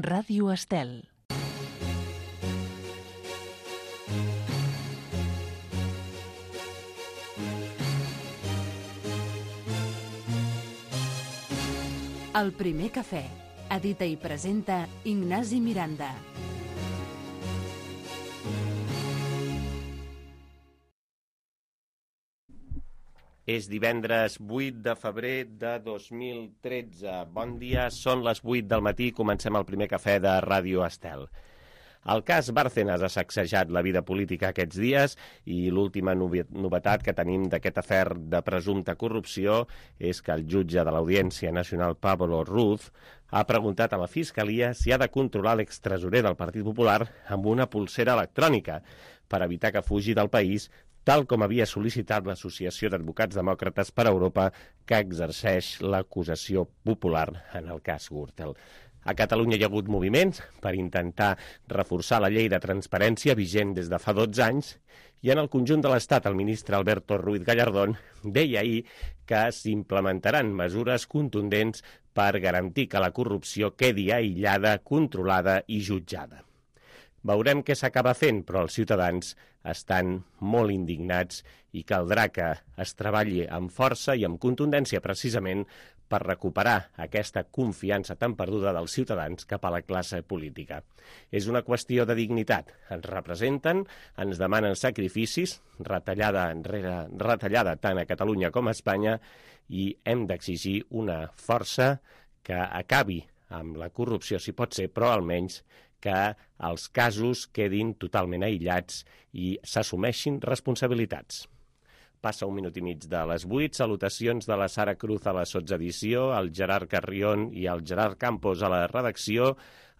Ràdio Estel. El primer cafè. Edita i presenta Ignasi Miranda. És divendres 8 de febrer de 2013. Bon dia, són les 8 del matí i comencem el primer cafè de Ràdio Estel. El cas Bárcenas ha sacsejat la vida política aquests dies i l'última novetat que tenim d'aquest afer de presumpta corrupció és que el jutge de l'Audiència Nacional, Pablo Ruz, ha preguntat a la Fiscalia si ha de controlar l'extresorer del Partit Popular amb una pulsera electrònica per evitar que fugi del país, tal com havia sol·licitat l'Associació d'Advocats Demòcrates per Europa, que exerceix l'acusació popular en el cas Gürtel. A Catalunya hi ha hagut moviments per intentar reforçar la llei de transparència vigent des de fa 12 anys i en el conjunt de l'Estat el ministre Alberto Ruiz Gallardón deia ahir que s'implementaran mesures contundents per garantir que la corrupció quedi aïllada, controlada i jutjada. Veurem què s'acaba fent, però els ciutadans estan molt indignats i caldrà que es treballi amb força i amb contundència precisament per recuperar aquesta confiança tan perduda dels ciutadans cap a la classe política. És una qüestió de dignitat. Ens representen, ens demanen sacrificis, retallada enrere retallada tant a Catalunya com a Espanya, i hem d'exigir una força que acabi amb la corrupció, si pot ser, però almenys que els casos quedin totalment aïllats i s'assumeixin responsabilitats. Passa un minut i mig de les 8, salutacions de la Sara Cruz a la sotsedició, el Gerard Carrión i el Gerard Campos a la redacció,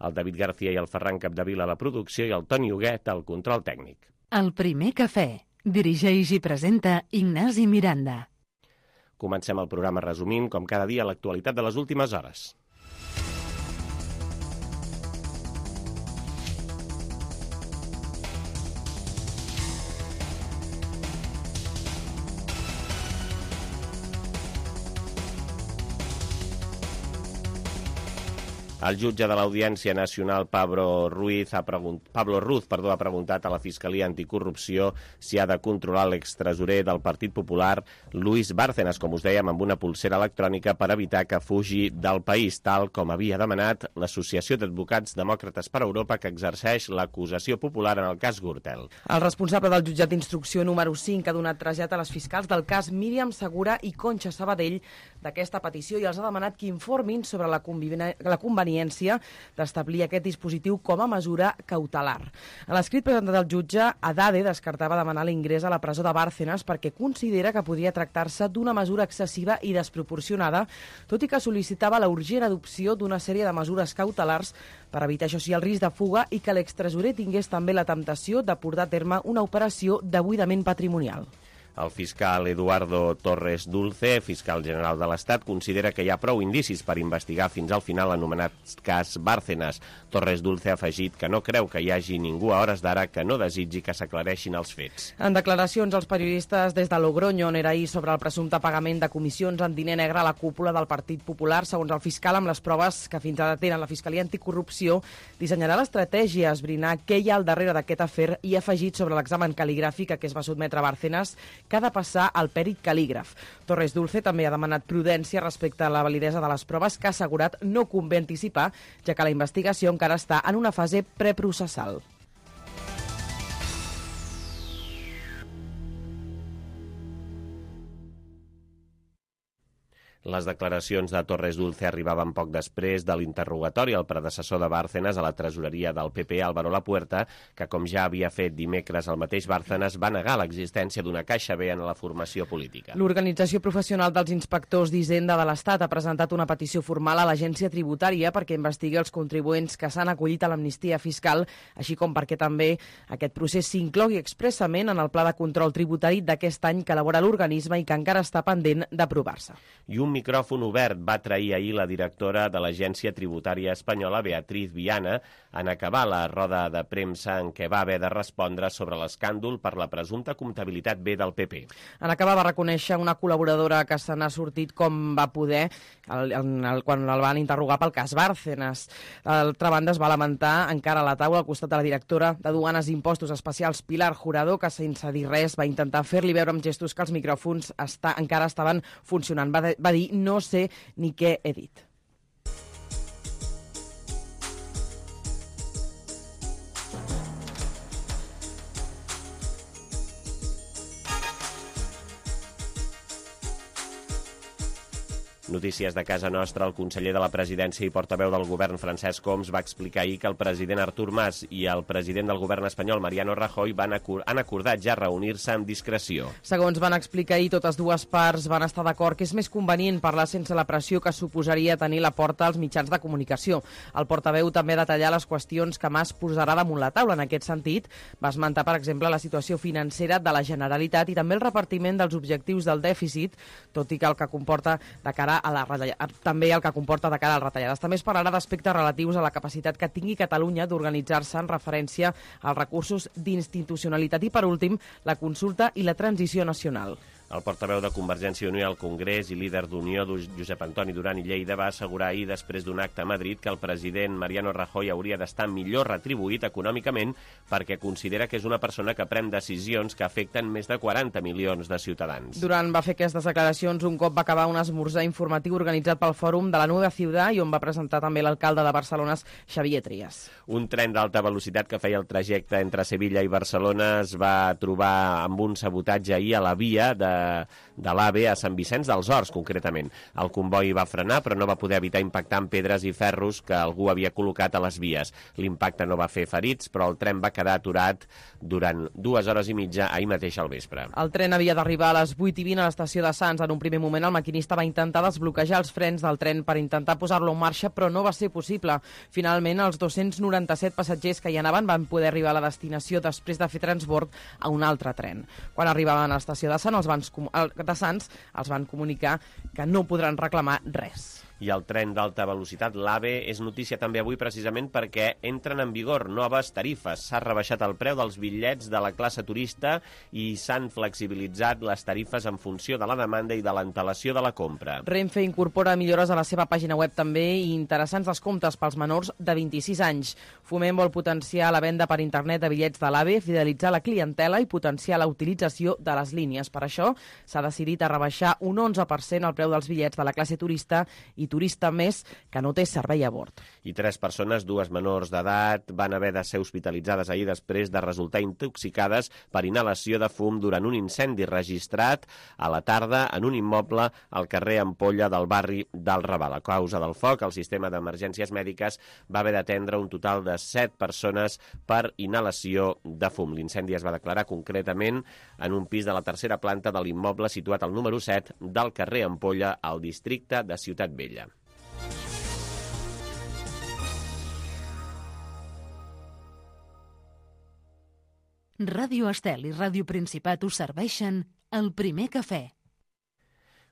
el David García i el Ferran Capdevila a la producció i el Toni Huguet al control tècnic. El primer cafè. Dirigeix i presenta Ignasi Miranda. Comencem el programa resumint, com cada dia, l'actualitat de les últimes hores. El jutge de l'Audiència Nacional, Pablo Ruz, ha preguntat a la Fiscalia Anticorrupció si ha de controlar l'extresorer del Partit Popular, Luis Bárcenas, com us dèiem, amb una pulsera electrònica per evitar que fugi del país, tal com havia demanat l'Associació d'Advocats Demòcrates per Europa, que exerceix l'acusació popular en el cas Gürtel. El responsable del jutjat d'instrucció número 5 ha donat trasllat a les fiscals del cas Míriam Segura i Conxa Sabadell d'aquesta petició i els ha demanat que informin sobre la conveniència d'establir aquest dispositiu com a mesura cautelar. A l'escrit presentat al jutge, Haddad descartava demanar l'ingrés a la presó de Bárcenas perquè considera que podria tractar-se d'una mesura excessiva i desproporcionada, tot i que sol·licitava la urgent adopció d'una sèrie de mesures cautelars per evitar, això sí, el risc de fuga i que l'extresorer tingués també la temptació de portar a terme una operació de buidament patrimonial. El fiscal Eduardo Torres Dulce, fiscal general de l'Estat, considera que hi ha prou indicis per investigar fins al final l'anomenat cas Bárcenas. Torres Dulce ha afegit que no creu que hi hagi ningú a hores d'ara que no desitgi que s'aclareixin els fets. En declaracions als periodistes des de Logroño, on era ahir sobre el presumpte pagament de comissions en diner negre a la cúpula del Partit Popular, segons el fiscal, amb les proves que fins ara tenen la Fiscalia Anticorrupció, dissenyarà l'estratègia a esbrinar què hi ha al darrere d'aquest afer i ha afegit sobre l'examen cal·ligràfic a què es va sotmetre Bárcenas que ha de passar al pèrit cal·lígraf. Torres Dulce també ha demanat prudència respecte a la validesa de les proves que ha assegurat no convé anticipar, ja que la investigació encara està en una fase preprocessal. Les declaracions de Torres Dulce arribaven poc després de l'interrogatori al predecessor de Bárcenas a la tresoreria del PP, Álvaro Lapuerta, que, com ja havia fet dimecres el mateix Bárcenas, va negar l'existència d'una caixa B en la formació política. L'Organització Professional dels Inspectors d'Hisenda de l'Estat ha presentat una petició formal a l'Agència Tributària perquè investigui els contribuents que s'han acollit a l'amnistia fiscal, així com perquè també aquest procés s'inclogui expressament en el pla de control tributari d'aquest any que elabora l'organisme i que encara està pendent d'aprovar-se. I un micròfon obert va trair ahir la directora de l'Agència Tributària Espanyola, Beatriz Viana, en acabar la roda de premsa en què va haver de respondre sobre l'escàndol per la presumpta comptabilitat B del PP. En acabar va reconèixer una col·laboradora que se n'ha sortit com va poder quan el van interrogar pel cas Bárcenas. D'altra banda, es va lamentar encara a la taula al costat de la directora de Duanes i Impostos Especials, Pilar Jurado, que sense dir res va intentar fer-li veure amb gestos que els micròfons encara estaven funcionant. Va dir, no sé ni què he dit. Notícies de casa nostra, el conseller de la Presidència i portaveu del govern, Francesc Homs, va explicar ahir que el president Artur Mas i el president del govern espanyol, Mariano Rajoy, han acordat ja reunir-se amb discreció. Segons van explicar ahir, totes dues parts van estar d'acord que és més convenient parlar sense la pressió que suposaria tenir la porta als mitjans de comunicació. El portaveu també detallar les qüestions que Mas posarà damunt la taula. En aquest sentit, va esmentar, per exemple, la situació financera de la Generalitat i també el repartiment dels objectius del dèficit, tot i que el que comporta de cara també el que comporta de cara a les retallades. També es parlarà d'aspectes relatius a la capacitat que tingui Catalunya d'organitzar-se en referència als recursos d'institucionalitat i, per últim, la consulta i la transició nacional. El portaveu de Convergència i Unió al Congrés i líder d'Unió, Josep Antoni Duran i Lleida, va assegurar ahir, després d'un acte a Madrid, que el president Mariano Rajoy hauria d'estar millor retribuït econòmicament perquè considera que és una persona que pren decisions que afecten més de 40 milions de ciutadans. Duran va fer aquestes declaracions un cop va acabar un esmorzar informatiu organitzat pel Fòrum de la Nueva Ciudad i on va presentar també l'alcalde de Barcelona, Xavier Trias. Un tren d'alta velocitat que feia el trajecte entre Sevilla i Barcelona es va trobar amb un sabotatge ahir a la via de l'AVE a Sant Vicenç dels Horts, concretament. El comboi va frenar, però no va poder evitar impactar amb pedres i ferros que algú havia col·locat a les vies. L'impacte no va fer ferits, però el tren va quedar aturat durant 2 hores i mitja ahir mateix al vespre. El tren havia d'arribar a les 8:20 a l'estació de Sants. En un primer moment, el maquinista va intentar desbloquejar els frens del tren per intentar posar-lo en marxa, però no va ser possible. Finalment, els 297 passatgers que hi anaven van poder arribar a la destinació després de fer transbord a un altre tren. Quan arribaven a l'estació de Sants, els van comunicar que no podran reclamar res. I el tren d'alta velocitat, l'AVE, és notícia també avui precisament perquè entren en vigor noves tarifes. S'ha rebaixat el preu dels bitllets de la classe turista i s'han flexibilitzat les tarifes en funció de la demanda i de l'antelació de la compra. Renfe incorpora millores a la seva pàgina web també i interessants descomptes pels menors de 26 anys. Foment vol potenciar la venda per internet de bitllets de l'AVE, fidelitzar la clientela i potenciar la utilització de les línies. Per això s'ha decidit a rebaixar un 11% el preu dels bitllets de la classe turista i turista més que no té servei a bord. I 3 persones, 2 menors d'edat, van haver de ser hospitalitzades ahir després de resultar intoxicades per inhalació de fum durant un incendi registrat a la tarda en un immoble al carrer Ampolla del barri del Raval. A causa del foc, el sistema d'emergències mèdiques va haver d'atendre un total de 7 persones per inhalació de fum. L'incendi es va declarar concretament en un pis de la tercera planta de l'immoble situat al número 7 del carrer Ampolla, al districte de Ciutat Vella. Ràdio Estel i Ràdio Principat us serveixen el primer cafè.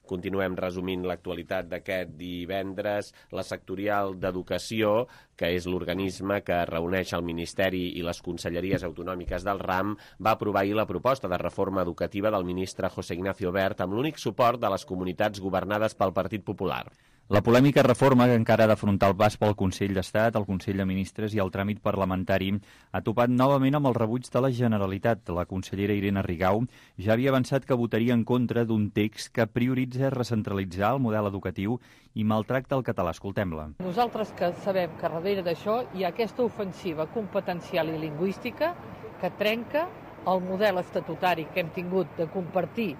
Continuem resumint l'actualitat d'aquest divendres. La sectorial d'Educació, que és l'organisme que reuneix el Ministeri i les conselleries autonòmiques del RAM, va aprovar ahir la proposta de reforma educativa del ministre José Ignacio Wert amb l'únic suport de les comunitats governades pel Partit Popular. La polèmica reforma, que encara ha d'afrontar el pas pel Consell d'Estat, el Consell de Ministres i el tràmit parlamentari, ha topat novament amb el rebuig de la Generalitat. La consellera Irene Rigau ja havia avançat que votaria en contra d'un text que prioritza recentralitzar el model educatiu i maltracta el català. Escoltem-la. Nosaltres que sabem que darrere d'això hi ha aquesta ofensiva competencial i lingüística que trenca el model estatutari que hem tingut de compartir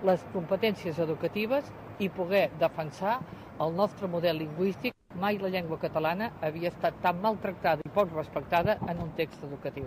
les competències educatives i poder defensar el nostre model lingüístic. Mai la llengua catalana havia estat tan maltractada i poc respectada en un text educatiu.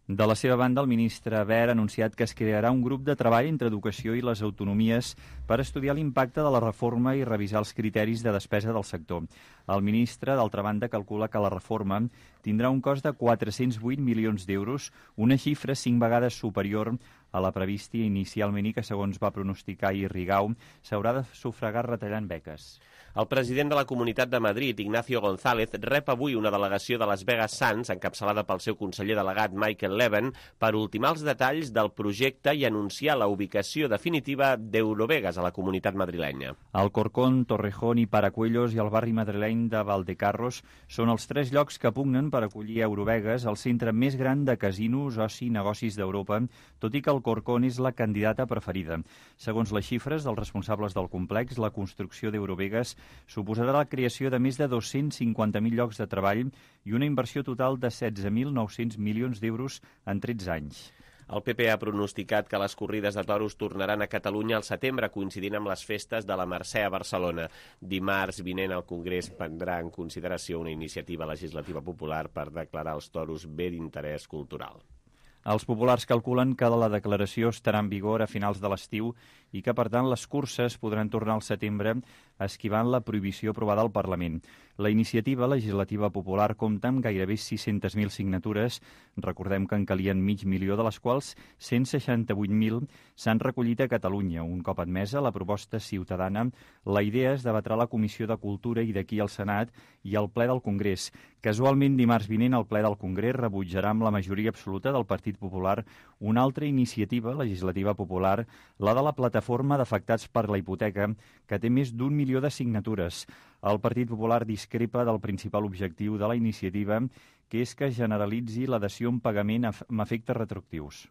De la seva banda, el ministre Wert ha anunciat que es crearà un grup de treball entre educació i les autonomies per estudiar l'impacte de la reforma i revisar els criteris de despesa del sector. El ministre, d'altra banda, calcula que la reforma tindrà un cost de 408 milions d'euros, una xifra 5 vegades superior a la prevista inicialment i que, segons va pronosticar ahir Rigau, s'haurà de sufragar retallant beques. El president de la Comunitat de Madrid, Ignacio González, rep avui una delegació de Las Vegas Sands, encapçalada pel seu conseller delegat Michael Levin, per ultimar els detalls del projecte i anunciar la ubicació definitiva d'Eurovegas a la Comunitat madrilenya. Alcorcón, Torrejón i Paracuellos i el barri madrileny de Valdecarros són els 3 llocs que pugnen per acollir Eurovegas, el centre més gran de casinos, oci i negocis d'Europa, tot i que Alcorcón és la candidata preferida. Segons les xifres dels responsables del complex, la construcció d'Eurovegas suposarà la creació de més de 250.000 llocs de treball i una inversió total de 16.900 milions d'euros en 13 anys. El PP ha pronosticat que les corrides de toros tornaran a Catalunya al setembre, coincidint amb les festes de la Mercè a Barcelona. Dimarts vinent el Congrés prendrà en consideració una iniciativa legislativa popular per declarar els toros bé d'interès cultural. Els populars calculen que la declaració estarà en vigor a finals de l'estiu i que, per tant, les curses podran tornar al setembre esquivant la prohibició aprovada al Parlament. La iniciativa legislativa popular compta amb gairebé 600.000 signatures. Recordem que en calien 500.000, de les quals 168.000 s'han recollit a Catalunya. Un cop admesa la proposta ciutadana, la idea es debatrà a la Comissió de Cultura i d'aquí al Senat i al ple del Congrés. Casualment, dimarts vinent, el ple del Congrés rebutjarà amb la majoria absoluta del Partit Popular una altra iniciativa legislativa popular, la de la Plataforma d'Afectats per la Hipoteca, que té més d'1 milió de signatures. El Partit Popular discrepa del principal objectiu de la iniciativa, que és que generalitzi la dació en pagament amb efectes retroactius.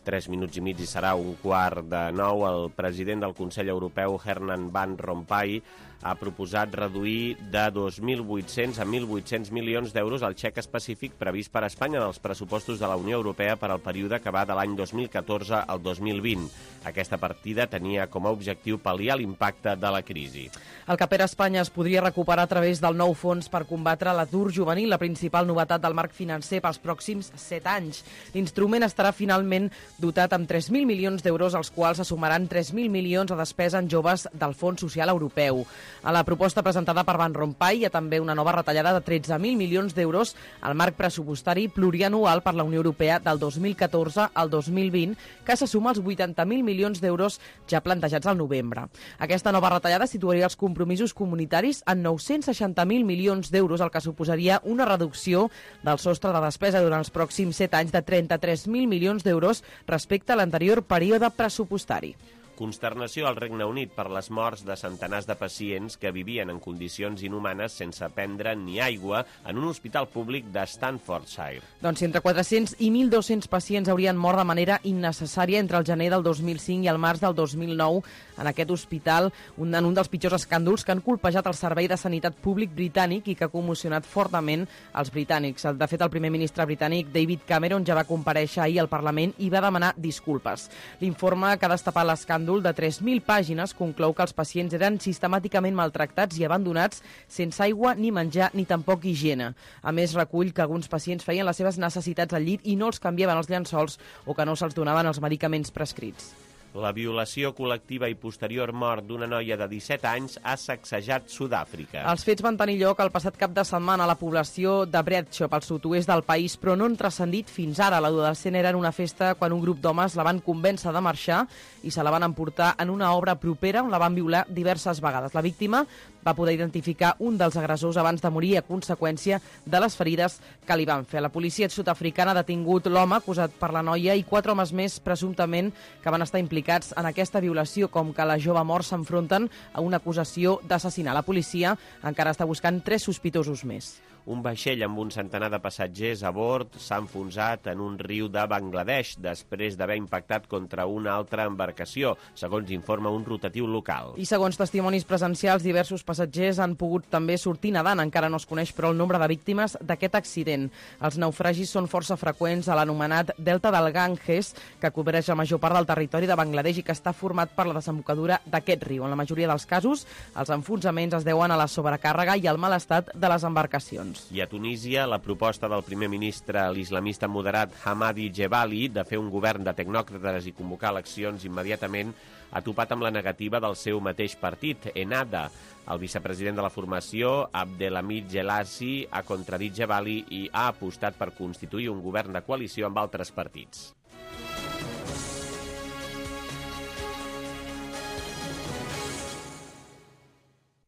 Tres minuts i mig i serà 8:45. El president del Consell Europeu, Herman Van Rompuy, ha proposat reduir de 2.800 a 1.800 milions d'euros el xec específic previst per a Espanya en els pressupostos de la Unió Europea per al període que va de l'any 2014 al 2020. Aquesta partida tenia com a objectiu pal·liar l'impacte de la crisi. El que per Espanya es podria recuperar a través del nou fons per combatre l'atur juvenil, la principal novetat del marc financer pels pròxims 7 anys. L'instrument estarà finalment dotat amb 3.000 milions d'euros, als quals se sumaran 3.000 milions a despesa en joves del Fons Social Europeu. A la proposta presentada per Van Rompuy hi ha també una nova retallada de 13.000 milions d'euros al marc pressupostari plurianual per la Unió Europea del 2014 al 2020, que se suma als 80.000 milions d'euros ja plantejats al novembre. Aquesta nova retallada situaria els compromisos comunitaris en 960.000 milions d'euros, el que suposaria una reducció del sostre de despesa durant els pròxims 7 anys de 33.000 milions d'euros respecte a l'anterior període pressupostari. Consternació al Regne Unit per les morts de centenars de pacients que vivien en condicions inhumanes sense prendre ni aigua en un hospital públic de Staffordshire. Doncs entre 400 i 1.200 pacients haurien mort de manera innecessària entre el gener del 2005 i el març del 2009 en aquest hospital, en un dels pitjors escàndols que han colpejat el Servei de Sanitat Públic britànic i que ha commocionat fortament els britànics. De fet, el primer ministre britànic, David Cameron, ja va comparèixer ahir al Parlament i va demanar disculpes. L'informe que ha destapat l'escàndol de 3.000 pàgines conclou que els pacients eren sistemàticament maltractats i abandonats sense aigua ni menjar ni tampoc higiene. A més, recull que alguns pacients feien les seves necessitats al llit i no els canviaven els llençols o que no se'ls donaven els medicaments prescrits. La violació col·lectiva i posterior mort d'una noia de 17 anys ha sacsejat Sud-àfrica. Els fets van tenir lloc el passat cap de setmana a la població de Bredshop, al sud-oest del país, però no han transcendit fins ara. L'adolescent era en una festa quan un grup d'homes la van convèncer de marxar i se la van emportar en una obra propera on la van violar diverses vegades. La víctima va poder identificar un dels agressors abans de morir a conseqüència de les ferides que li van fer. La policia sud-africana ha detingut l'home acusat per la noia i 4 homes més, presumptament, que van estar implicats en aquesta violació, com que la jove mort s'enfronten a una acusació d'assassinar. La policia encara està buscant 3 sospitosos més. Un vaixell amb un centenar de passatgers a bord s'ha enfonsat en un riu de Bangladesh després d'haver impactat contra una altra embarcació, segons informa un rotatiu local. I segons testimonis presencials, diversos passatgers han pogut també sortir nedant. Encara no es coneix, però, el nombre de víctimes d'aquest accident. Els naufragis són força freqüents a l'anomenat Delta del Ganges, que cobreix la major part del territori de Bangladesh i que està format per la desembocadura d'aquest riu. En la majoria dels casos, els enfonsaments es deuen a la sobrecàrrega i al mal estat de les embarcacions. I a Tunísia, la proposta del primer ministre, l'islamista moderat Hamadi Jebali, de fer un govern de tecnòcrates i convocar eleccions immediatament, ha topat amb la negativa del seu mateix partit, Ennahda. El vicepresident de la formació, Abdelhamid Jelassi, ha contradit Jebali i ha apostat per constituir un govern de coalició amb altres partits.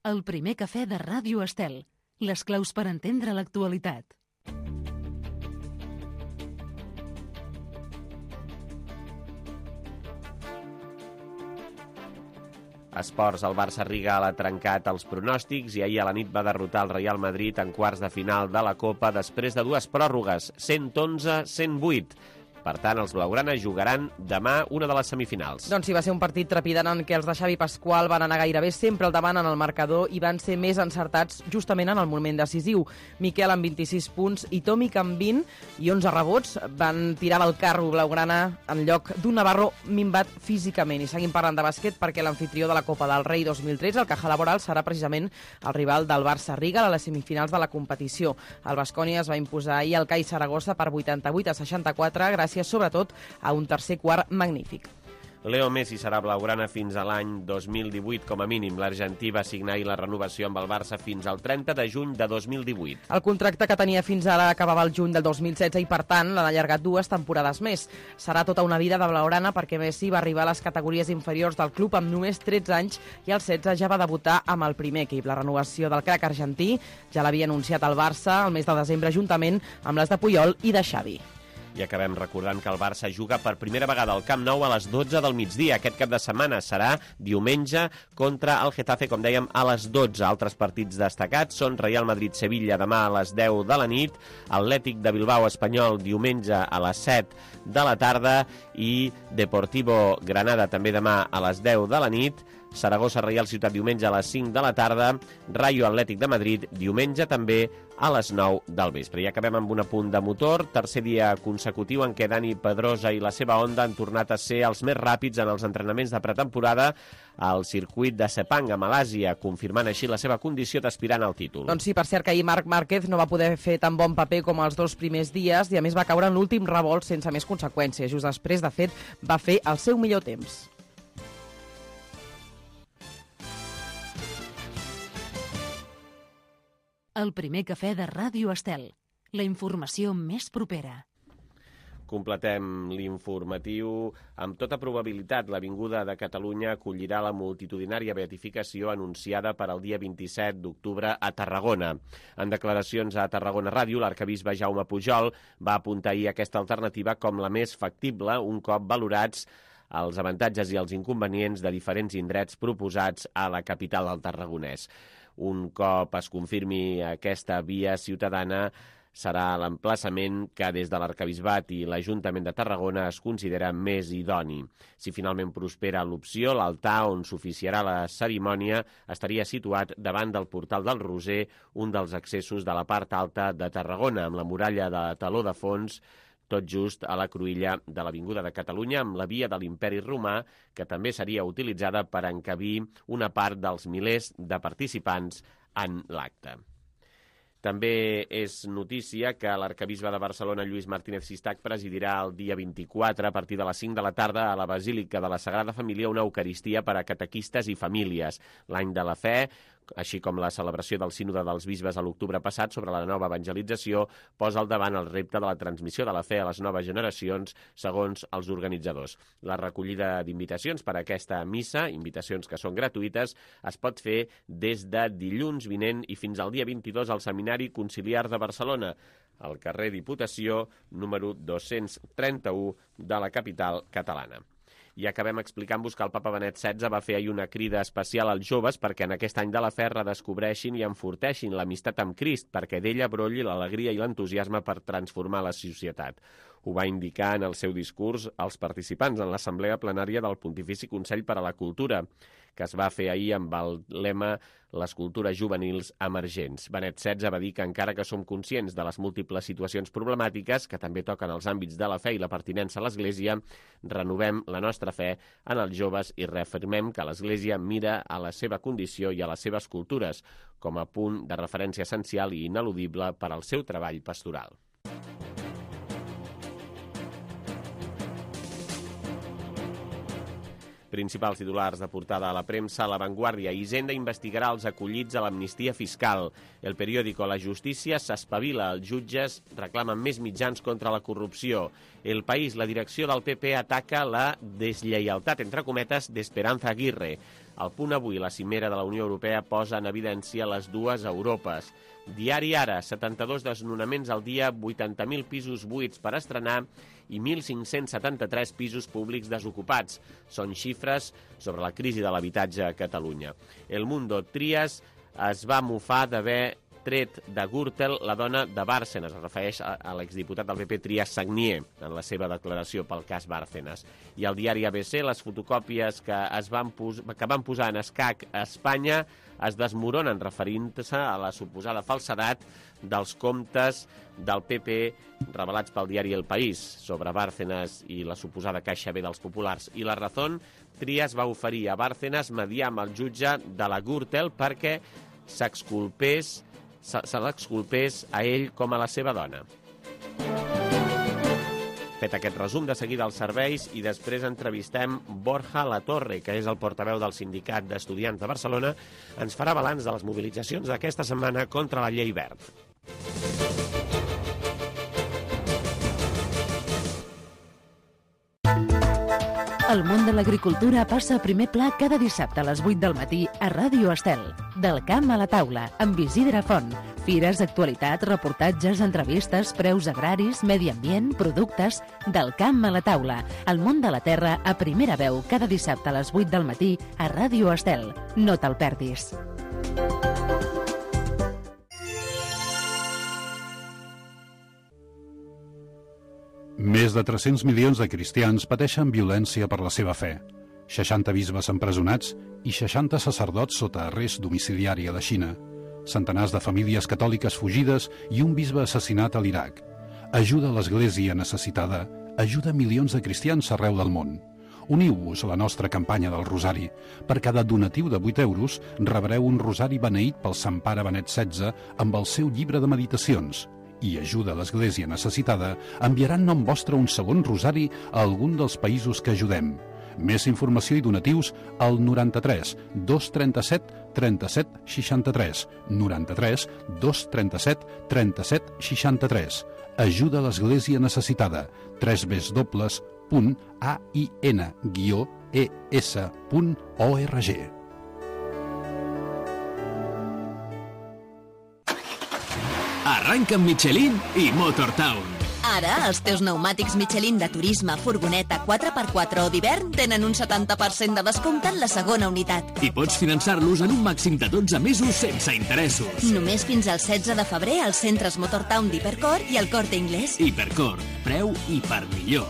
El primer cafè de Ràdio Estel. Les claus per entendre l'actualitat. Esports, el Barça-Riga l'ha trencat els pronòstics i ahir a la nit va derrotar el Real Madrid en quarts de final de la Copa després de dues pròrrogues, 111-108. Per tant, els blaugrana jugaran demà una de les semifinals. Doncs sí, va ser un partit trepidant en què els de Xavi Pasqual van anar gairebé sempre al davant en el marcador i van ser més encertats justament en el moment decisiu. Miquel amb 26 punts i Tomic amb 20 i 11 rebots van tirar del carro blaugrana en lloc d'un Navarro minvat físicament. I seguim parlant de bàsquet perquè l'anfitrió de la Copa del Rei 2013, el Caja Laboral, serà precisament el rival del Barça-Riga a les semifinals de la competició. El Baskonia es va imposar ahir al CAI Saragossa per 88-64 gràcies sobretot a un tercer quart magnífic. Leo Messi serà blaugrana fins a l'any 2018 com a mínim. L'argentí va signar ahir la renovació amb el Barça fins al 30 de juny de 2018. El contracte que tenia fins ara acabava el juny del 2016 i, per tant, l'han allargat 2 temporades més. Serà tota una vida de blaugrana perquè Messi va arribar a les categories inferiors del club amb només 13 anys i als 16 ja va debutar amb el primer equip. La renovació del crac argentí ja l'havia anunciat el Barça el mes de desembre juntament amb les de Puyol i de Xavi. I acabem recordant que el Barça juga per primera vegada al Camp Nou a les 12 del migdia. Aquest cap de setmana serà diumenge contra el Getafe, com dèiem, a les 12. Altres partits destacats són Real Madrid-Sevilla demà a les 10 de la nit, Atlètic de Bilbao Espanyol diumenge a les 7 de la tarda i Deportivo Granada també demà a les 10 de la nit, Saragossa Reial Ciutat diumenge a les 5 de la tarda, Rayo Atlètic de Madrid diumenge també a les 9 del vespre. I acabem amb un apunt de motor, tercer dia consecutiu en què Dani Pedrosa i la seva Honda han tornat a ser els més ràpids en els entrenaments de pretemporada al circuit de Sepang a Malàsia, confirmant així la seva condició d'aspirant al títol. Doncs sí, per cert que ahir Marc Márquez no va poder fer tan bon paper com els 2 primers dies i a més va caure en l'últim revolt sense més conseqüències. Just després, de fet, va fer el seu millor temps. El primer cafè de Ràdio Estel. La informació més propera. Completem l'informatiu. Amb tota probabilitat, l'Avinguda de Catalunya acollirà la multitudinària beatificació anunciada per al dia 27 d'octubre a Tarragona. En declaracions a Tarragona Ràdio, l'arquebisbe Jaume Pujol va apuntar ahir aquesta alternativa com la més factible un cop valorats els avantatges i els inconvenients de diferents indrets proposats a la capital del Tarragonès. Un cop es confirmi aquesta via ciutadana, serà l'emplaçament que des de l'Arquebisbat i l'Ajuntament de Tarragona es considera més idoni. Si finalment prospera l'opció, l'altar on s'oficiarà la cerimònia estaria situat davant del Portal del Roser, un dels accessos de la part alta de Tarragona, amb la muralla de Taló de Fons, tot just a la cruïlla de l'Avinguda de Catalunya, amb la via de l'Imperi Romà, que també seria utilitzada per encabir una part dels milers de participants en l'acte. També és notícia que l'arquebisbe de Barcelona, Lluís Martínez Sistac, presidirà el dia 24, a partir de les 5 de la tarda, a la Basílica de la Sagrada Família, una eucaristia per a catequistes i famílies. L'any de la fe, així com la celebració del sínode dels bisbes a l'octubre passat sobre la nova evangelització, posa al davant el repte de la transmissió de la fe a les noves generacions, segons els organitzadors. La recollida d'invitacions per a aquesta missa, invitacions que són gratuïtes, es pot fer des de dilluns vinent i fins al dia 22 al Seminari Conciliar de Barcelona, al carrer Diputació, número 231 de la capital catalana. I acabem explicant-vos que el papa Benet XVI va fer ahir una crida especial als joves perquè en aquest any de la fe redescobreixin i enforteixin l'amistat amb Crist, perquè d'ella brolli l'alegria i l'entusiasme per transformar la societat. Ho va indicar en el seu discurs als participants en l'assemblea plenària del Pontifici Consell per a la Cultura, que es va fer ahir amb el lema Les cultures juvenils emergents. Benet XVI va dir que encara que som conscients de les múltiples situacions problemàtiques que també toquen els àmbits de la fe i la pertinença a l'Església, renovem la nostra fe en els joves i reafirmem que l'Església mira a la seva condició i a les seves cultures com a punt de referència essencial i ineludible per al seu treball pastoral. Principals titulars de portada a la premsa, La Vanguardia. Hisenda investigarà els acollits a l'amnistia fiscal. El periòdico La Justícia s'espavila. Els jutges reclamen més mitjans contra la corrupció. El País, la direcció del PP ataca la deslleialtat, entre cometes, d'Esperanza Aguirre. Al Punt Avui, la cimera de la Unió Europea posa en evidència les dues Europes. Diari Ara, 72 desnonaments al dia, 80.000 pisos buits per estrenar i 1.573 pisos públics desocupats. Són xifres sobre la crisi de l'habitatge a Catalunya. El Mundo, Trias es va mofar d'haver tret de Gürtel la dona de Bárcenas. Es refereix a l'exdiputat del PP Trias Sagnier en la seva declaració pel cas Bárcenas. I al diari ABC, les fotocòpies que van posar en escac a Espanya es desmoronen, referint-se a la suposada falsedat dels comptes del PP revelats pel diari El País sobre Bárcenas i la suposada caixa B dels populars. I La Razón, Trias va oferir a Bárcenas mediar amb el jutge de la Gürtel perquè se l'exculpés a ell com a la seva dona. Fet aquest resum, de seguida als serveis i després entrevistem Borja Latorre, que és el portaveu del Sindicat d'Estudiants de Barcelona. Ens farà balanç de les mobilitzacions d'aquesta setmana contra la llei Wert. El món de l'agricultura passa a primer pla cada dissabte a les 8 del matí a Ràdio Estel. Del camp a la taula, amb Isidre Font. Fires, actualitat, reportatges, entrevistes, preus agraris, medi ambient, productes... Del camp a la taula. El món de la terra a primera veu cada dissabte a les 8 del matí a Ràdio Estel. No te'l perdis. Més de 300 milions de cristians pateixen violència per la seva fe. 60 bisbes empresonats i 60 sacerdots sota arrest domiciliari a la Xina. Centenars de famílies catòliques fugides i un bisbe assassinat a l'Iraq. Ajuda a l'Església necessitada, ajuda milions de cristians arreu del món. Uniu-vos a la nostra campanya del Rosari. Per cada donatiu de 8 euros rebreu un rosari beneït pel Sant Pare Benet XVI amb el seu llibre de meditacions. I ajuda a l'Església necessitada enviarà en nom vostre un segon rosari a algun dels països que ajudem. Més informació i donatius al 93 237 37 63. 93 237 37 63. Ajuda a l'Església necessitada. www.ain-es.org. Arranca amb Michelin i Motortown. Ara, els teus pneumàtics Michelin de turisme, furgoneta, 4x4 o d'hivern tenen un 70% de descompte en la segona unitat. I pots finançar-los en un màxim de 12 mesos sense interessos. Només fins al 16 de febrer als centres Motortown d'Hipercor i al Corte Inglés. Hipercor, preu i per millor.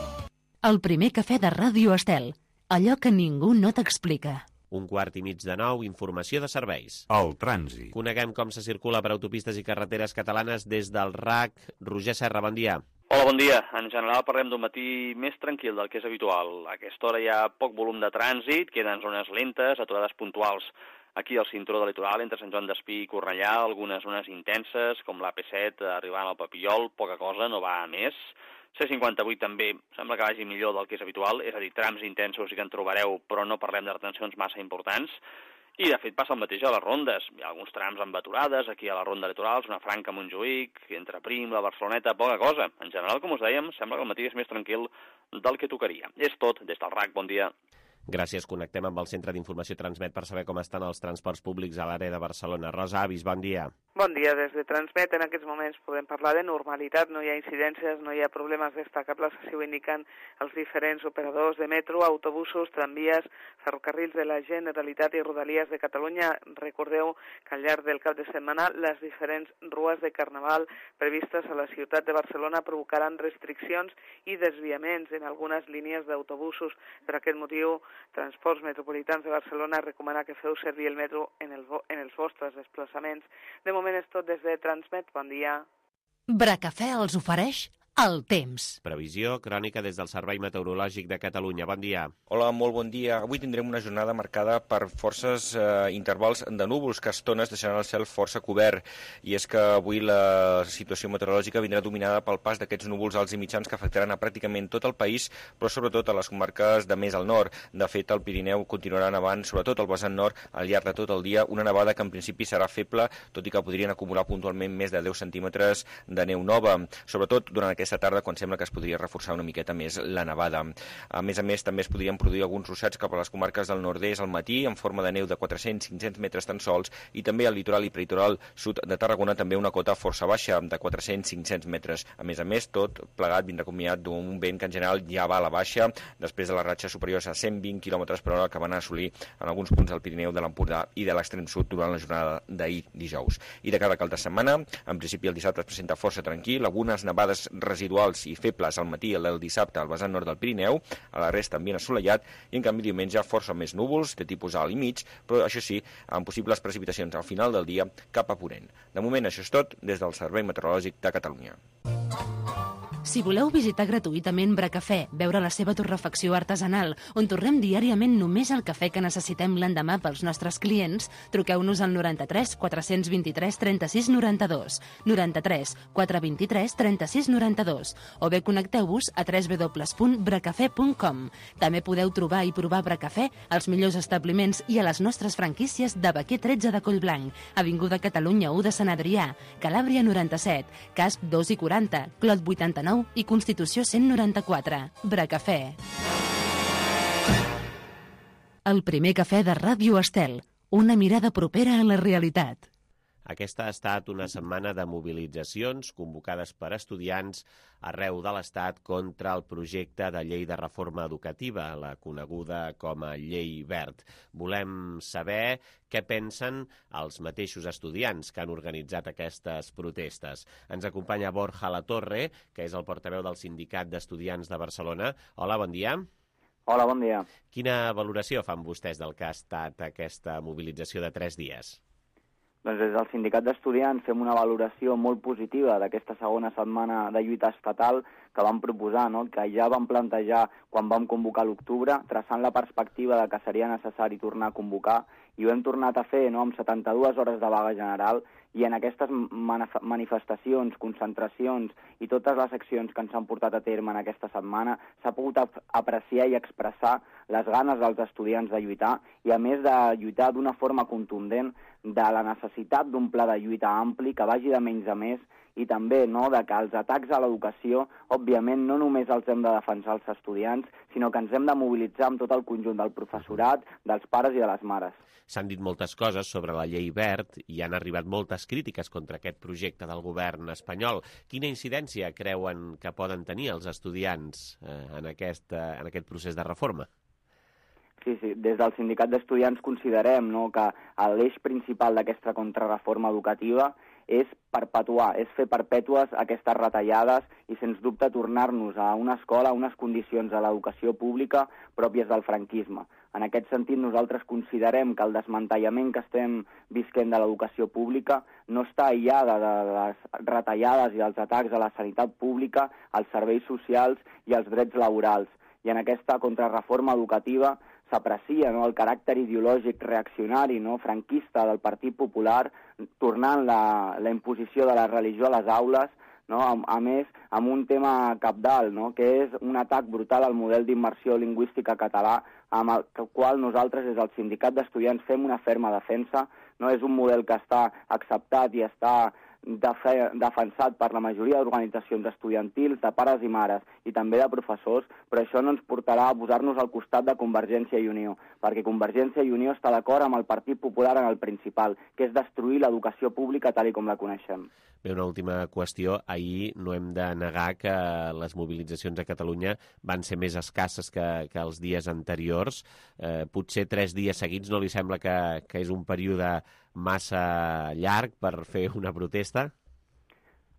El primer cafè de Ràdio Estel. Allò que ningú no t'explica. 1:15, informació de serveis. El trànsit. Coneguem com se circula per autopistes i carreteres catalanes des del RAC. Roger Serra, bon dia. Hola, bon dia. En general parlem d'un matí més tranquil del que és habitual. A aquesta hora hi ha poc volum de trànsit, queden zones lentes, aturades puntuals aquí al cinturó del litoral, entre Sant Joan d'Espí i Cornellà, algunes zones intenses, com l'AP7 arribant al Papillol, poca cosa, no va a més. C58 també sembla que vagi millor del que és habitual, és a dir, trams intensos sí que en trobareu, però no parlem de retencions massa importants. I, de fet, passa el mateix a les rondes. Hi ha alguns trams amb aturades, aquí a la ronda litoral, una franca a Montjuïc, entre Prim, la Barceloneta, poca cosa. En general, com us dèiem, sembla que el matí és més tranquil del que tocaria. És tot, des del RAC, bon dia. Gràcies. Connectem amb el Centre d'Informació Transmet per saber com estan els transports públics a l'àrea de Barcelona. Rosa Avis, bon dia. Bon dia. Des de Transmet en aquests moments podem parlar de normalitat, no hi ha incidències, no hi ha problemes destacables, així ho indiquen els diferents operadors de metro, autobusos, tramvies, ferrocarrils de la Generalitat i Rodalies de Catalunya. Recordeu que al llarg del cap de setmana les diferents rues de Carnaval previstes a la ciutat de Barcelona provocaran restriccions i desviaments en algunes línies d'autobusos. Per aquest motiu, Transports Metropolitans de Barcelona recomana que feu servir el metro en els vostres desplaçaments. De moment és tot des de Transmet. Bon dia. Bracafè els ofereix el temps. Previsió crònica des del Servei Meteorològic de Catalunya. Bon dia. Hola, molt bon dia. Avui tindrem una jornada marcada per forces intervals de núvols que a estones deixaran el cel força cobert. I és que avui la situació meteorològica vindrà dominada pel pas d'aquests núvols alts i mitjans que afectaran a pràcticament tot el país, però sobretot a les comarques de més al nord. De fet, el Pirineu continuarà nevant, sobretot al vessant nord, al llarg de tot el dia, una nevada que en principi serà feble, tot i que podrien acumular puntualment més de 10 centímetres de neu nova, sobretot durant aquesta tarda, quan sembla que es podria reforçar una miqueta més la nevada. A més, també es podrien produir alguns ruixats cap a les comarques del nord-est al matí, en forma de neu de 400-500 metres tan sols, i també al litoral i peritoral sud de Tarragona també una cota força baixa, de 400-500 metres. A més, tot plegat vindrà combinat d'un vent que en general ja va a la baixa, després de les ratxes superiors a 120 km per hora que van assolir en alguns punts del Pirineu, de l'Empordà i de l'extrem sud durant la jornada d'ahir dijous. I de cara al cap de setmana, en principi el dissabte es presenta força tranquil, algunes nevades residuals i febles al matí el dissabte al vessant nord del Pirineu, a la resta ambient assolellat, i en canvi diumenge força més núvols de tipus alt i mig, però això sí, amb possibles precipitacions al final del dia cap a ponent. De moment això és tot des del Servei Meteorològic de Catalunya. Si voleu visitar gratuïtament Bracafè, veure la seva torrefacció artesanal, on torrem diàriament només el cafè que necessitem l'endemà pels nostres clients, truqueu-nos al 93 423 36 92, 93 423 36 92, o bé connecteu-vos a www.bracafè.com. També podeu trobar i provar Bracafè als millors establiments i a les nostres franquícies de Baquer 13 de Collblanc, Avinguda Catalunya 1 de Sant Adrià, Calàbria 97, Casp 2 i 40, Clot 89 i Constitució 194. Bracafè. El primer cafè de Ràdio Estel. Una mirada propera a la realitat. Aquesta ha estat una setmana de mobilitzacions convocades per estudiants arreu de l'Estat contra el projecte de llei de reforma educativa, la coneguda com a Llei Wert. Volem saber què pensen els mateixos estudiants que han organitzat aquestes protestes. Ens acompanya Borja Latorre, que és el portaveu del Sindicat d'Estudiants de Barcelona. Hola, bon dia. Hola, bon dia. Quina valoració fan vostès del que ha estat aquesta mobilització de 3 dies? Doncs des del Sindicat d'Estudiants fem una valoració molt positiva d'aquesta segona setmana de lluita estatal que vam proposar, no? Que ja vam plantejar quan vam convocar l'octubre, traçant la perspectiva de que seria necessari tornar a convocar, i ho hem tornat a fer, no? Amb 72 hores de vaga general, i en aquestes manifestacions, concentracions i totes les accions que ens han portat a terme en aquesta setmana s'ha pogut apreciar i expressar les ganes dels estudiants de lluitar, i a més de lluitar d'una forma contundent de la necessitat d'un pla de lluita ampli que vagi de menys a més, i també, no, de que els atacs a l'educació, òbviament, no només els hem de defensar els estudiants, sinó que ens hem de mobilitzar amb tot el conjunt del professorat, dels pares i de les mares. S'han dit moltes coses sobre la llei Wert i han arribat moltes crítiques contra aquest projecte del govern espanyol. Quina incidència creuen que poden tenir els estudiants en aquest procés de reforma? Sí, des del Sindicat d'Estudiants considerem, no, que l'eix principal d'aquesta contrarreforma educativa és perpetuar, és fer perpètues aquestes retallades i, sens dubte, tornar-nos a una escola, a unes condicions a l'educació pública pròpies del franquisme. En aquest sentit, nosaltres considerem que el desmantellament que estem visquent de l'educació pública no està aïllada de les retallades i dels atacs a la sanitat pública, als serveis socials i als drets laborals. I en aquesta contrarreforma educativa s'aprecia, no, el caràcter ideològic reaccionari, no, franquista del Partit Popular, tornant la imposició de la religió a les aules, no, a més, amb un tema cabdal, no, que és un atac brutal al model d'immersió lingüística català, amb el qual nosaltres, des del Sindicat d'Estudiants, fem una ferma defensa. No és un model que està acceptat i està defensat per la majoria d'organitzacions estudiantils, de pares i mares i també de professors, però això no ens portarà a posar-nos al costat de Convergència i Unió, perquè Convergència i Unió està d'acord amb el Partit Popular en el principal, que és destruir l'educació pública tal com la coneixem. Bé, una última qüestió. Ahir no hem de negar que les mobilitzacions a Catalunya van ser més escasses que els dies anteriors. Potser 3 dies seguits no li sembla que és un període massa llarg per fer una protesta?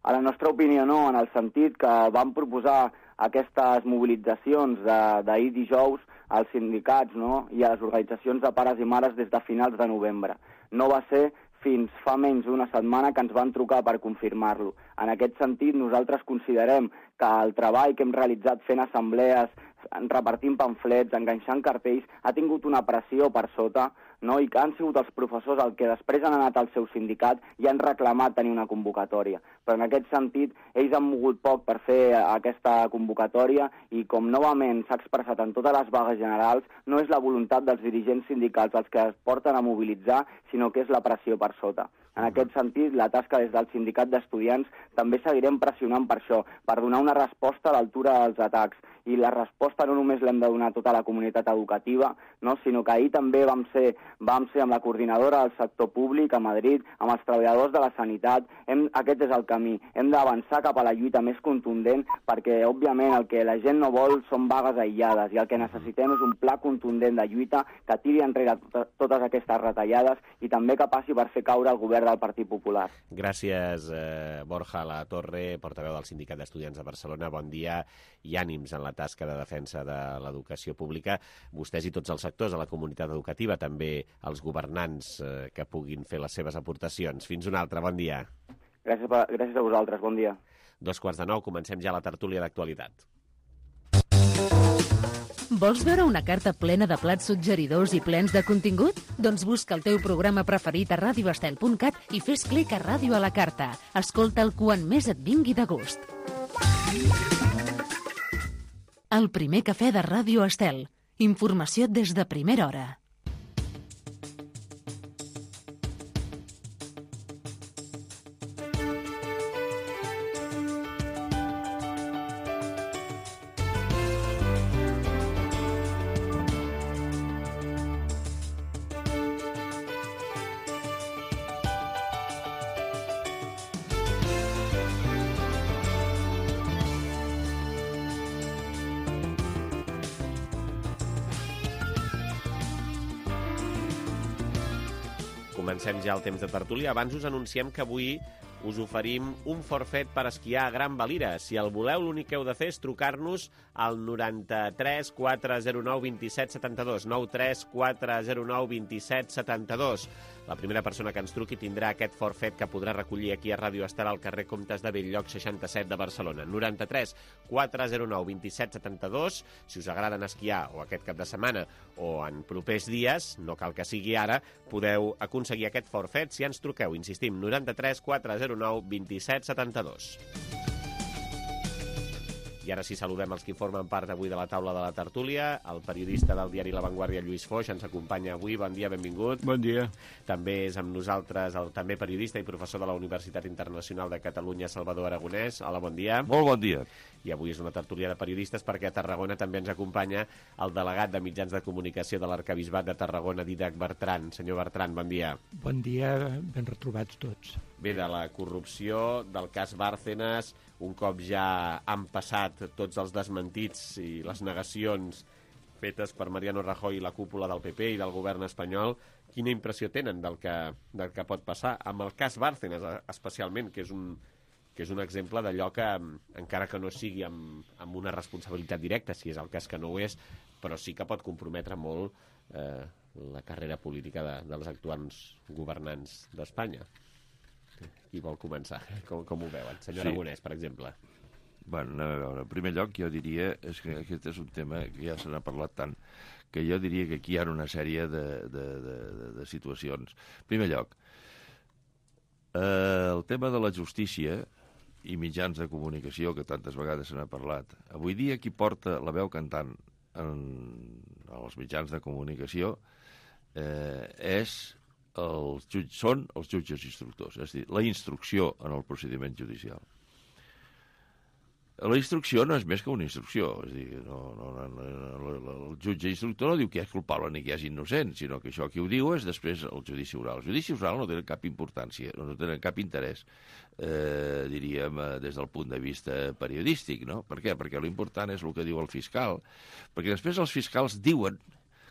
A la nostra opinió no, en el sentit que vam proposar aquestes mobilitzacions d'ahir dijous als sindicats, no?, i a les organitzacions de pares i mares des de finals de novembre. No va ser fins fa menys d'una setmana que ens van trucar per confirmar-lo. En aquest sentit, nosaltres considerem que el treball que hem realitzat fent assemblees, repartint pamflets, enganxant cartells, ha tingut una pressió per sota, no? I que han sigut els professors els que després han anat al seu sindicat i han reclamat tenir una convocatòria. Però en aquest sentit, ells han mogut poc per fer aquesta convocatòria i com novament s'ha expressat en totes les vagues generals, no és la voluntat dels dirigents sindicals els que es porten a mobilitzar, sinó que és la pressió per sota. En aquest sentit, la tasca des del sindicat d'estudiants també seguirem pressionant per això, per donar una resposta a l'altura dels atacs. I la resposta no només l'hem de donar a tota la comunitat educativa, no? Sinó que ahir també vam ser amb la coordinadora del sector públic a Madrid, amb els treballadors de la sanitat. Aquest és el camí. Hem d'avançar cap a la lluita més contundent perquè, òbviament, el que la gent no vol són vagues aïllades i el que necessitem és un pla contundent de lluita que tiri enrere totes aquestes retallades i també que passi per fer caure el govern del Partit Popular. Gràcies, Borja Latorre, portaveu del Sindicat d'Estudiants de Barcelona. Bon dia i ànims en la tasca de defensa de l'educació pública. Vostès i tots els sectors de la comunitat educativa, també els governants que puguin fer les seves aportacions. Fins una altra, bon dia. Gràcies a vosaltres, bon dia. 8:45, comencem ja la tertúlia d'actualitat. Vols veure una carta plena de plats suggeridors i plens de contingut? Doncs busca el teu programa preferit a radioestel.cat i fes clic a Ràdio a la Carta. Escolta'l quan més et vingui de gust. El primer cafè de Ràdio Estel. Informació des de primera hora. Comencem ja el temps de tertúlia. Abans us anunciem que avui us oferim un forfet per esquiar a Gran Valira. Si el voleu, l'únic que heu de fer és trucar-nos al 93 409 27 72. 93 409 27 72. La primera persona que ens truqui tindrà aquest forfet que podrà recollir aquí a Ràdio Estel al carrer Comtes de Bell-lloc 67 de Barcelona. 93 409 27 72. Si us agraden esquiar o aquest cap de setmana o en propers dies, no cal que sigui ara, podeu aconseguir aquest forfet si ens truqueu. Insistim, 93 409 27 72. I ara sí, saludem els que formen part avui de la taula de la tertúlia. El periodista del diari La Vanguardia, Lluís Foix, ens acompanya avui. Bon dia, benvingut. Bon dia. També és amb nosaltres el també periodista i professor de la Universitat Internacional de Catalunya, Salvador Aragonès. Hola, bon dia. Molt bon dia. I avui és una tertúlia de periodistes perquè a Tarragona també ens acompanya el delegat de mitjans de comunicació de l'Arquebisbat de Tarragona, Dídac Bertran. Senyor Bertran, bon dia. Bon dia, ben retrobats tots. Bé, de la corrupció, del cas Bárcenas, un cop ja han passat tots els desmentits i les negacions fetes per Mariano Rajoy i la cúpula del PP i del govern espanyol, quina impressió tenen del que pot passar? Amb el cas Bárcenas, especialment, que és un exemple d'allò que, encara que no sigui amb una responsabilitat directa, si és el cas que no ho és, però sí que pot comprometre molt la carrera política dels actuals governants d'Espanya. Qui vol començar? Com ho veuen? Senyor Aragonès, per exemple. Bueno, anem a veure. En primer lloc, jo diria que aquest és un tema que ja se n'ha parlat tant, que jo diria que aquí hi ha una sèrie de situacions. En primer lloc, el tema de la justícia i mitjans de comunicació, que tantes vegades se n'ha parlat. Avui dia qui porta la veu cantant en els mitjans de comunicació és són els jutges instructors, és a dir, la instrucció en el procediment judicial. La instrucció no és més que una instrucció, és a dir, el jutge instructor no diu que és culpable ni que és innocent, sinó que això qui ho diu és després el judici oral. El judici oral no té cap importància, no té cap interès, diríem, des del punt de vista periodístic, no? Per què? Perquè l'important és el que diu el fiscal, perquè després els fiscals diuen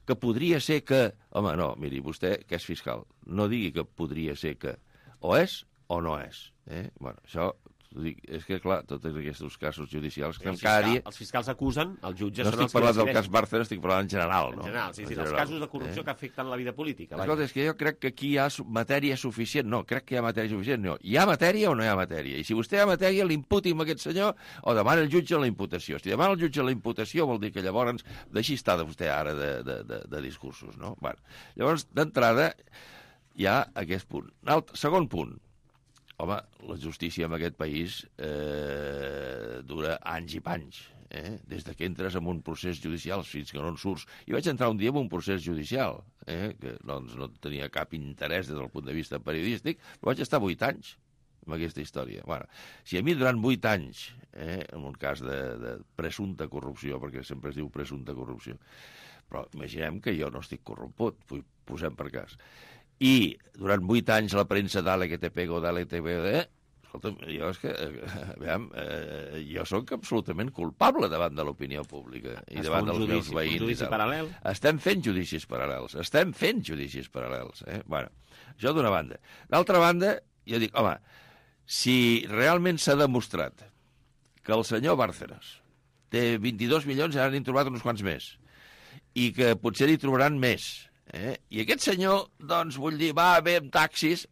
que podria ser que... Home, no, miri, vostè, que és fiscal, no digui que podria ser que o és o no és. Bueno, això... És que, clar, tots aquests casos judicials que cada dia... Els fiscals acusen, els jutges no són els que estic parlant del cas Bárcenas, estic parlant en general, no? En general, sí, els casos de corrupció que afecten la vida política. Escolta, és que jo crec que aquí hi ha matèria suficient. No, crec que hi ha matèria suficient. No, hi ha matèria o no hi ha matèria? I si vostè hi ha matèria, l'imputi amb aquest senyor o demana el jutge la imputació. Si demana el jutge la imputació vol dir que llavors deixi estar de vostè ara de discursos, no? Bueno, llavors, d'entrada, hi ha aquest punt. Segon punt. Home, la justícia en aquest país dura anys i panys, des que entres en un procés judicial fins que no en surts. I vaig entrar un dia en un procés judicial, que doncs, no tenia cap interès des del punt de vista periodístic, però vaig estar 8 anys amb aquesta història. Bueno, si a mi durant 8 anys, en un cas de presumpta corrupció, perquè sempre es diu presumpta corrupció, però imaginem que jo no estic corromput, posem per cas, i durant 8 anys la premsa d'LGTB o d'LGTB, escolta'm, jo és que, jo sóc absolutament culpable davant de l'opinió pública i davant dels meus veïns. Un judici paral·lel? Estem fent judicis paral·lels. Bueno, això d'una banda. D'altra banda, jo dic, home, si realment s'ha demostrat que el senyor Bárcenas té 22 milions i ara n'han trobat uns quants més, i que potser n'hi trobaran més, i aquest senyor, doncs, vull dir, va bé amb taxis,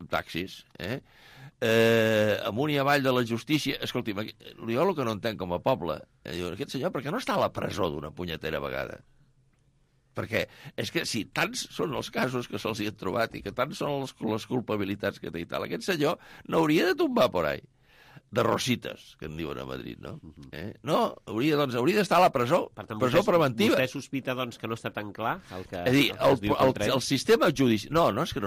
amunt i avall de la justícia. Escolti, jo el que no entenc com a poble, aquest senyor, per què no està a la presó d'una punyetera vegada? Perquè és que si tants són els casos que se'ls hi han trobat i que tants són les culpabilitats que té i tal, aquest senyor no hauria de tombar por ahí. De rosites, que en diuen a Madrid, no? No, hauria d'estar a la presó, presó preventiva. Vostè sospita, doncs, que no està tan clar el que... És a dir, el sistema judicial... No, és que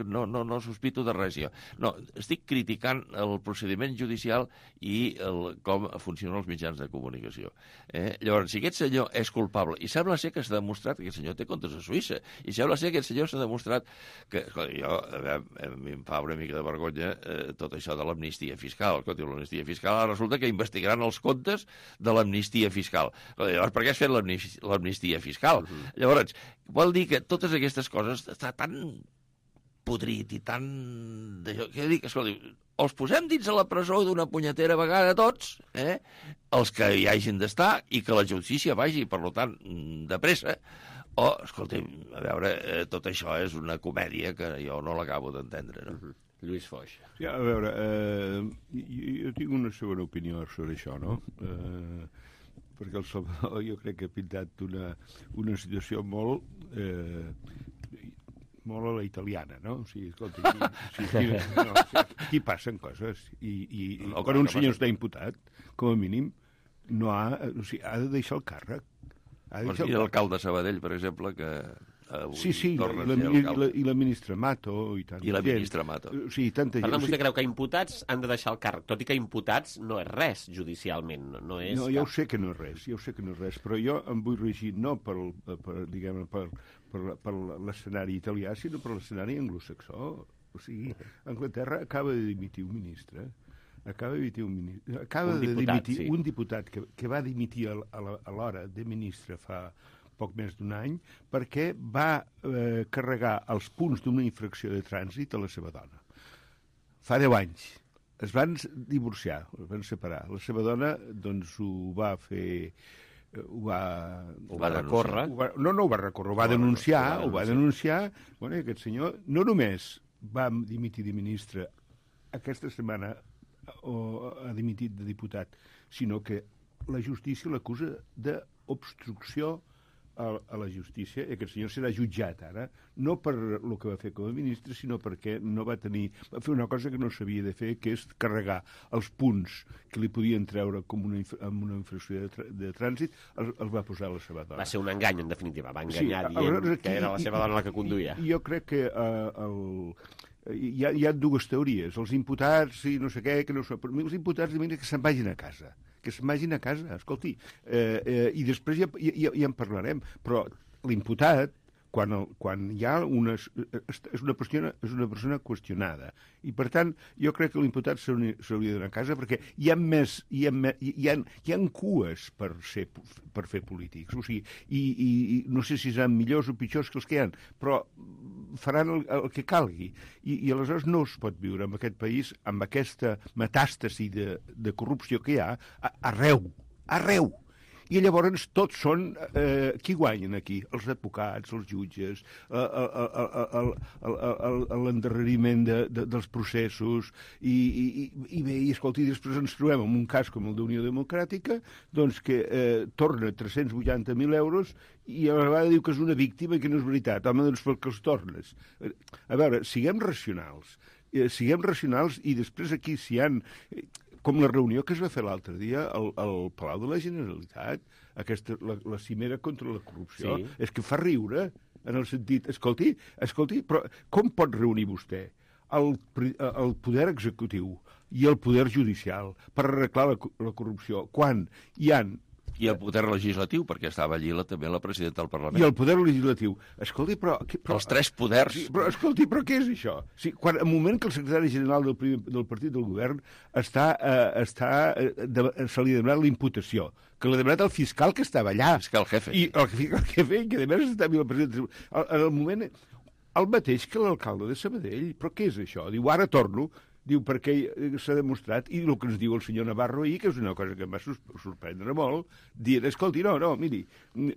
no sospito de res, jo. No, estic criticant el procediment judicial i com funcionen els mitjans de comunicació. Llavors, si aquest senyor és culpable, i sembla ser que s'ha demostrat que aquest senyor té comptes a Suïssa, i sembla ser que aquest senyor s'ha demostrat que... Jo, a mi em fa una mica de vergonya tot això de l'amnistia fiscal. L'amnistia fiscal, ara resulta que investigaran els comptes de l'amnistia fiscal. Llavors, per què has fet l'amnistia fiscal? Llavors, vol dir que totes aquestes coses està tan podrit i tan... Què dic? Escolta, els posem dins a la presó d'una punyetera vegada tots, els que hi hagin d'estar, i que la justícia vagi, per tant, de pressa, o, escolta, a veure, tot això és una comèdia que jo no l'acabo d'entendre, no? Lluís Foix. Sí, a veure, jo tinc una segona opinió sobre això, no? Perquè el Salvador jo crec que ha pintat una situació molt a la italiana, no? O sigui, escolta, aquí passen coses i quan un senyor està imputat, com a mínim, ha de deixar el càrrec. Doncs mira l'alcalde de Sabadell, per exemple, que... Sí, i la ministra Mato i tant. I la ministra Mato. Sí, tanta gent. Per tant, vostè creu que imputats han de deixar el càrrec, tot i que imputats no és res judicialment, no és... No, jo ho sé que no és res, però jo em vull regir no per l'escenari italià, sinó per l'escenari anglosaxó. O sigui, Anglaterra acaba de dimitir un ministre, un diputat que va dimitir a l'hora de ministre fa poc més d'un any, perquè va carregar els punts d'una infracció de trànsit a la seva dona. Fa 10 anys. Es van divorciar, es van separar. La seva dona, doncs, ho va fer... Ho va recórrer. No ho va recórrer, ho va denunciar. Bueno, i aquest senyor no només va dimitir de ministre aquesta setmana, o ha dimitit de diputat, sinó que la justícia l'acusa d'obstrucció a la justícia, i aquest senyor serà jutjat ara, no per el que va fer com a ministre, sinó perquè no va fer una cosa que no s'havia de fer, que és carregar els punts que li podien treure com amb una infracció de trànsit, els va posar a la seva dona. Va ser un engany, en definitiva. Va enganyar dient que era la seva dona la que conduïa. Jo crec que hi ha dues teories. Els imputats i no sé què, que no són... Per mi els imputats que se'n vagin a casa. Que se'n vagin a casa, escolti. I després ja en parlarem. Però l'imputat, quan hi ha és una persona qüestionada. I, per tant, jo crec que l'imputat s'hauria d'anar a casa perquè hi ha cues per fer polítics. O sigui, i no sé si seran millors o pitjors que els que hi ha, però faran el que calgui. I aleshores no es pot viure en aquest país amb aquesta metàstasi de corrupció que hi ha arreu. I llavors tots són... qui guanyen aquí? Els advocats, els jutges, l'endarreriment dels processos, i bé, i escolti, després ens trobem en un cas com el d'Unió Democràtica, doncs que torna 380.000 euros i a la vegada diu que és una víctima i que no és veritat. Home, doncs per què els tornes? A veure, siguem racionals i després aquí si hi ha... Com la reunió que es va fer l'altre dia al Palau de la Generalitat, la cimera contra la corrupció, sí. És que fa riure, en el sentit, escolti, però com pot reunir vostè el poder executiu i el poder judicial per arreglar la corrupció quan hi ha... I el poder legislatiu, perquè estava allí també la presidenta del Parlament. I el poder legislatiu. Escolti, però els tres poders. Sí, però, escolti, però què és això? Sí, al moment que el secretari general del partit del govern se li ha demanat la imputació, que l'ha demanat el fiscal que estava allà. El fiscal jefe. I el fiscal jefe, que a més estava el president... En el moment... El mateix que l'alcalde de Sabadell. Però què és això? Diu, ara torno... Diu, perquè s'ha demostrat, i el que ens diu el senyor Navarro ahir, que és una cosa que em va sorprendre molt, dient, escolti, no, miri,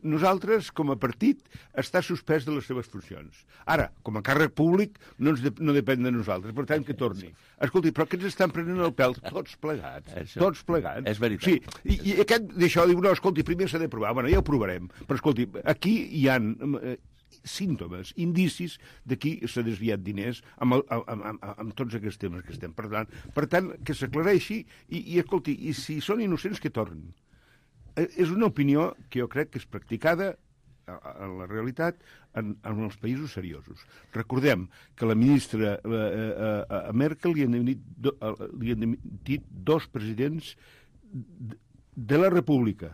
nosaltres, com a partit, està suspès de les seves funcions. Ara, com a càrrec públic, no depèn de nosaltres, per tant, que torni. Escolti, però que ens estan prenent el pèl tots plegats, tots plegats. És veritat. Sí, i aquest d'això diu, no, escolti, primer s'ha de provar, bueno, ja ho provarem, però escolti, aquí hi ha... símptomes, indicis de qui s'ha desviat diners amb tots aquests temes que estem parlant. Per tant, que s'aclareixi i escolti, i si són innocents, que tornin. És una opinió que jo crec que és practicada en la realitat en els països seriosos. Recordem que la ministra a Merkel li han dimitit 2 presidents de la República.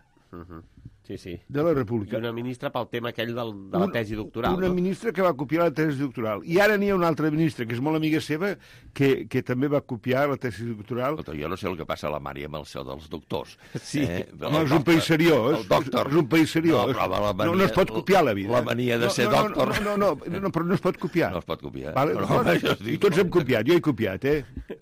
Sí. De la República. I una ministra pel tema aquell de la tesi doctoral. Una ministra que va copiar la tesi doctoral. I ara n'hi ha una altra ministra, que és molt amiga seva, que també va copiar la tesi doctoral. Jo no sé el que passa a la Mari amb el seu dels doctors. Sí, no, és un país seriós. És un país seriós. No es pot copiar la vida. La mania de ser doctor. No, però no es pot copiar. No es pot copiar. I tots hem copiat, jo he copiat,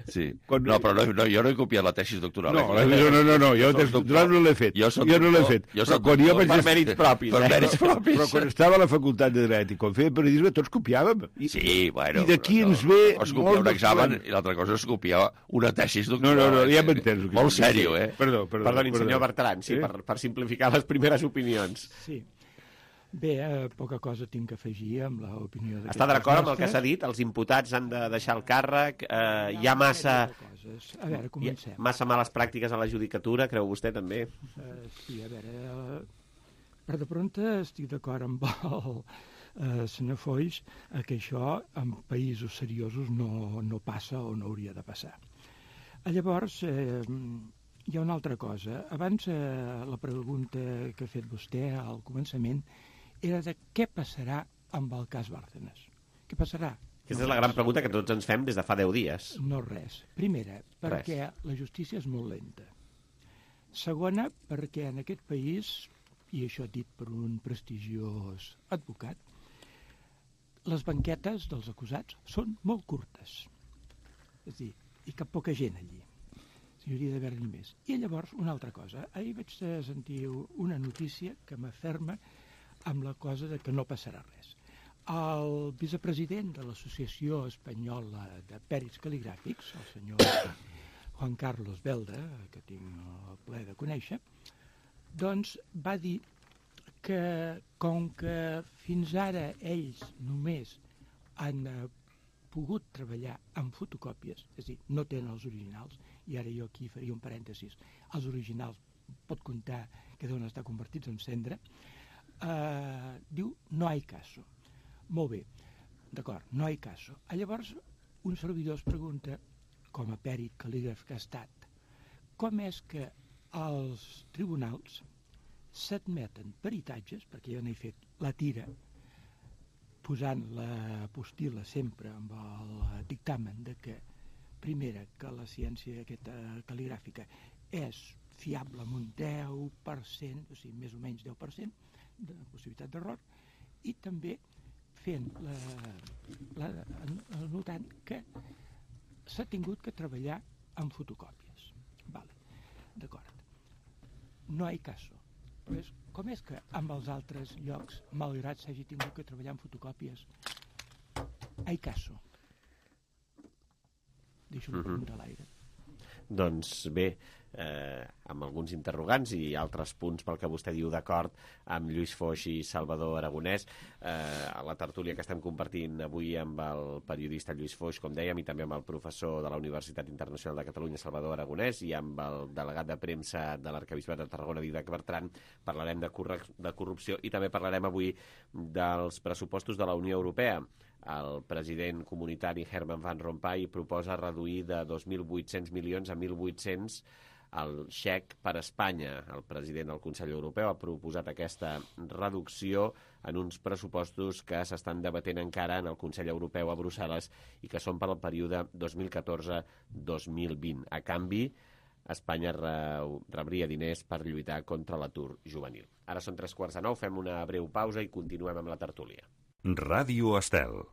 Sí. No, però jo no he copiat la tesi doctoral. No, jo la tesi doctoral no l'he fet. Jo no l'he fet. Per mèrits propis. Però quan estava a la facultat de dret i quan feia periodisme tots copiàvem. Sí, bueno. I d'aquí ens ve... Es copiar un examen i l'altra cosa és copiar una tesis doctoral. No, ja m'entens. Molt sèrio, Perdoni, senyor Bertran, sí, per simplificar les primeres opinions. Sí. Bé, poca cosa tinc que afegir amb l'opinió d'aquest... Està d'acord amb el que s'ha dit? Els imputats han de deixar el càrrec? Hi ha massa... A veure, comencem. Massa males pràctiques a la judicatura, creu vostè, també? Sí, a veure... Per de prompte estic d'acord amb el senyor Foix que això en països seriosos no passa o no hauria de passar. Llavors, hi ha una altra cosa. Abans, la pregunta que ha fet vostè al començament era de què passarà amb el cas Bárcenas. Què passarà? Aquesta és la gran pregunta que tots ens fem des de fa 10 dies. No res. Primera, perquè la justícia és molt lenta. Segona, perquè en aquest país, i això dit per un prestigiós advocat, les banquetes dels acusats són molt curtes. És a dir, hi cap poca gent allí. Hi hauria d'haver-n'hi més. I llavors, una altra cosa. Ahir vaig sentir una notícia que m'aferma amb la cosa de que no passarà res. El vicepresident de l'Associació Espanyola de Pèrits Cal·ligràfics, el senyor Juan Carlos Belda, que tinc el plaer de conèixer, doncs va dir que com que fins ara ells només han pogut treballar amb fotocòpies, és a dir, no tenen els originals, i ara jo aquí faria un parèntesis, els originals pot comptar que deuen estar convertits en cendra, diu no hay caso. Molt bé, d'acord, no hay caso. Llavors un servidor es pregunta, com a pèrit cal·lígraf que ha estat, com és que els tribunals s'admeten peritatges, perquè jo n'he fet la tira, posant la postila sempre amb el dictamen de que, primera, que la ciència aquesta cal·ligràfica és fiable amb un 10%, o sigui, més o menys 10% de possibilitat d'error, i també fent notant que s'ha tingut que treballar amb fotocòpies. Vale, d'acord. No hi ha caso. Però com és que amb els altres llocs, malgrat s'hagi tingut que treballar amb fotocòpies, hi ha caso? Deixo una pregunta a l'aire. Doncs bé, amb alguns interrogants i altres punts pel que vostè diu d'acord amb Lluís Foix i Salvador Aragonès, a la tertúlia que estem compartint avui amb el periodista Lluís Foix, com dèiem, i també amb el professor de la Universitat Internacional de Catalunya, Salvador Aragonès, i amb el delegat de premsa de l'Arquebisbat de Tarragona, Didac Bertran, parlarem de corrupció i també parlarem avui dels pressupostos de la Unió Europea. El president comunitari Herman Van Rompuy proposa reduir de 2.800 milions a 1.800 el xec per a Espanya. El president del Consell Europeu ha proposat aquesta reducció en uns pressupostos que s'estan debatent encara en el Consell Europeu a Brussel·les i que són per al període 2014-2020. A canvi, Espanya rebria diners per lluitar contra l'atur juvenil. Ara són 9:15, fem una breu pausa i continuem amb la tertúlia. Ràdio Estel.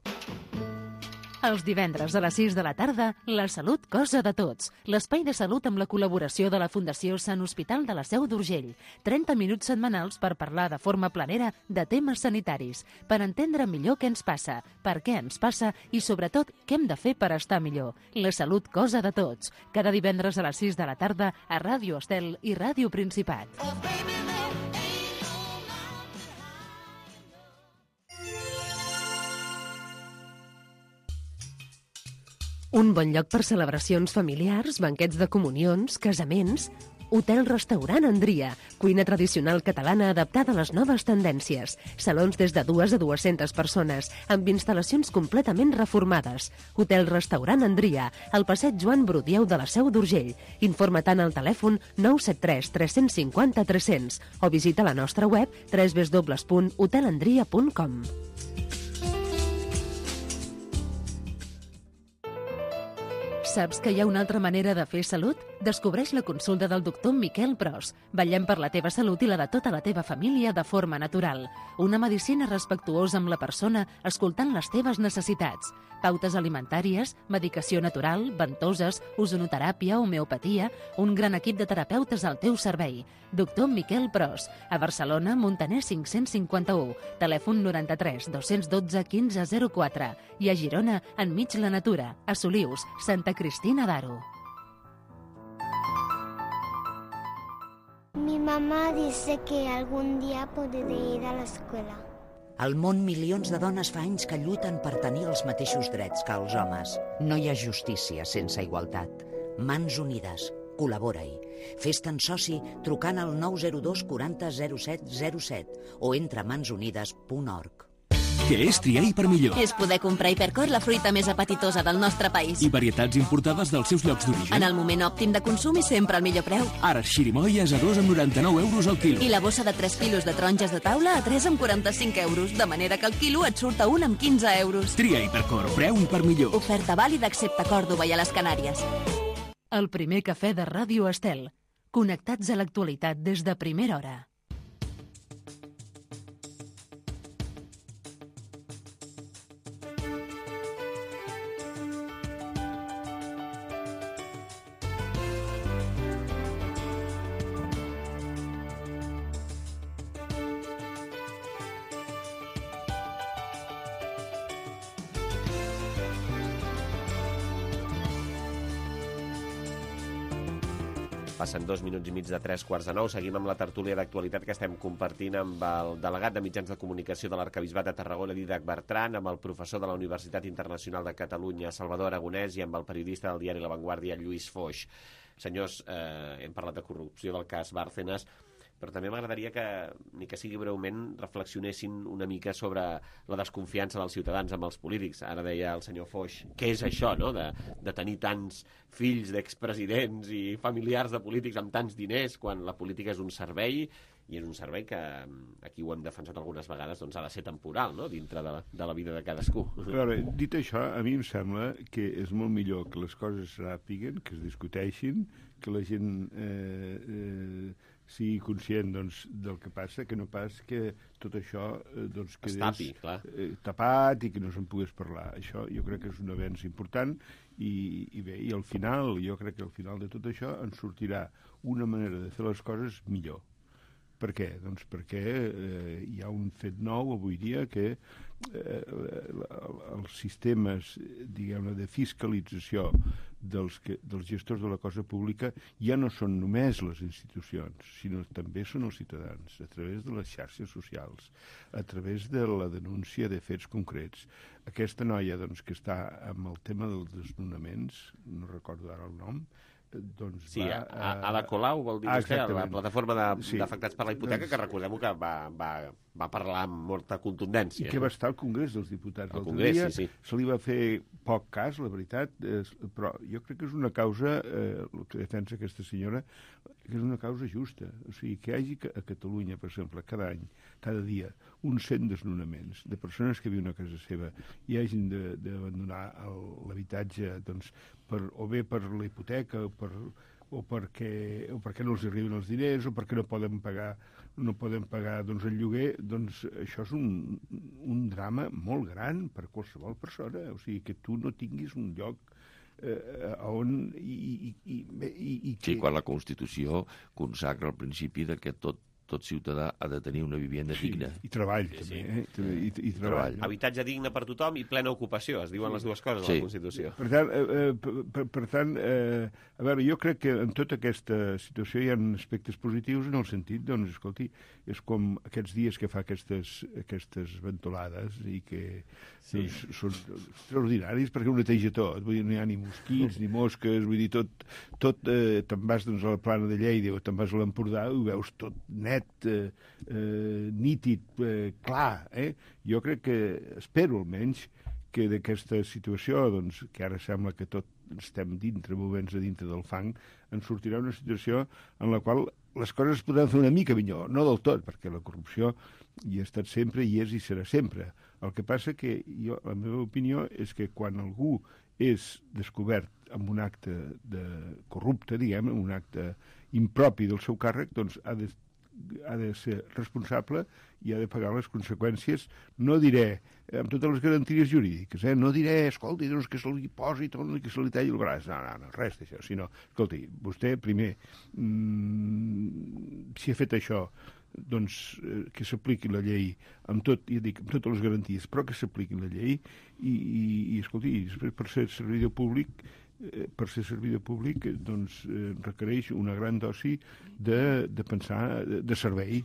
Els divendres a les 6 de la tarda, la salut cosa de tots. L'espai de salut amb la col·laboració de la Fundació Sant Hospital de la Seu d'Urgell. 30 minuts setmanals per parlar de forma planera de temes sanitaris, per entendre millor què ens passa, per què ens passa i, sobretot, què hem de fer per estar millor. La salut cosa de tots. Cada divendres a les 6 de la tarda a Ràdio Estel i Ràdio Principat. Un bon lloc per celebracions familiars, banquets de comunions, casaments... Hotel-restaurant Andria, cuina tradicional catalana adaptada a les noves tendències. Salons des de 2 a 200 persones, amb instal·lacions completament reformades. Hotel-restaurant Andria, al passeig Joan Brudieu de la Seu d'Urgell. Informa-te'n al telèfon 973 350 300 o visita la nostra web www.hotelandria.com. Saps que hi ha una altra manera de fer salut? Descobreix la consulta del doctor Miquel Pros. Vetllem per la teva salut i la de tota la teva família de forma natural. Una medicina respectuosa amb la persona, escoltant les teves necessitats. Pautes alimentàries, medicació natural, ventoses, ozonoteràpia, homeopatia... Un gran equip de terapeutes al teu servei. Doctor Miquel Pros. A Barcelona, Montaner 551. Telèfon 93 212 1504. I a Girona, enmig la natura. A Solius, Santa Cristina d'Aro. Mi mamá dice que algún día podré ir a la escuela. Al món, milions de dones fa anys que lluiten per tenir els mateixos drets que els homes. No hi ha justícia sense igualtat. Mans unides. Col·labora-hi. Fes-te'n soci trucant al 902 40 07 07 o entra a mansunides.org. Què és triar Hipermillor? És poder comprar Hipercor, la fruita més apetitosa del nostre país. I varietats importades dels seus llocs d'origen. En el moment òptim de consum i sempre al millor preu. Ara xirimoies a 2,99 € al quilo. I la bossa de 3 quilos de taronges de taula a 3,45 €, de manera que el quilo et surt a 1 amb 15 €. Tria Hipercor, preu Hipermillor. Oferta vàlida excepte a Còrdova i a les Canàries. El primer cafè de Ràdio Estel. Connectats a l'actualitat des de primera hora. Passen 2 minuts i mig de 3:45. Seguim amb la tertúlia d'actualitat que estem compartint amb el delegat de Mitjans de Comunicació de l'Arquebisbat de Tarragona, Dídac Bertran, amb el professor de la Universitat Internacional de Catalunya, Salvador Aragonès, i amb el periodista del diari La Vanguardia, Lluís Foix. Senyors, hem parlat de corrupció del cas Bárcenas, però també m'agradaria que, ni que sigui breument, reflexionessin una mica sobre la desconfiança dels ciutadans amb els polítics. Ara deia el senyor Foix, què és això, no?, de tenir tants fills d'expresidents i familiars de polítics amb tants diners, quan la política és un servei, i és un servei que, aquí ho hem defensat algunes vegades, doncs ha de ser temporal, no?, dintre de la vida de cadascú. A veure, dit això, a mi em sembla que és molt millor que les coses es ràpiguen, que es discuteixin, que la gent sigui conscient, doncs, del que passa, que no pas que tot això doncs, quedés tapat i que no se'n pogués parlar. Això jo crec que és un avenç important i bé, i al final, jo crec que al final de tot això ens sortirà una manera de fer les coses millor. Per què? Doncs perquè hi ha un fet nou avui dia que els sistemes, diguem-ne, de fiscalització dels gestors de la cosa pública ja no són només les institucions, sinó també són els ciutadans, a través de les xarxes socials, a través de la denúncia de fets concrets. Aquesta noia, doncs, que està amb el tema dels desnonaments, no recordo ara el nom, doncs sí, Ada Colau, vol dir vostè, la plataforma d'afectats per la hipoteca, que recordem que va parlar amb molta contundència. I que va estar al Congrés dels Diputats l'altre dia. Se li va fer poc cas, la veritat, però jo crec que és una causa, el que defensa aquesta senyora, que és una causa justa. O sigui, que hi hagi a Catalunya, per exemple, cada any, cada dia, uns 100 desnonaments de persones que viuen a casa seva i hagin d'abandonar l'habitatge, doncs, o bé per la hipoteca o perquè no els arriben els diners o perquè no poden pagar doncs, el lloguer, doncs això és un drama molt gran per qualsevol persona. O sigui, que tu no tinguis un lloc on... Sí, quan la Constitució consacra el principi de que tot ciutadà ha de tenir una vivienda digna. I treball, també. I treball. Habitatge digne per tothom i plena ocupació, es diuen les dues coses a la Constitució. Per tant, a veure, jo crec que en tota aquesta situació hi ha aspectes positius en el sentit, doncs, escolti, és com aquests dies que fa aquestes ventolades i que són extraordinaris perquè ho neteja tot. Vull dir, no hi ha ni mosquits, ni mosques, vull dir, tot te'n vas doncs, a la Plana de Lleida o te'n vas a l'Empordà i ho veus tot net, nítid, clar. Jo crec que, espero almenys, que d'aquesta situació, doncs, que ara sembla que tot estem movents a dintre del fang, en sortirà una situació en la qual les coses es podran fer una mica millor, no del tot, perquè la corrupció hi ha estat sempre, hi és i serà sempre. El que passa que la meva opinió és que quan algú és descobert amb un acte corrupte, diguem, amb un acte impropi del seu càrrec, doncs ha de ser responsable i ha de pagar les conseqüències, no diré, amb totes les garanties jurídiques, no diré, escolti, doncs que se li posi tot, que se li talli el braç, no, res d'això, sinó, escolti, vostè primer, si ha fet això, doncs que s'apliqui la llei amb totes les garanties, però que s'apliqui la llei i escolti, per ser servidor públic doncs requereix una gran dosi de pensar de servei.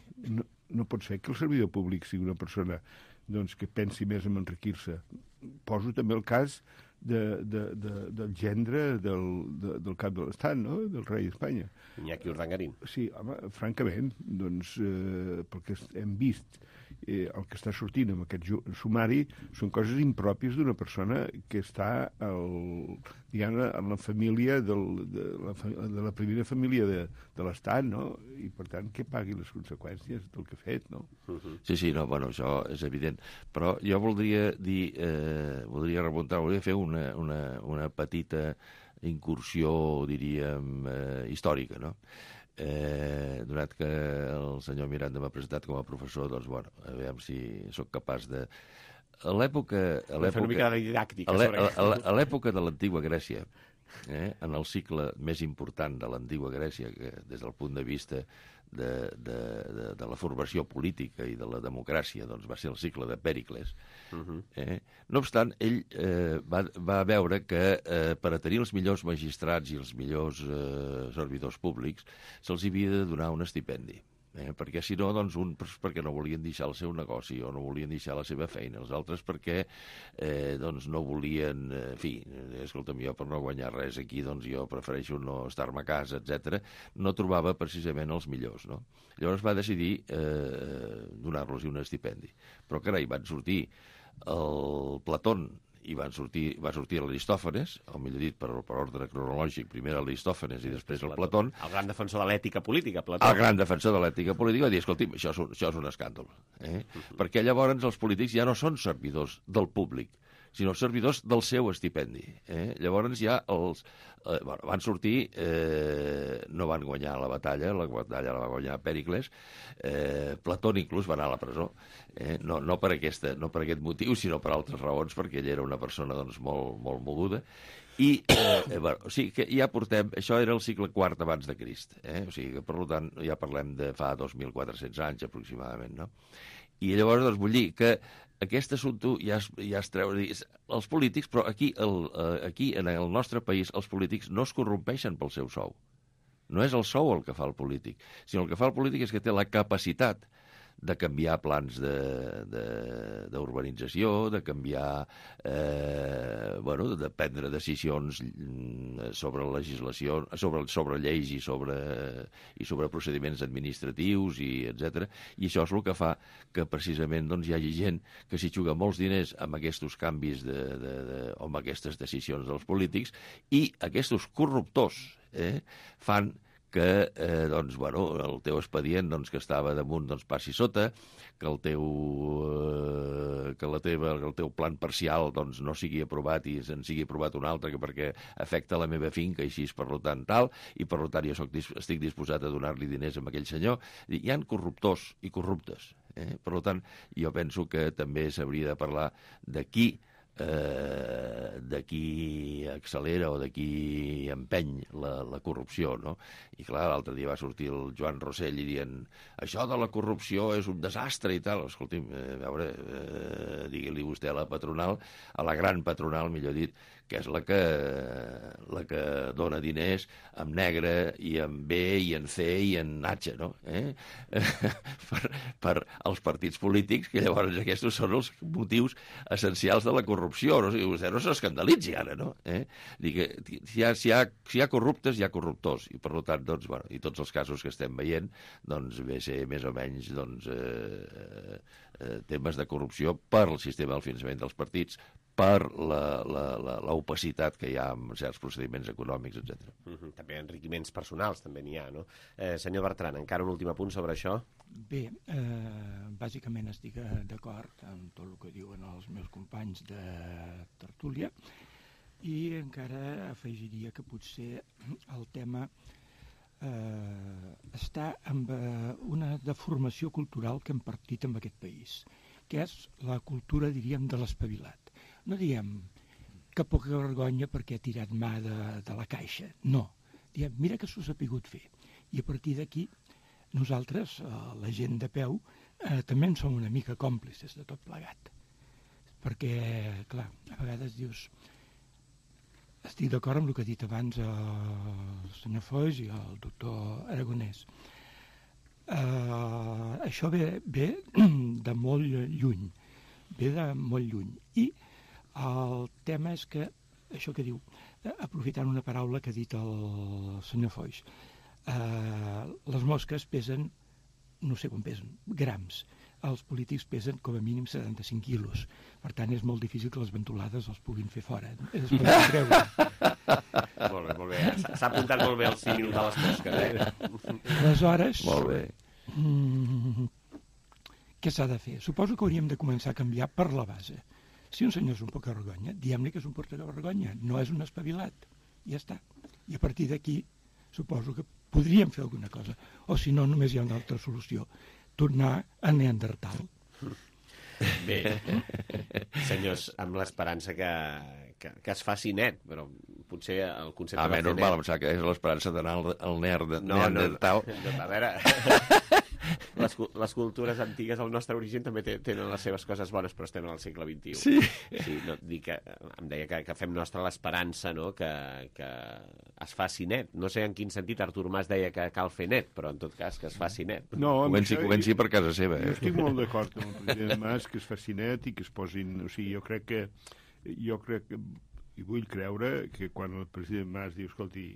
No pot ser que el servidor públic sigui una persona doncs, que pensi més en enriquir-se. Poso també el cas del gendre del cap de l'Estat, no?, del rei d'Espanya. Iñaki Urdangarín. Sí, home, francament, doncs, perquè hem vist el que està sortint amb aquest sumari són coses impròpies d'una persona que està en la família de la primera família de l'Estat, no? I per tant que pagui les conseqüències del que ha fet, no? Sí, no, bueno, això és evident, però jo voldria remuntar, voldria fer una petita incursió, diríem, històrica, no? Donat que el senyor Miranda m'ha presentat com a professor, doncs, bueno, a veure si sóc capaç de... A l'època de l'antiga Grècia, en el cicle més important de l'antiga Grècia, que des del punt de vista de la formació política i de la democràcia doncs va ser el cicle de Pèricles. No obstant, ell va veure que per a tenir els millors magistrats i els millors servidors públics se'ls havia de donar un estipendi. Perquè si no, doncs perquè no volien deixar el seu negoci o no volien deixar la seva feina, els altres perquè doncs no volien, en fi, escolta'm, jo per no guanyar res aquí, doncs jo prefereixo no estar-me a casa, etc. No trobava precisament els millors, no? Llavors va decidir donar-los un estipendi. Però carai, van sortir el Platón i va sortir l'Aristòfanes, o millor dit, per ordre cronològic, primer l'Aristòfanes i després el Platón. El gran defensor de l'ètica política, Plató. El gran defensor de l'ètica política va dir, escolti'm, això és un escàndol. Perquè llavors els polítics ja no són servidors del públic, sinó servidors del seu estipendi. Llavors ja van sortir, no van guanyar la batalla la va guanyar Pèricles, Platón inclús va anar a la presó, no per aquest motiu, sinó per altres raons, perquè ell era una persona doncs, molt moguda. I, o sigui que ja portem, això era el segle IV abans de Crist, o sigui que, per tant, ja parlem de fa 2.400 anys aproximadament, no? I llavors, doncs, vull dir que aquest assumpte ja es treu... Els polítics, però aquí en el nostre país, els polítics no es corrompeixen pel seu sou. No és el sou el que fa el polític, sinó el que fa el polític és que té la capacitat de canviar plans d'urbanització, de canviar, de prendre decisions sobre legislació, sobre lleis i sobre procediments administratius, etc. I això és el que fa que precisament doncs, hi hagi gent que s'hi juga molts diners amb aquests canvis o amb aquestes decisions dels polítics, i aquests corruptors fan que el teu expedient que estava damunt passi sota, que el teu plan parcial no sigui aprovat i se'n sigui aprovat un altre perquè afecta la meva finca i així, per tant, tal, i per tant jo estic disposat a donar-li diners a aquell senyor. Hi ha corruptors i corruptes. Per tant, jo penso que també s'hauria de parlar de qui accelera o de qui empeny la corrupció, no? I clar, l'altre dia va sortir el Joan Rossell i dient això de la corrupció és un desastre i tal. Escolti'm, a veure, digui-li vostè a la patronal, a la gran patronal, millor dit, que és la que dona diners amb negre i amb B i en C i en H, no? Per als partits polítics, que llavors aquests són els motius essencials de la corrupció. No? O sigui, vostè no s'escandalitzi ara, no? Si hi ha corruptes, hi ha corruptors, i per tant, doncs, i tots els casos que estem veient, doncs, ve ser més o menys temes de corrupció per el sistema del finançament dels partits, per l'opacitat que hi ha en certs procediments econòmics, etc. També enriquiments personals, també n'hi ha, no? Senyor Bertran, encara un últim apunt sobre això? Bé, bàsicament estic d'acord amb tot el que diuen els meus companys de tertúlia, i encara afegiria que potser el tema està amb una deformació cultural que hem partit en aquest país, que és la cultura, diríem, de l'espavilat. No diem que poca vergonya perquè ha tirat mà de la caixa, no. Diem, mira que s'ho ha sapigut fer. I a partir d'aquí, nosaltres, la gent de peu, també en som una mica còmplices de tot plegat. Perquè, clar, a vegades dius, estic d'acord amb el que ha dit abans el senyor Foix i el doctor Aragonès. Això ve de molt lluny, i el tema és que, això que diu, aprofitant una paraula que ha dit el senyor Foix, les mosques pesen, no sé quan pesen, grams. Els polítics pesen com a mínim 75 quilos. Per tant, és molt difícil que les ventolades els puguin fer fora. Es pot creure. Molt bé. S'ha apuntat molt bé el símil de les mosques. Aleshores, molt bé. Què s'ha de fer? Suposo que hauríem de començar a canviar per la base. Si un senyor és un poca-vergonya, diguem-li que és un poca-vergonya, no és un espavilat. Ja està. I a partir d'aquí, suposo que podríem fer alguna cosa. O si no, només hi ha una altra solució. Tornar a Neandertal. Bé, senyors, amb l'esperança que es faci net, però potser el concepte de fer net... normal, em sap que és l'esperança d'anar al Neandertal. No, a veure... Les cultures antigues, el nostre origen, també tenen les seves coses bones, però estem al segle XXI. Sí, no, em deia que fem nostra l'esperança, no? Que es faci net. No sé en quin sentit Artur Mas deia que cal fer net, però en tot cas que es faci net. No, comenci per casa seva. Jo estic molt d'acord amb el president Mas que es faci net i que es posin... O sigui, jo crec que i vull creure que quan el president Mas diu, escolti,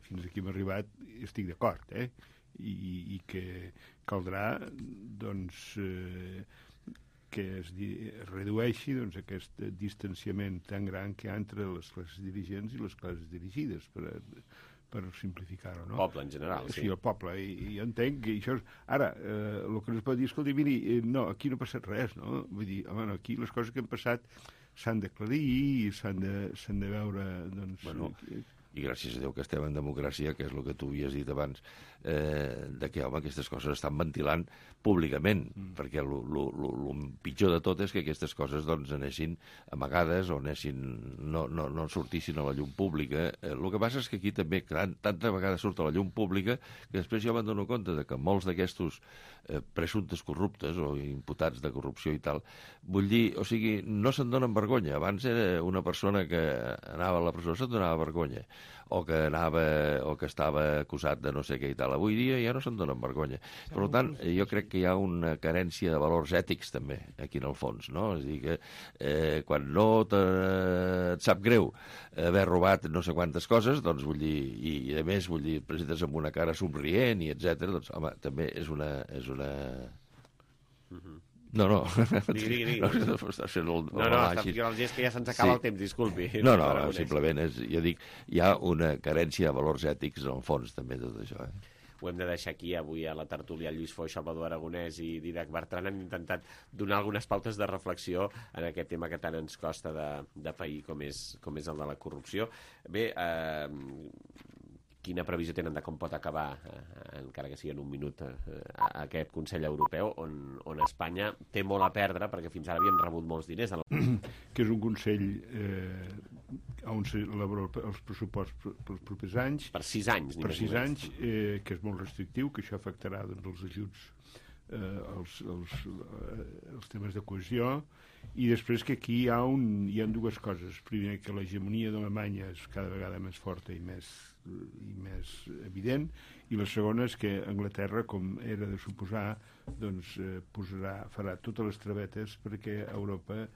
fins aquí hem arribat, estic d'acord, i que caldrà doncs, que es redueixi doncs, aquest distanciament tan gran que hi ha entre les classes dirigents i les classes dirigides, per simplificar-ho, no? El poble, en general, sí. Sí, el poble, i entenc que això és... Ara, el que no es pot dir, escolti, miri, no, aquí no ha passat res, no? Vull dir, home, no, aquí les coses que han passat s'han d'aclarir i s'han de veure, doncs... Bueno, i gràcies a Déu que estem en democràcia, que és el que tu havies dit abans, de que, home, aquestes coses estan ventilant públicament, perquè el pitjor de tot és que aquestes coses doncs anessin amagades o no sortissin a la llum pública. El que passa és que aquí també tanta vegada surt a la llum pública que després jo me'n dono compte de que molts d'aquestos presumptes corruptes o imputats de corrupció i tal, vull dir, o sigui, no se'n donen vergonya. Abans era una persona que anava a la presó, se'n donava vergonya, o que estava acusat de no sé què i tal. Avui dia ja no se'n donen vergonya. Per tant, jo crec que hi ha una carència de valors ètics també, aquí en el fons, no? És a dir, que quan no et sap greu haver robat no sé quantes coses, doncs vull dir, i a més, vull dir, presentes amb una cara somrient i etcètera, doncs, home, també és una... No. Digui. No, és que ja se'ns acaba el temps, disculpi. No, simplement, jo dic, hi ha una carència de valors ètics en el fons, també, tot això, Ho hem de deixar aquí. Avui a la tertúlia Lluís Foix, Salvador Aragonès i Dídac Bertran han intentat donar algunes pautes de reflexió en aquest tema que tant ens costa de pair com és el de la corrupció. Bé, quina previsió tenen de com pot acabar, encara que sigui en un minut, aquest Consell Europeu, on Espanya té molt a perdre, perquè fins ara havien rebut molts diners. Que és un Consell on s'elabora els pressupostos pels propers anys. Per 6 anys. Per 6 anys, que és molt restrictiu, que això afectarà doncs, els ajuts, els temes de cohesió, i després que aquí hi ha dues coses. Primer, que l'hegemonia d'Alemanya és cada vegada més forta i més evident, i la segona és que Anglaterra, com era de suposar, doncs farà totes les travetes perquè l'Europa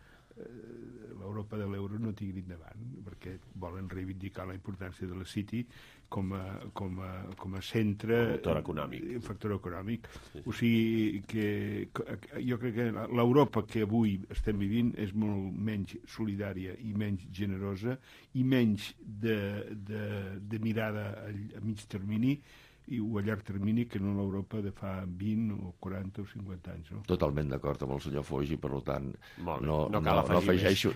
de l'euro no tiri endavant, perquè volen reivindicar la importància de la City com a centre... Factor econòmic. Sí. O sigui que jo crec que l'Europa que avui estem vivint és molt menys solidària i menys generosa i menys de mirada a mig termini o a llarg termini que no l'Europa de fa 20 o 40 o 50 anys. No? Totalment d'acord amb el senyor Foix i, per tant, no cal afegeixo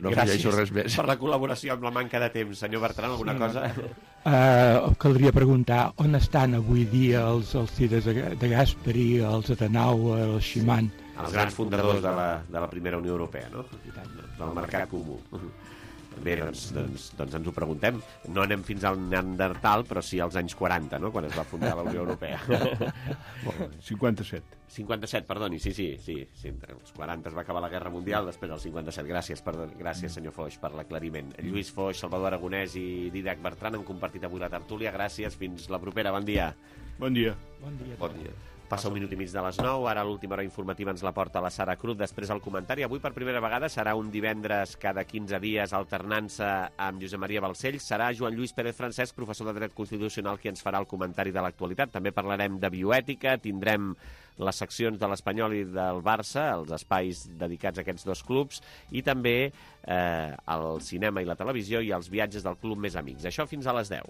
res més. Per la col·laboració amb la manca de temps. Senyor Bertran, alguna cosa? Caldria preguntar on estan avui dia els Alcides de Gasperi, els Adenauer, els Schimann. Els grans fundadors de la primera Unió Europea, no? Del mercat comú. Bé, doncs ens ho preguntem. No anem fins al Neandertal, però sí als anys 40, no?, quan es va fundar la Unió Europea. 57. 57, perdoni, sí. Els 40 es va acabar la Guerra Mundial, després el 57. Gràcies, senyor Foix, per l'aclariment. Lluís Foix, Salvador Aragonès i Dídac Bertran han compartit avui la tertúlia. Gràcies, fins la propera. Bon dia. Bon dia. Passa un minut i mig de les 9, ara l'última hora informativa ens la porta la Sara Cruz, després el comentari. Avui per primera vegada serà un divendres cada 15 dies alternant-se amb Josep Maria Balcells. Serà Joan Lluís Pérez Francesc, professor de Dret Constitucional, qui ens farà el comentari de l'actualitat. També parlarem de bioètica, tindrem les seccions de l'Espanyol i del Barça, els espais dedicats a aquests dos clubs, i també el cinema i la televisió i els viatges del Club Més Amics. Això fins a les 10.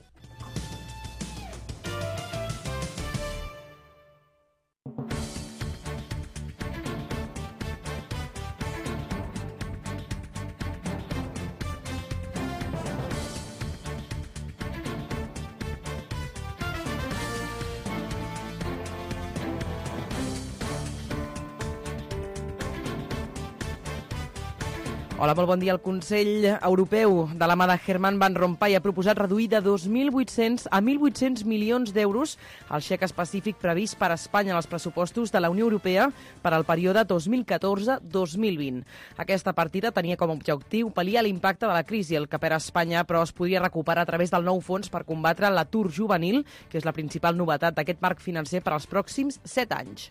Hola, molt bon dia. El Consell Europeu de la mà de Herman Van Rompuy ha proposat reduir de 2.800 a 1.800 milions d'euros el xec específic previst per a Espanya en els pressupostos de la Unió Europea per al període 2014-2020. Aquesta partida tenia com a objectiu pal·liar l'impacte de la crisi, el que per a Espanya, però es podria recuperar a través del nou fons per combatre l'atur juvenil, que és la principal novetat d'aquest marc financer per als pròxims 7 anys.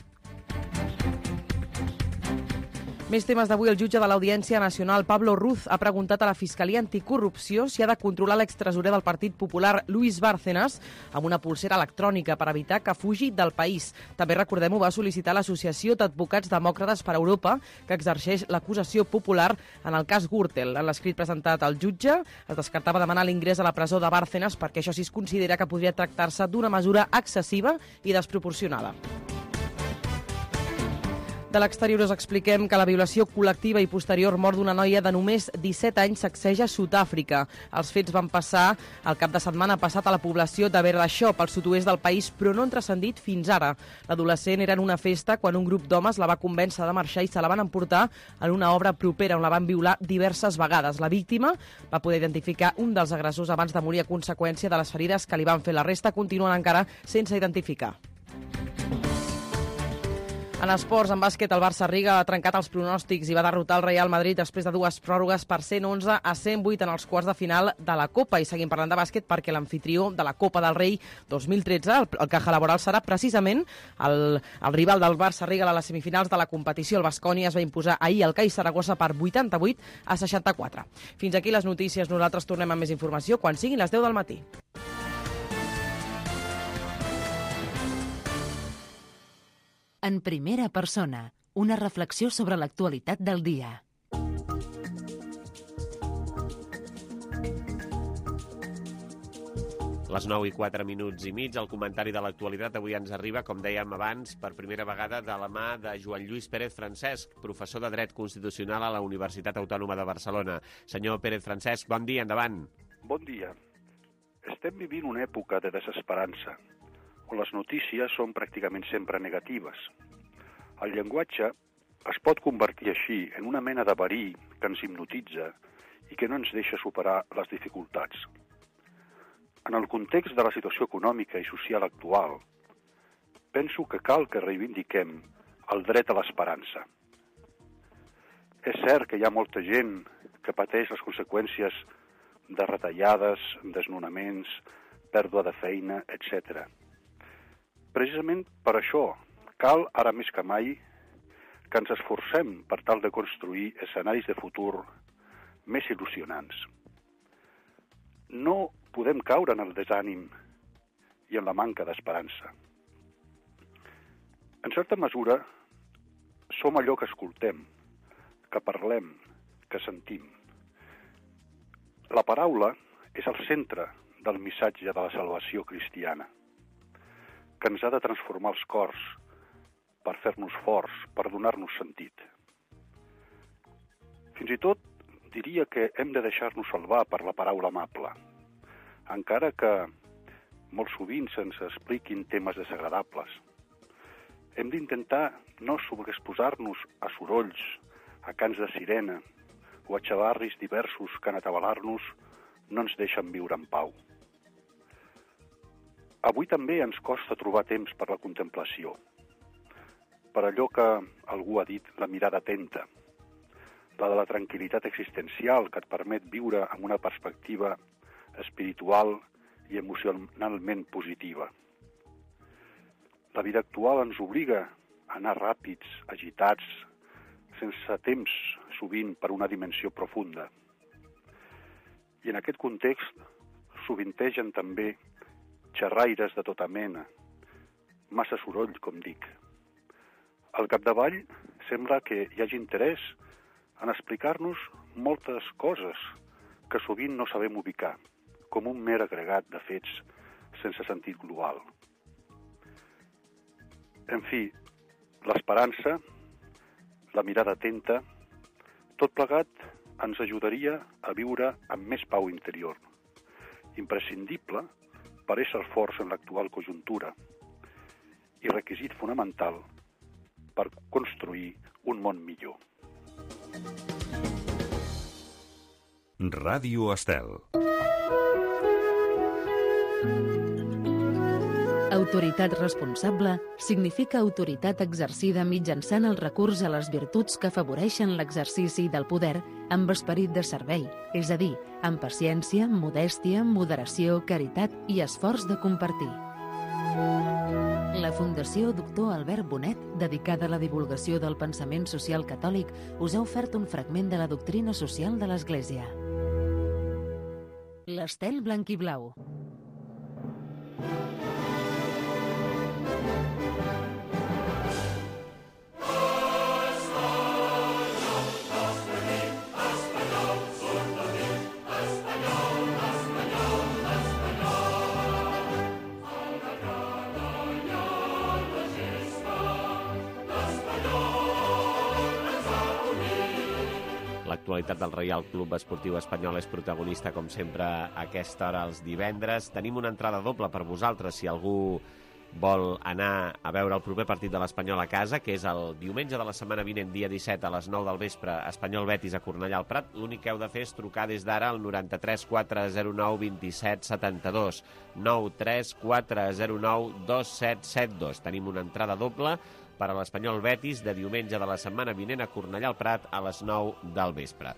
Més temes d'avui. El jutge de l'Audiència Nacional, Pablo Ruz, ha preguntat a la Fiscalia Anticorrupció si ha de controlar l'extresorer del Partit Popular, Luis Bárcenas, amb una pulsera electrònica per evitar que fugi del país. També, recordem-ho, va sol·licitar l'Associació d'Advocats Demòcrates per Europa, que exerceix l'acusació popular en el cas Gürtel. En l'escrit presentat al jutge, es descartava demanar l'ingrés a la presó de Bárcenas perquè això sí es considera que podria tractar-se d'una mesura excessiva i desproporcionada. De l'exterior us expliquem que la violació col·lectiva i posterior mort d'una noia de només 17 anys sacseja Sud-àfrica. Els fets van passar el cap de setmana passat a la població de Berdashop, al sud-oest del país, però no han transcendit fins ara. L'adolescent era en una festa quan un grup d'homes la va convèncer de marxar i se la van emportar en una obra propera on la van violar diverses vegades. La víctima va poder identificar un dels agressors abans de morir a conseqüència de les ferides que li van fer. La resta continuen encara sense identificar. En esports, en bàsquet, el Barça-Riga ha trencat els pronòstics i va derrotar el Real Madrid després de 2 pròrrogues per 111 a 108 en els quarts de final de la Copa. I seguim parlant de bàsquet perquè l'amfitrió de la Copa del Rei 2013, el Caja Laboral, serà precisament el rival del Barça-Riga a les semifinals de la competició. El Baskonia es va imposar ahir al CAI Saragossa per 88 a 64. Fins aquí les notícies. Nosaltres tornem amb més informació quan siguin les 10 del matí. En primera persona, una reflexió sobre l'actualitat del dia. Les 9:04 el comentari de l'actualitat avui ens arriba, com dèiem abans, per primera vegada de la mà de Joan Lluís Pérez Francesc, professor de Dret Constitucional a la Universitat Autònoma de Barcelona. Senyor Pérez Francesc, bon dia, endavant. Bon dia. Estem vivint una època de desesperança, on les notícies són pràcticament sempre negatives. El llenguatge es pot convertir així en una mena de verí que ens hipnotitza i que no ens deixa superar les dificultats. En el context de la situació econòmica i social actual, penso que cal que reivindiquem el dret a l'esperança. És cert que hi ha molta gent que pateix les conseqüències de retallades, desnonaments, pèrdua de feina, etc. Precisament per això cal, ara més que mai, que ens esforcem per tal de construir escenaris de futur més il·lusionants. No podem caure en el desànim i en la manca d'esperança. En certa mesura, som allò que escoltem, que parlem, que sentim. La paraula és el centre del missatge de la salvació cristiana, que ens ha de transformar els cors per fer-nos forts, per donar-nos sentit. Fins i tot diria que hem de deixar-nos salvar per la paraula amable, encara que molt sovint se'ns expliquin temes desagradables. Hem d'intentar no sobreexposar-nos a sorolls, a cants de sirena o a xavarris diversos que en atabalar-nos no ens deixen viure en pau. Avui també ens costa trobar temps per la contemplació, per allò que algú ha dit la mirada atenta, la de la tranquil·litat existencial que et permet viure amb una perspectiva espiritual i emocionalment positiva. La vida actual ens obliga a anar ràpids, agitats, sense temps, sovint per una dimensió profunda. I en aquest context sovintegen també xerraires de tota mena, massa soroll, com dic. Al capdavall sembla que hi hagi interès en explicar-nos moltes coses que sovint no sabem ubicar, com un mer agregat de fets sense sentit global. En fi, l'esperança, la mirada atenta, tot plegat ens ajudaria a viure amb més pau interior, imprescindible per ésser forts en l'actual conjuntura i requisit fonamental per construir un món millor. Ràdio Estel. Autoritat responsable significa autoritat exercida mitjançant el recurs a les virtuts que afavoreixen l'exercici del poder amb esperit de servei, és a dir, amb paciència, modèstia, moderació, caritat i esforç de compartir. La Fundació Doctor Albert Bonet, dedicada a la divulgació del pensament social catòlic, us ha ofert un fragment de la doctrina social de l'Església. L'estel blanc i blau. L'actualitat del Reial Club Esportiu Espanyol és protagonista, com sempre, a aquesta hora els divendres. Tenim una entrada doble per vosaltres, si algú vol anar a veure el proper partit de l'Espanyol a casa, que és el diumenge de la setmana vinent, dia 17, a les 9 del vespre, Espanyol Betis a Cornellà al Prat. L'únic que heu de fer és trucar des d'ara al 93 409 27 72. 93 409 2772. Tenim una entrada doble per a l'Espanyol Betis de diumenge de la setmana vinent a Cornellà al Prat a les 9 del vespre.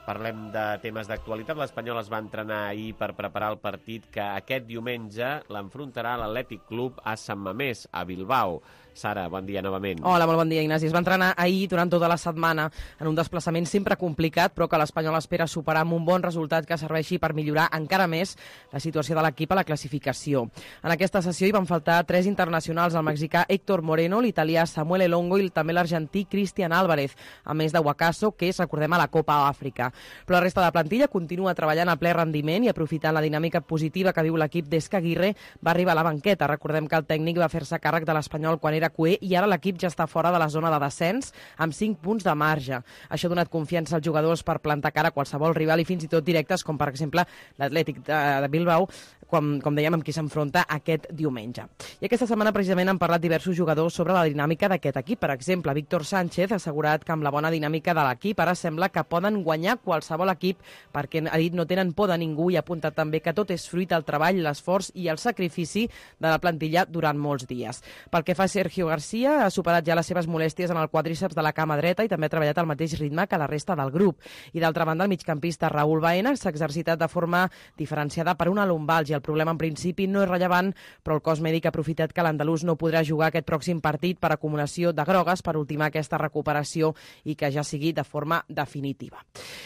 Parlem de temes d'actualitat. L'Espanyol es va entrenar ahir per preparar el partit que aquest diumenge l'enfrontarà l'Atlètic Club a Sant Mamés, a Bilbao. Sara, bon dia novament. Hola, molt bon dia, Ignasi. Es va entrenar ahir durant tota la setmana en un desplaçament sempre complicat, però que l'Espanyol espera superar amb un bon resultat que serveixi per millorar encara més la situació de l'equip a la classificació. En aquesta sessió hi van faltar 3 internacionals, el mexicà Héctor Moreno, l'italià Samuel Elongo i també l'argentí Cristian Álvarez, a més de Huacaso, que és, recordem, a la Copa Àfrica. Però la resta de la plantilla continua treballant a ple rendiment i aprofitant la dinàmica positiva que viu l'equip des que Aguirre va arribar a la banqueta. Recordem que el tècnic va fer-se càrrec de l'Espanyol quan era cuer i ara l'equip ja està fora de la zona de descens amb 5 punts de marge. Això ha donat confiança als jugadors per plantar cara a qualsevol rival i fins i tot directes com per exemple l'Atlètic de Bilbao, com dèiem, amb qui s'enfronta aquest diumenge. I aquesta setmana precisament han parlat diversos jugadors sobre la dinàmica d'aquest equip. Per exemple, Víctor Sánchez ha assegurat que amb la bona dinàmica de l'equip ara sembla que poden guanyar qualsevol equip perquè ha dit no tenen por de ningú i ha apuntat també que tot és fruit del treball, l'esforç i el sacrifici de la plantilla durant molts dies. Pel que fa a Sergio García, ha superat ja les seves molèsties en el quadríceps de la cama dreta i també ha treballat al mateix ritme que la resta del grup. I d'altra banda, el migcampista Raúl Baena s'ha exercitat de forma diferenciada per una lumbàlgia. El problema en principi no és rellevant, però el cos mèdic ha aprofitat que l'andalús no podrà jugar aquest pròxim partit per acumulació de grogues per ultimar aquesta recuperació i que ja sigui de forma definitiva.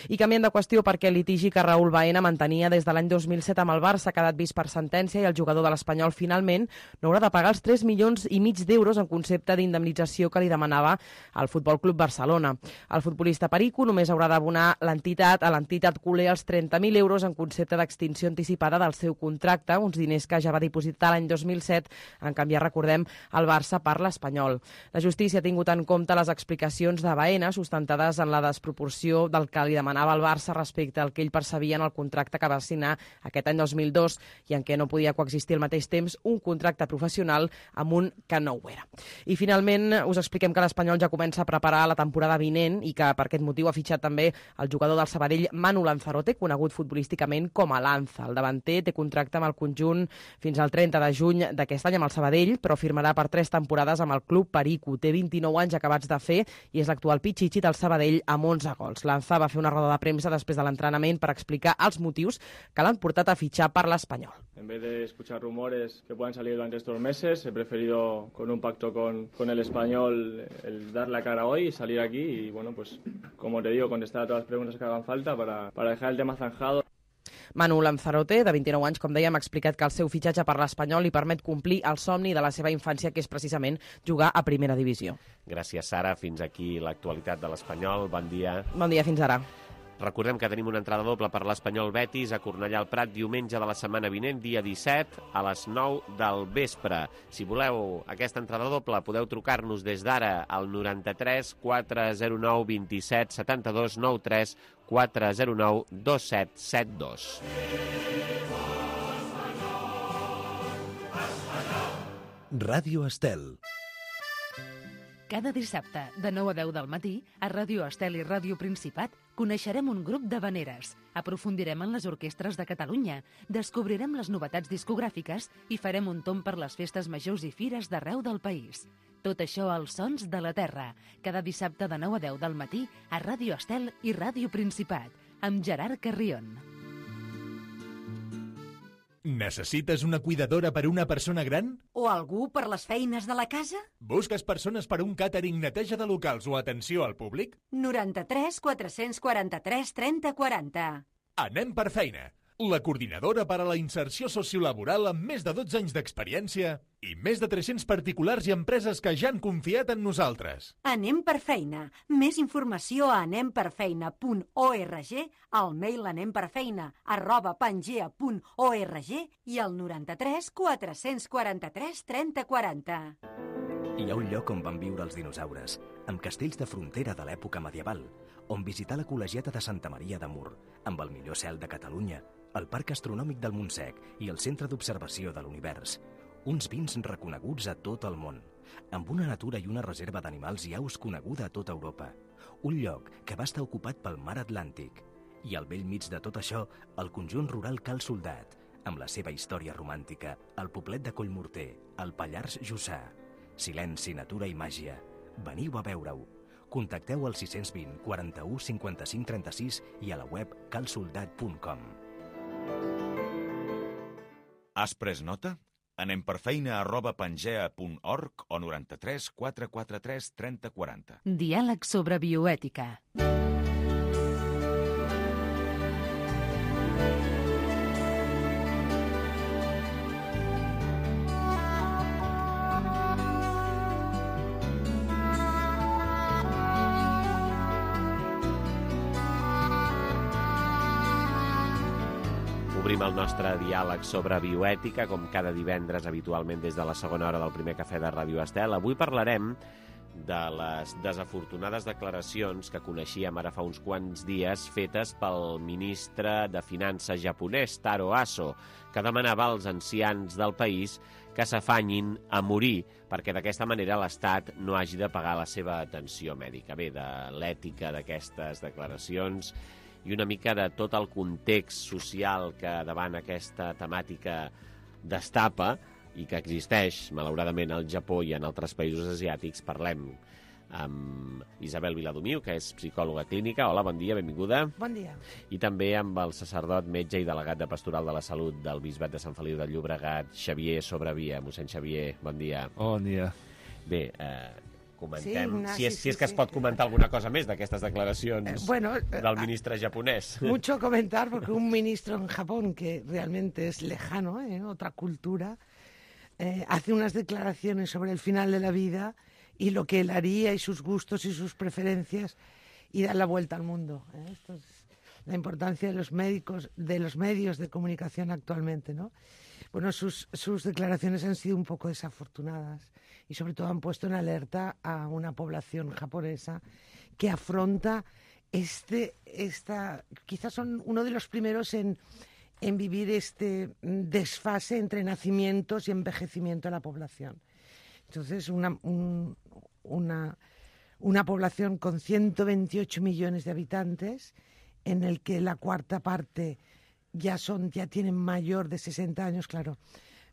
I canviant de qüestió, perquè el litigi que Raúl Baena mantenia des de l'any 2007 amb el Barça ha quedat vist per sentència i el jugador de l'Espanyol finalment no haurà de pagar els 3,5 milions d'euros en concepte d'indemnització que li demanava el Futbol Club Barcelona. El futbolista perico només haurà d'abonar a l'entitat culer els 30.000 euros en concepte d'extinció anticipada del seu contracte, uns diners que ja va dipositar l'any 2007, en canviar, recordem, el Barça per l'Espanyol. La justícia ha tingut en compte les explicacions de Baena, sustentades en la desproporció del que li demanava el Barça respecte al que ell percebia en el contracte que va signar aquest any 2002 i en què no podia coexistir al mateix temps un contracte professional amb un que no ho era. I finalment us expliquem que l'Espanyol ja comença a preparar la temporada vinent i que per aquest motiu ha fitxat també el jugador del Sabadell Manu Lanzarote, conegut futbolísticament com a Lanza. El davanter té contracte amb el conjunt fins al 30 de juny d'aquest any amb el Sabadell, però firmarà per 3 temporades amb el club perico. Té 29 anys acabats de fer i és l'actual pitxitxi del Sabadell amb 11 gols. Lanza va fer una roda de premsa després de l'entrenament per explicar els motius que l'han portat a fitxar per l'Espanyol. En vez de escuchar rumores que puedan salir durante estos meses, he preferido, con un pacto con el Español, el dar la cara hoy y salir aquí y, bueno, pues, como te digo, contestar a todas las preguntas que hagan falta para dejar el tema zanjado. Manu Lanzarote, de 29 anys, com dèiem, ha explicat que el seu fitxatge per l'Espanyol li permet complir el somni de la seva infància, que és precisament jugar a primera divisió. Gràcies, Sara. Fins aquí l'actualitat de l'Espanyol. Bon dia. Bon dia, fins ara. Recordem que tenim una entrada doble per l'Espanyol Betis a Cornellà al Prat diumenge de la setmana vinent, dia 17, a les 9 del vespre. Si voleu aquesta entrada doble, podeu trucar-nos des d'ara al 93 409 27 72 93 409 2772. Ràdio Estel. Cada dissabte, de 9 a 10 del matí, a Ràdio Estel i Ràdio Principat, Coneixerem un grup d'havaneres, aprofundirem en les orquestres de Catalunya, descobrirem les novetats discogràfiques i farem un tomb per les festes majors i fires d'arreu del país. Tot això als Sons de la Terra, cada dissabte de 9 a 10 del matí a Ràdio Estel i Ràdio Principat, amb Gerard Carrion. Necessites una cuidadora per a una persona gran? O algú per les feines de la casa? Busques persones per a un càtering, neteja de locals o atenció al públic? 93 443 30 40. Anem per feina. La coordinadora per a la inserció sociolaboral amb més de 12 anys d'experiència i més de 300 particulars i empreses que ja han confiat en nosaltres. Anem per feina. Més informació a anemperfeina.org, al mail anemperfeina@pangea.org i al 93 443 30 40. Hi ha un lloc on van viure els dinosaures, amb castells de frontera de l'època medieval, on visitar la col·legiata de Santa Maria de Mur, amb el millor cel de Catalunya, el Parc Astronòmic del Montsec i el Centre d'Observació de l'Univers. Uns vins reconeguts a tot el món, amb una natura i una reserva d'animals i aus coneguda a tota Europa. Un lloc que va estar ocupat pel mar Atlàntic. I al bell mig de tot això, el conjunt rural Cal Soldat, amb la seva història romàntica, el poblet de Collmorter, el Pallars Jussà. Silenci, natura i màgia. Veniu a veure-ho. Contacteu al 620 41 55 36 i a la web calsoldat.com. Has pres nota? Anem per feina@pangea.org o 93 443 30 40. Diàleg sobre bioètica. Obrim el nostre diàleg sobre bioètica, com cada divendres, habitualment des de la segona hora del primer cafè de Ràdio Estel. Avui parlarem de les desafortunades declaracions que coneixíem ara fa uns quants dies fetes pel ministre de Finances japonès, Taro Aso, que demanava als ancians del país que s'afanyin a morir perquè d'aquesta manera l'Estat no hagi de pagar la seva atenció mèdica. Bé, de l'ètica d'aquestes declaracions i una mica de tot el context social que davant aquesta temàtica destapa i que existeix, malauradament, al Japó i en altres països asiàtics, parlem amb Isabel Viladomiu, que és psicòloga clínica. Hola, bon dia, benvinguda. Bon dia. I també amb el sacerdot, metge i delegat de Pastoral de la Salut del Bisbat de Sant Feliu de Llobregat, Xavier Sobrevia. Mossèn Xavier, bon dia. Bon dia. Bé, comentem, sí, si és que es pot comentar alguna cosa més d'aquestes declaracions del ministre japonès. Mucho comentar, porque un ministro en Japón que realmente es lejano, otra cultura, hace unas declaraciones sobre el final de la vida y lo que él haría y sus gustos y sus preferencias y dar la vuelta al mundo. Esto es la importancia de los médicos, de los medios de comunicación actualmente, ¿no? Bueno, sus declaraciones han sido un poco desafortunadas y sobre todo han puesto en alerta a una población japonesa que afronta quizás son uno de los primeros en vivir este desfase entre nacimientos y envejecimiento de la población. Entonces, una población con 128 millones de habitantes, en el que la cuarta parte ya tienen mayor de 60 años, claro,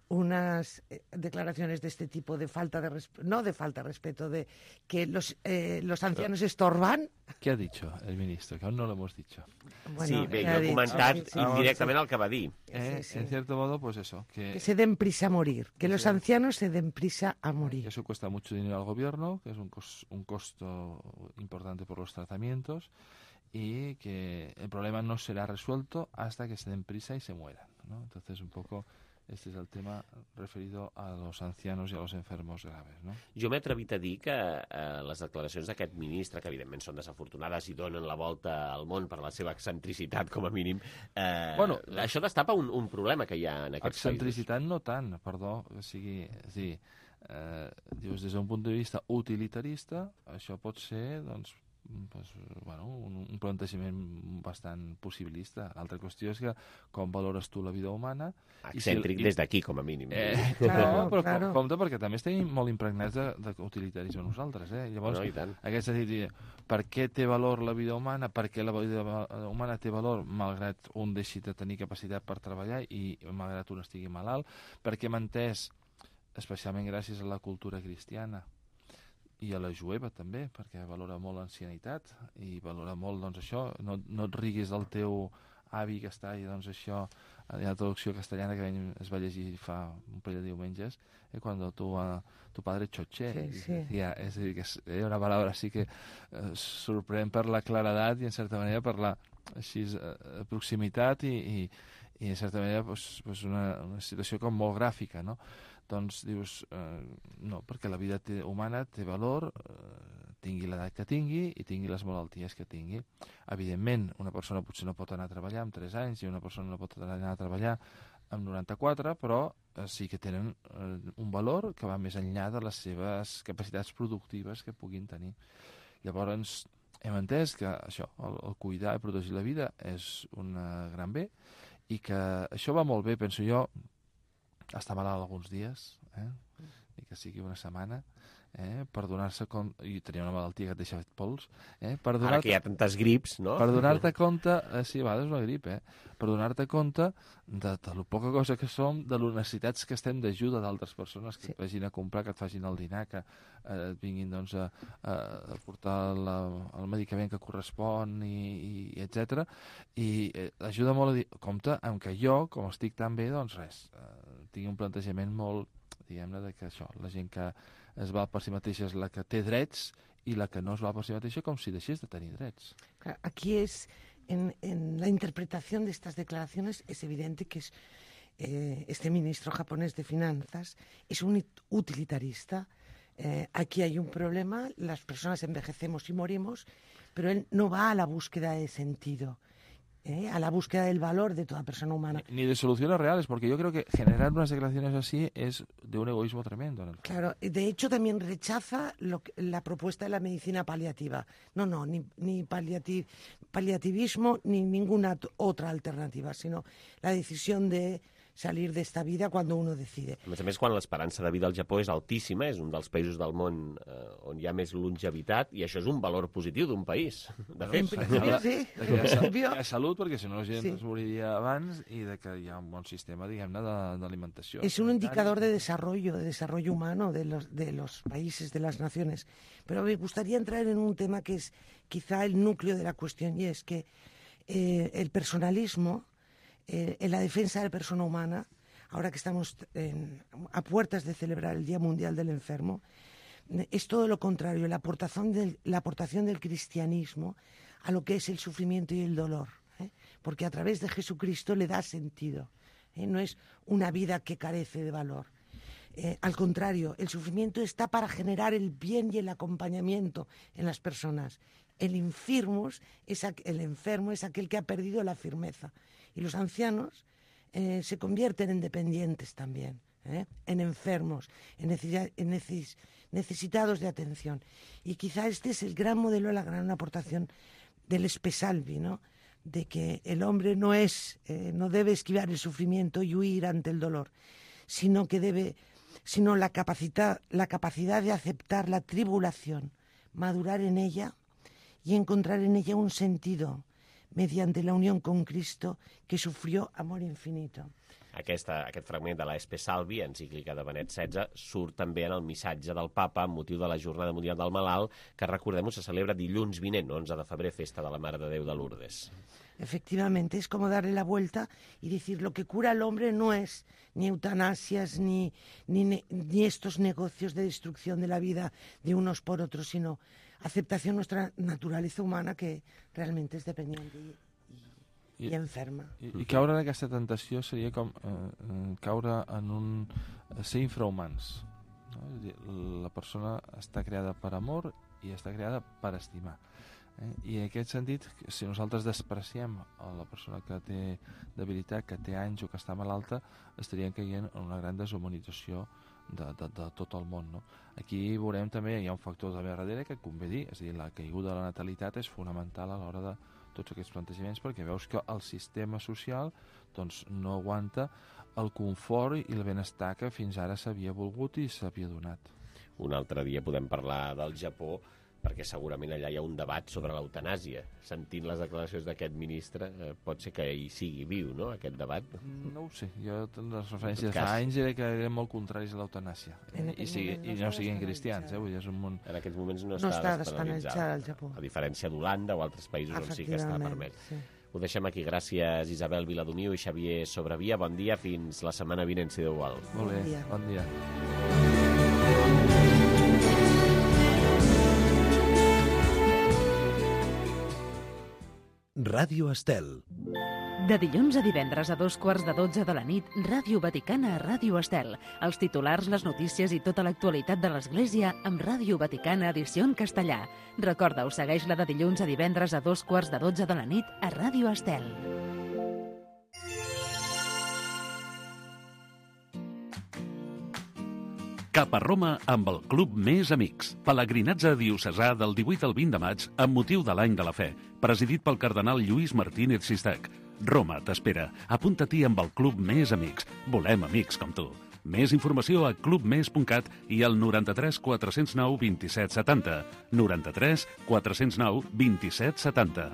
unas declaraciones de este tipo de falta de respeto, de que los ancianos estorban. ¿Qué ha dicho el ministro? Que aún no lo hemos dicho. Bueno, sí, bé, jo he comentat indirectament el que va dir. Sí. En cierto modo, pues eso. Que se den prisa a morir, que los ancianos se den prisa a morir. Eso cuesta mucho dinero al gobierno, que es un costo importante por los tratamientos, y que el problema no será resuelto hasta que se den prisa y se mueran, ¿no? Entonces, un poco... Este és el tema referido a los ancianos i a los enfermos graves, no? Jo m'he atrevit a dir que les declaracions d'aquest ministre, que evidentment són desafortunades i donen la volta al món per la seva excentricitat, com a mínim, això destapa un problema que hi ha en aquests països. Excentricitat no tant, perdó, o sigui, dius, des d'un punt de vista utilitarista, això pot ser, doncs, un plantejament bastant possibilista. L'altra qüestió és que com valores tu la vida humana... Excèntric des d'aquí, com a mínim. Però compte, perquè també estem molt impregnats d'utilitarisme nosaltres. Llavors, aquest sentit, per què té valor la vida humana? Per què la vida humana té valor malgrat un deixi de tenir capacitat per treballar i malgrat un estigui malalt? Perquè hem entès, especialment gràcies a la cultura cristiana, i a la jueva també, perquè valora molt l'ancianitat i valora molt, doncs, això, no et riguis del teu avi que està i, doncs, això, hi ha la traducció castellana que es va llegir fa un parell de diumenges, quan tu padre choché, és a dir, que és una paraula així que sorprèn per la claredat i, en certa manera, per la proximitat i en certa manera, una situació com molt gràfica, no? Doncs dius, no, perquè la vida humana té valor, tingui l'edat que tingui i tingui les malalties que tingui. Evidentment, una persona potser no pot anar a treballar amb 3 anys i una persona no pot anar a treballar amb 94, però sí que tenen un valor que va més enllà de les seves capacitats productives que puguin tenir. Llavors, hem entès que això, el cuidar i protegir la vida és un gran bé i que això va molt bé, penso jo, estar malalt alguns dies, i que sigui una setmana, per donar-se compte, i tenia una malaltia que et deixa fet pols, ara que hi ha tantes grips, no? Per donar-te compte, sí, a vegades una grip, per donar-te compte de lo poca cosa que som, de les necessitats que estem d'ajuda d'altres persones que et vagin a comprar, que et facin el dinar, que et vinguin, doncs, a portar el medicament que correspon, i etc. I ajuda molt a dir, compte, amb que jo, com estic tan bé, doncs res, tingui un plantejament molt, diguem-ne, de que això, la gent que es val per si mateixa és la que té drets i la que no es val per si mateixa com si deixés de tenir drets. Aquí es, en la interpretación de estas declaraciones es evidente que este ministro japonés de Finanzas es un utilitarista. Aquí hay un problema, las personas envejecemos y morimos, pero él no va a la búsqueda de sentido. A la búsqueda del valor de toda persona humana. Ni de soluciones reales, porque yo creo que generar unas declaraciones así es de un egoísmo tremendo. En el fondo. Claro, de hecho también rechaza la propuesta de la medicina paliativa. No, ni paliativismo ni ninguna otra alternativa, sino la decisión de salir de esta vida cuando uno decide. A més, quan l'esperança de vida al Japó és altíssima, és un dels països del món on hi ha més longevitat, i això és un valor positiu d'un país. De fet, hi ha salut, perquè si no la gent es moriria abans, i de que hi ha un bon sistema, diguem-ne, d'alimentació. Es un indicador de desarrollo humano de los países, de las naciones. Pero me gustaría entrar en un tema que es quizá el núcleo de la cuestión, y es que el personalismo, en la defensa de la persona humana, ahora que estamos a puertas de celebrar el Día Mundial del Enfermo, es todo lo contrario, la aportación del cristianismo a lo que es el sufrimiento y el dolor, porque a través de Jesucristo le da sentido, no es una vida que carece de valor. Al contrario, el sufrimiento está para generar el bien y el acompañamiento en las personas. El enfermo es aquel que ha perdido la firmeza. Y los ancianos se convierten en dependientes también, en enfermos, en necesitados de atención. Y quizá este es el gran modelo, la gran aportación del Espesalvi, ¿no? De que el hombre no debe esquivar el sufrimiento y huir ante el dolor, sino la capacidad de aceptar la tribulación, madurar en ella y encontrar en ella un sentido mediante la unió con Cristo, que sufrió amor infinito. Aquest fragment de l'Espe Salvi, encíclica de Benet XVI, surt també en el missatge del papa amb motiu de la Jornada Mundial del Malalt, que, recordem-ho, se celebra dilluns vinent, 11 de febrer, festa de la Mare de Déu de Lourdes. Efectivamente, es como darle la vuelta y decir, lo que cura al hombre no es ni eutanasias, ni estos negocios de destrucción de la vida de unos por otros, sino aceptación de nuestra naturaleza humana, que realmente es dependiente i enferma. I caure en aquesta tentació seria com caure en ser infrahumans. No? És a dir, la persona està creada per amor i està creada per estimar. I en aquest sentit, si nosaltres despreciem a la persona que té debilitat, que té anys o que està malalta, estaríem caient en una gran deshumanització de tot el món, no? Aquí veurem també, hi ha un factor també darrere que convé dir, és a dir, la caiguda de la natalitat és fonamental a l'hora de tots aquests plantejaments, perquè veus que el sistema social doncs, no aguanta el confort i el benestar que fins ara s'havia volgut i s'havia donat. Un altre dia podem parlar del Japó, perquè segurament allà hi ha un debat sobre l'eutanàsia. Sentint les declaracions d'aquest ministre, pot ser que hi sigui viu, no?, aquest debat. No ho sé. Jo, les referències de fa anys era que eren molt contraris a l'eutanàsia. I no siguin cristians, vull dir, és un món... En aquests moments no està despenalitzat al Japó. A diferència d'Holanda o altres països on sí que està permès. Sí. Ho deixem aquí. Gràcies, Isabel Viladomiu i Xavier Sobrevia. Bon dia, fins la setmana vinent, si Déu vol. Molt bé, bon dia. Ràdio Estel. De dilluns a divendres a 2:15 de la nit, Ràdio Vaticana a Ràdio Estel. Els titulars, les notícies i tota l'actualitat de l'Església amb Ràdio Vaticana edició en castellà. Recorda-ho, segueix-la de dilluns a divendres a 2:15 de la nit a Ràdio Estel. Cap a Roma amb el Club Més Amics. Pelegrinatge diocesà del 18 al 20 de maig amb motiu de l'Any de la Fe, presidit pel cardenal Lluís Martínez Sistac. Roma t'espera. Apunta-t'hi amb el Club Més Amics. Volem amics com tu. Més informació a clubmes.cat i al 93 409 27 70. 93 409 27 70.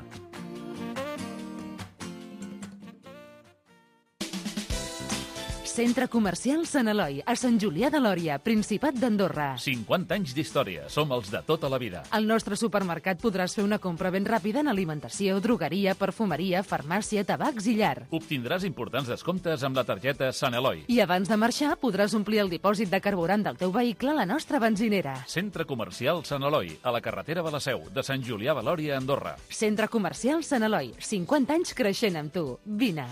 Centre Comercial Sant Eloi, a Sant Julià de Lòria, Principat d'Andorra. 50 anys d'història. Som els de tota la vida. Al nostre supermercat podràs fer una compra ben ràpida en alimentació, drogueria, perfumeria, farmàcia, tabacs i llar. Obtindràs importants descomptes amb la targeta Sant Eloi. I abans de marxar podràs omplir el dipòsit de carburant del teu vehicle a la nostra benzinera. Centre Comercial Sant Eloi, a la carretera de la Seu, de Sant Julià de Lòria, Andorra. Centre Comercial Sant Eloi, 50 anys creixent amb tu. Vine.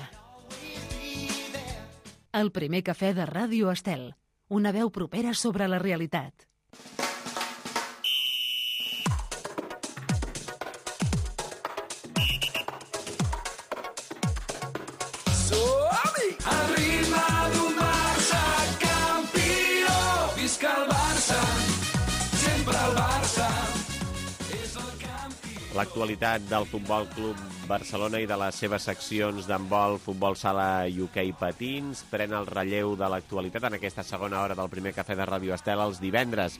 El primer cafè de Ràdio Estel. Una veu propera sobre la realitat. Som-hi! Al ritme d'un Barça campió. Visca el Barça, sempre el Barça. És el campió. L'actualitat del Futbol Club Barcelona i de les seves seccions d'handbol, futbol sala i hoquei patins pren el relleu de l'actualitat en aquesta segona hora del primer cafè de Ràdio Estel els divendres.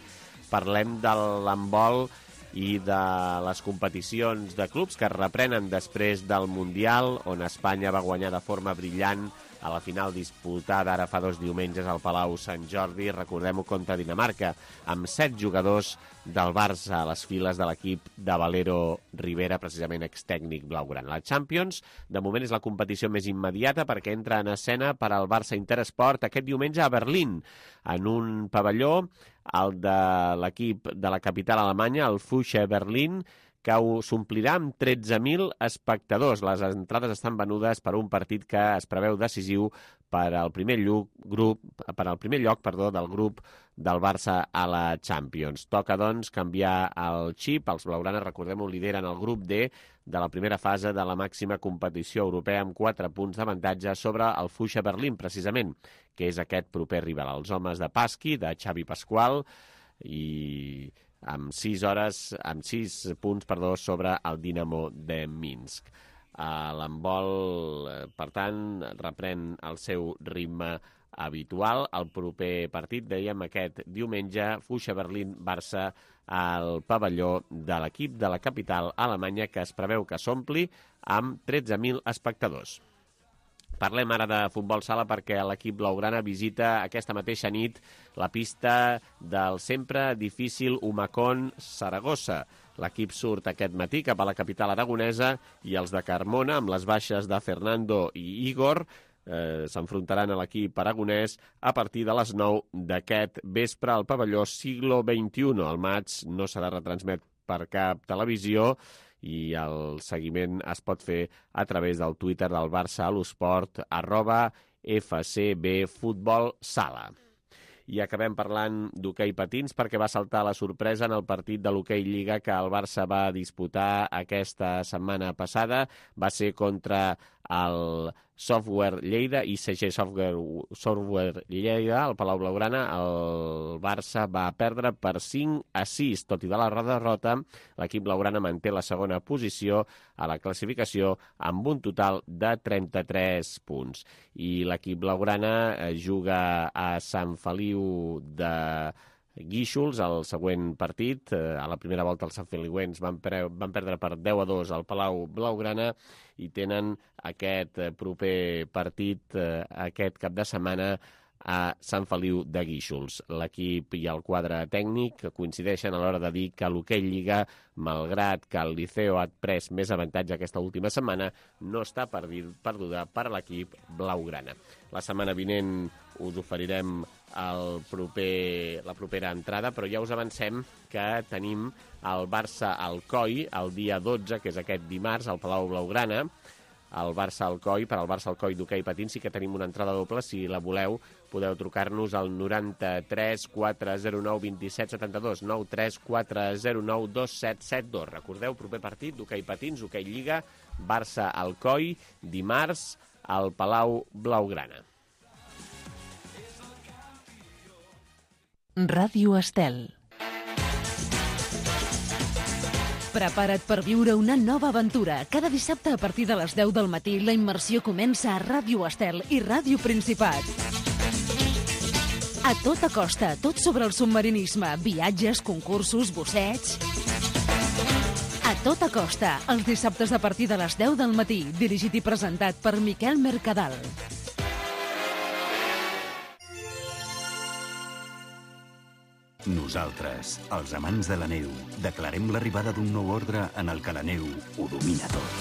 Parlem de l'handbol i de les competicions de clubs que es reprenen després del Mundial, on Espanya va guanyar de forma brillant a la final disputada ara fa 2 diumenges al Palau Sant Jordi, recordem-ho, contra Dinamarca, amb 7 jugadors del Barça a les files de l'equip de Valero Rivera, precisament extècnic blaugrana. La Champions, de moment, és la competició més immediata perquè entra en escena per al Barça Interesport aquest diumenge a Berlín, en un pavelló, el de l'equip de la capital alemanya, el Fuchsia Berlin, que s'omplirà amb 13.000 espectadors. Les entrades estan venudes per un partit que es preveu decisiu per al primer lloc del grup del Barça a la Champions. Toca, doncs, canviar el xip. Els blaugranes, recordem-ho, lideren el grup D de la primera fase de la màxima competició europea amb 4 punts d'avantatge sobre el Fuchsia Berlin, precisament, que és aquest proper rival. Els homes de Pasqui, de Xavi Pasqual, i amb 6 punts sobre el Dinamo de Minsk. L'handbol, per tant, reprèn el seu ritme habitual. El proper partit, dèiem, aquest diumenge, Fuchsia Berlín-Barça al pavelló de l'equip de la capital alemanya, que es preveu que s'ompli amb 13.000 espectadors. Parlem ara de futbol sala perquè l'equip blaugrana visita aquesta mateixa nit la pista del sempre difícil Humacón Saragossa. L'equip surt aquest matí cap a la capital aragonesa i els de Carmona, amb les baixes de Fernando i Igor, s'enfrontaran a l'equip aragonès a partir de les 9 d'aquest vespre al pavelló Siglo XXI. El maig no serà retransmet per cap televisió i el seguiment es pot fer a través del Twitter del Barça a l'Esport, @FCBFutbolSala. I acabem parlant d'hoquei patins perquè va saltar la sorpresa en el partit de l'hoquei Lliga que el Barça va disputar aquesta setmana passada. Va ser contra el Software Lleida, ICG Software Lleida, al Palau Blaugrana. El Barça va perdre per 5-6. Tot i de la derrota, l'equip blaugrana manté la segona posició a la classificació amb un total de 33 punts. I l'equip blaugrana juga a Sant Feliu de Guíxols, el següent partit. A la primera volta els sanfeliuencs van perdre per 10-2 al Palau Blaugrana i tenen aquest proper partit aquest cap de setmana a Sant Feliu de Guíxols. L'equip i el quadre tècnic coincideixen a l'hora de dir que l'hoquei Lliga, malgrat que el Liceo ha pres més avantatge aquesta última setmana, no està perduda per l'equip blaugrana. La setmana vinent us oferirem la propera entrada, però ja us avancem que tenim el Barça-Alcoi el dia 12, que és aquest dimarts, al Palau Blaugrana. El Barça-Alcoi, per al Barça-Alcoi d'hoquei patins sí que tenim una entrada doble. Si la voleu, podeu trucar-nos al 93 409 27 72, 93 409 2772. Recordeu, proper partit d'hoquei patins, hoquei Lliga, Barça-Alcoi, dimarts al Palau Blaugrana. Ràdio Estel. Prepara't per viure una nova aventura. Cada dissabte a partir de les 10 del matí la immersió comença a Ràdio Estel i Ràdio Principat. A tota costa, tot sobre el submarinisme, viatges, concursos, busseigs. A tota costa, els dissabtes a partir de les 10 del matí, dirigit i presentat per Miquel Mercadal. Nosaltres, els amants de la neu, declarem l'arribada d'un nou ordre en el que la neu ho domina tot.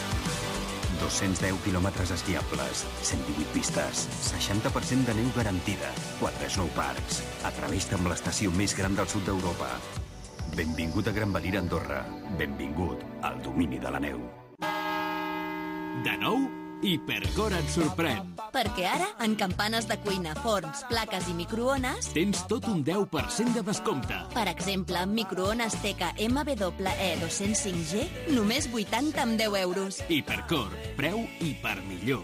210 quilòmetres esquiables, 118 pistes, 60% de neu garantida, 4 snowparks. Atreveix-te amb l'estació més gran del sud d'Europa. Benvingut a Gran Valira, Andorra. Benvingut al domini de la neu. De nou, Hipercor et sorprèn. Perquè ara, en campanes de cuina, forns, plaques i microones, tens tot un 10% de descompte. Per exemple, microones Teca MWE 205G, només 80 amb 10 euros. Hipercor, preu hiper millor.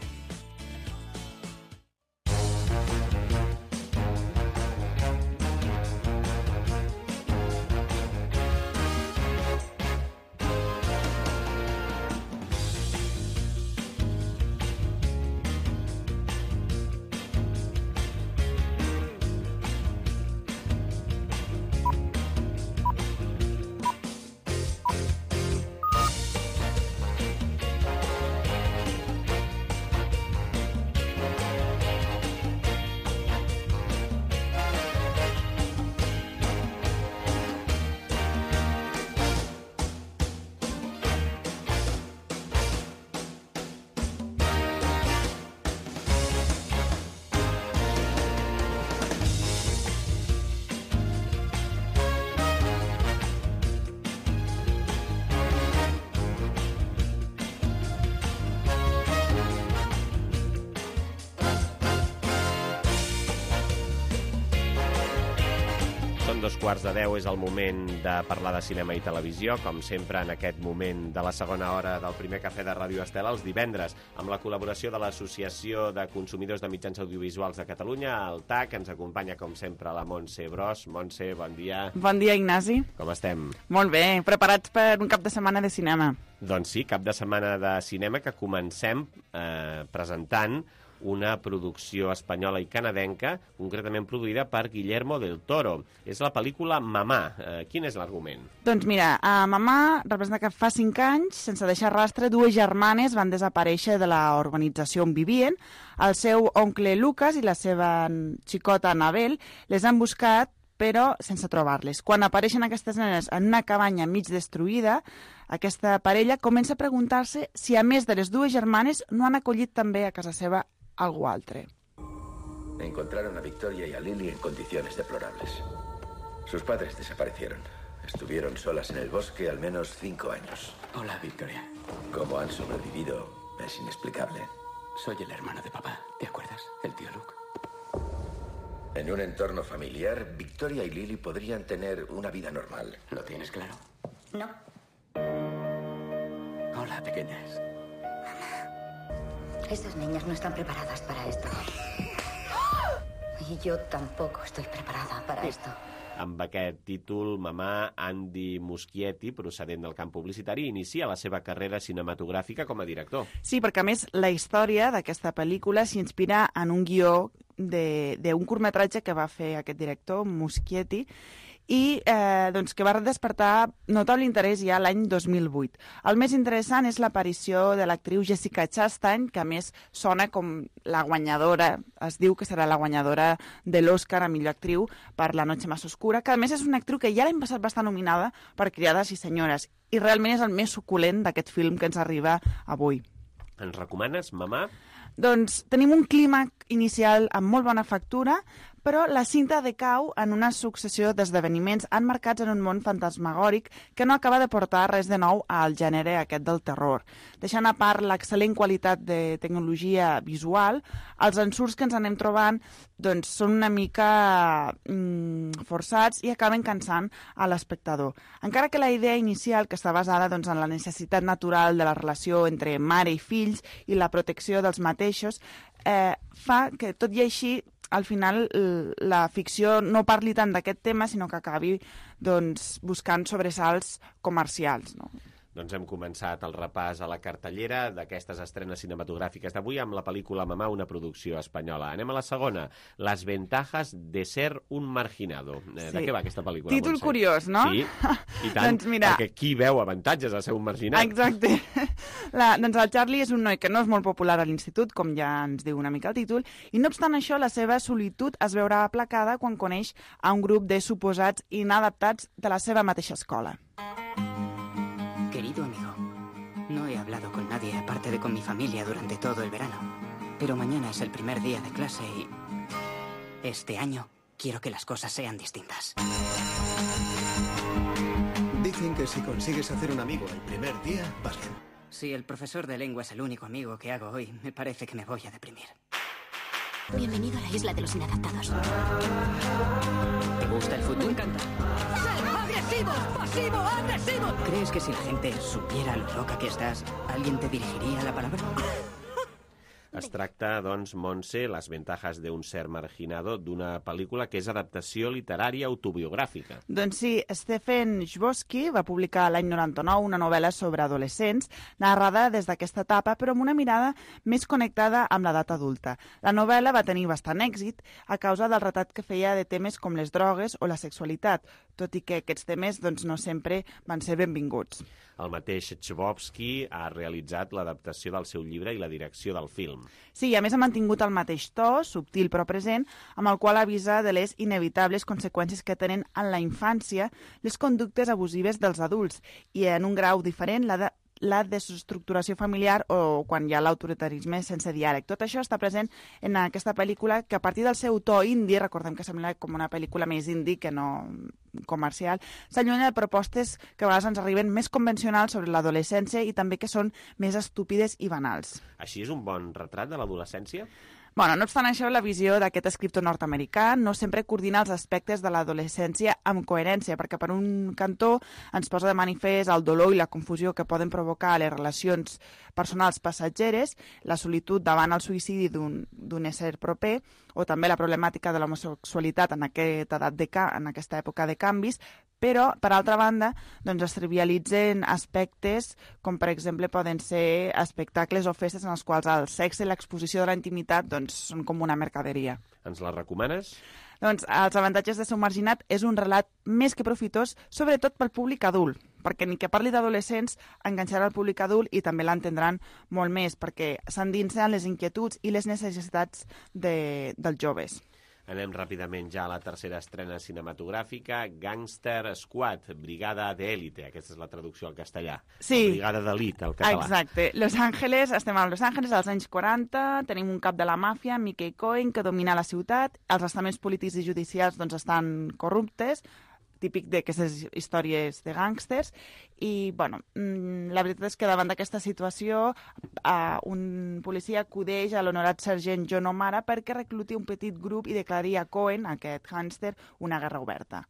Són 2:15, és el moment de parlar de cinema i televisió, com sempre en aquest moment de la segona hora del primer cafè de Ràdio Estel, els divendres, amb la col·laboració de l'Associació de Consumidors de Mitjans Audiovisuals de Catalunya, el TAC. Ens acompanya, com sempre, la Montse Bros. Montse, bon dia. Bon dia, Ignasi. Com estem? Molt bé, preparats per un cap de setmana de cinema. Doncs sí, cap de setmana de cinema que comencem presentant una producció espanyola i canadenca, concretament produïda per Guillermo del Toro. És la pel·lícula Mamà. Quin és l'argument? Doncs mira, Mamà representa que fa 5 anys, sense deixar rastre, 2 germanes van desaparèixer de la urbanització on vivien. El seu oncle Lucas i la seva xicota Anabel les han buscat, però sense trobar-les. Quan apareixen aquestes nenes en una cabanya mig destruïda, aquesta parella comença a preguntar-se si, a més de les 2 germanes, no han acollit també a casa seva algú altre. Encontraron a Victoria y a Lily en condiciones deplorables. Sus padres desaparecieron. Estuvieron solas en el bosque al menos 5 años. Hola, Victoria. Cómo han sobrevivido es inexplicable. Soy el hermano de papá, ¿te acuerdas? El tío Luke. En un entorno familiar, Victoria y Lily podrían tener una vida normal. ¿Lo tienes claro? No. Hola, pequeñas. Esas niñas no están preparadas para esto. Y yo tampoco estoy preparada para esto. Amb aquest títol, Mamà, Andy Muschietti, procedent del camp publicitari, inicia la seva carrera cinematogràfica com a director. Sí, perquè a més la història d'aquesta pel·lícula s'inspira en un guió d'un curtmetratge que va fer aquest director, Muschietti, i doncs que va despertar notable interès ja l'any 2008. El més interessant és l'aparició de l'actriu Jessica Chastain, que a més sona com la guanyadora, es diu que serà la guanyadora de l'Oscar a millor actriu per La noche más oscura, que a més és una actriu que ja l'any passat va estar nominada per Criades i senyores, i realment és el més suculent d'aquest film que ens arriba avui. Ens recomanes, Mamà? Doncs tenim un clímax inicial amb molt bona factura, però la cinta decau en una successió d'esdeveniments emmarcats en un món fantasmagòric que no acaba de portar res de nou al gènere aquest del terror. Deixant a part l'excel·lent qualitat de tecnologia visual, els ensurts que ens anem trobant doncs, són una mica forçats i acaben cansant a l'espectador. Encara que la idea inicial, que està basada doncs, en la necessitat natural de la relació entre mare i fills i la protecció dels mateixos, fa que, tot i així, al final la ficció no parli tant d'aquest tema, sinó que acabi doncs, buscant sobresalts comercials, no? Doncs hem començat el repàs a la cartellera d'aquestes estrenes cinematogràfiques d'avui amb la pel·lícula Mamà, una producció espanyola. Anem a la segona, Las ventajas de ser un marginado. Sí. De què va aquesta pel·lícula, Títol Montse? curiós, no? Sí, i tant, doncs mira, perquè qui veu avantatges a ser un marginat? Exacte. Doncs el Charlie és un noi que no és molt popular a l'institut, com ja ens diu una mica el títol, i no obstant això, la seva solitud es veurà aplacada quan coneix a un grup de suposats inadaptats de la seva mateixa escola. Querido amigo, no he hablado con nadie aparte de con mi familia durante todo el verano. Pero mañana es el primer día de clase y este año quiero que las cosas sean distintas. Dicen que si consigues hacer un amigo el primer día, vas bien. Si el profesor de lengua es el único amigo que hago hoy, me parece que me voy a deprimir. Bienvenido a la isla de los inadaptados. ¿Te gusta el fútbol? Me encanta. ¡Ser agresivo! ¡Pasivo! ¡Agresivo! ¿Crees que si la gente supiera lo loca que estás, alguien te dirigiría la palabra? Es tracta, doncs, Montse, Les ventajas de un ser marginado, d'una pel·lícula que és adaptació literària autobiogràfica. Doncs sí, Stephen Chbosky va publicar l'any 99 una novel·la sobre adolescents, narrada des d'aquesta etapa, però amb una mirada més connectada amb l'edat adulta. La novel·la va tenir bastant èxit a causa del retrat que feia de temes com les drogues o la sexualitat, tot i que aquests temes doncs, no sempre van ser benvinguts. El mateix Chbosky ha realitzat l'adaptació del seu llibre i la direcció del film. Sí, i a més ha mantingut el mateix to, subtil però present, amb el qual avisa de les inevitables conseqüències que tenen en la infància les conductes abusives dels adults i en un grau diferent la desestructuració familiar o quan hi ha l'autoritarisme sense diàleg. Tot això està present en aquesta pel·lícula que a partir del seu to indie, recordem que sembla com una pel·lícula més indie que no comercial, s'allunya de propostes que a vegades ens arriben més convencionals sobre l'adolescència i també que són més estúpides i banals. Així és un bon retrat de l'adolescència? Bueno, no obstant això, la visió d'aquest escriptor nord-americà no sempre coordina els aspectes de l'adolescència amb coherència, perquè per un cantó ens posa de manifest el dolor i la confusió que poden provocar les relacions personals passatgeres, la solitud davant el suïcidi d'un ésser proper, o també la problemàtica de l'homosexualitat en aquesta època de canvis, però, per altra banda, doncs es trivialitzen aspectes com, per exemple, poden ser espectacles o festes en els quals el sexe i l'exposició de la intimitat doncs, són com una mercaderia. Ens la recomanes? Doncs Els avantatges de ser un marginat és un relat més que profitós, sobretot pel públic adult, perquè ni que parli d'adolescents enganxarà el públic adult i també l'entendran molt més, perquè s'endinsen les inquietuds i les necessitats dels joves. Anem ràpidament ja a la tercera estrena cinematogràfica, Gangster Squad, Brigada d'Élite. Aquesta és la traducció al castellà. Sí. Brigada d'Elit, al català. Exacte. Estem a Los Angeles als anys 40, tenim un cap de la màfia, Mickey Cohen, que domina la ciutat, els estaments polítics i judicials doncs, estan corruptes, típic d'aquestes històries de gàngsters, i bueno, la veritat és que davant d'aquesta situació un policia acudeix a l'honorat sergent John O'Mara perquè recluti un petit grup i declari a Cohen, aquest gàngster, una guerra oberta.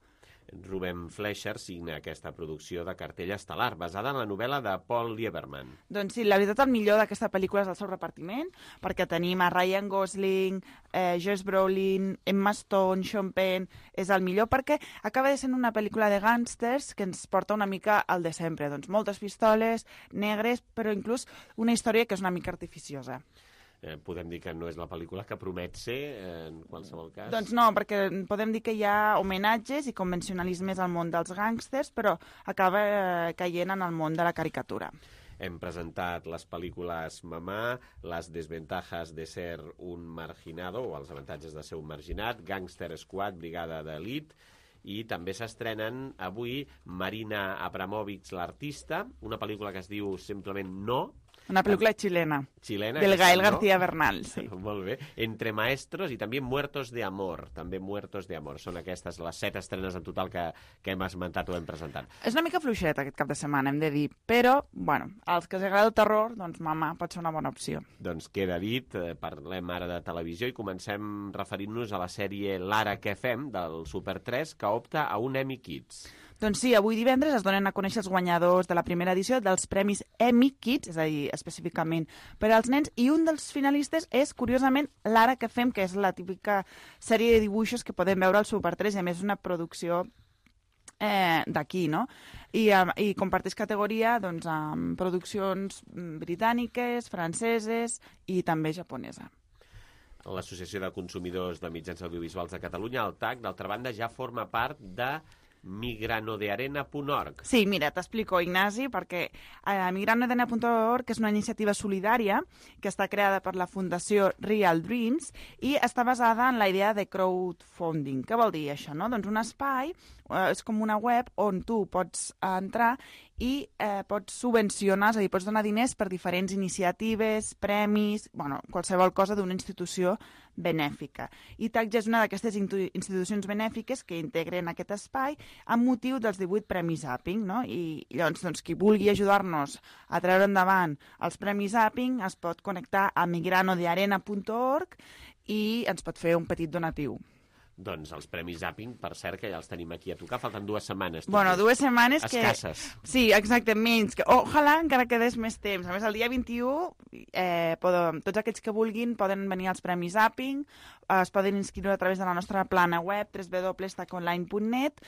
Ruben Fleischer signa aquesta producció de cartell estel·lar, basada en la novel·la de Paul Lieberman. Doncs sí, la veritat el millor d'aquesta pel·lícula és el seu repartiment, perquè tenim a Ryan Gosling, Josh Brolin, Emma Stone, Sean Penn. És el millor perquè acaba de ser una pel·lícula de gàngsters que ens porta una mica al de sempre. Doncs moltes pistoles, negres, però inclús una història que és una mica artificiosa. Podem dir que no és la pel·lícula que promet ser, en qualsevol cas? Doncs no, perquè podem dir que hi ha homenatges i convencionalismes al món dels gàngsters, però acaba caient en el món de la caricatura. Hem presentat les pel·lícules Mamà, Les desventajas de ser un marginado, o els avantatges de ser un marginat, Gangster Squad, Brigada d'Elit, i també s'estrenen avui Marina Abramovic, l'artista, una pel·lícula que es diu simplement No. Una pel·lícula xilena. Xilena. Del Gael García Bernal, sí. Molt bé. Entre Maestros i també Muertos de Amor. També Muertos de Amor. Són aquestes les 7 estrenes en total que hem esmentat o hem presentat. És una mica fluixet aquest cap de setmana, hem de dir. Però, bueno, als que els agrada el terror, doncs Mamà pot ser una bona opció. Doncs queda dit, parlem ara de televisió i comencem referint-nos a la sèrie L'Ara què fem, del Super 3, que opta a un Emmy Kids. Doncs sí, avui divendres es donen a conèixer els guanyadors de la primera edició dels Premis Emmy Kids, és a dir, específicament per als nens, i un dels finalistes és, curiosament, L'Ara què fem, que és la típica sèrie de dibuixos que podem veure al Super 3, i a més una producció d'aquí, no? I comparteix categoria doncs, amb produccions britàniques, franceses i també japonesa. L'Associació de Consumidors de Mitjans Audiovisuals de Catalunya, el TAC, d'altra banda, ja forma part de migranodearena.org. Sí, mira, t'explico, Ignasi, perquè migranodearena.org és una iniciativa solidària que està creada per la Fundació Real Dreams i està basada en la idea de crowdfunding. Què vol dir això, no? Doncs un espai, és com una web on tu pots entrar i pots subvencionar, és a dir, pots donar diners per diferents iniciatives, premis, bueno, qualsevol cosa d'una institució benèfica. I TAC és una d'aquestes institucions benèfiques que integren aquest espai amb motiu dels 18 Premis Zapping, no? I llavors, doncs, qui vulgui ajudar-nos a treure endavant els Premis Zapping es pot connectar a migranodearena.org i ens pot fer un petit donatiu. Doncs els Premis Zapping, per cert, que ja els tenim aquí a tocar. Falten 2 setmanes. Bueno, 2 setmanes que... Escasses. Sí, exacte, menys. Ojalà encara quedés més temps. A més, el dia 21, tots aquells que vulguin poden venir als Premis Zapping, es poden inscriure a través de la nostra plana web, www.taconline.net,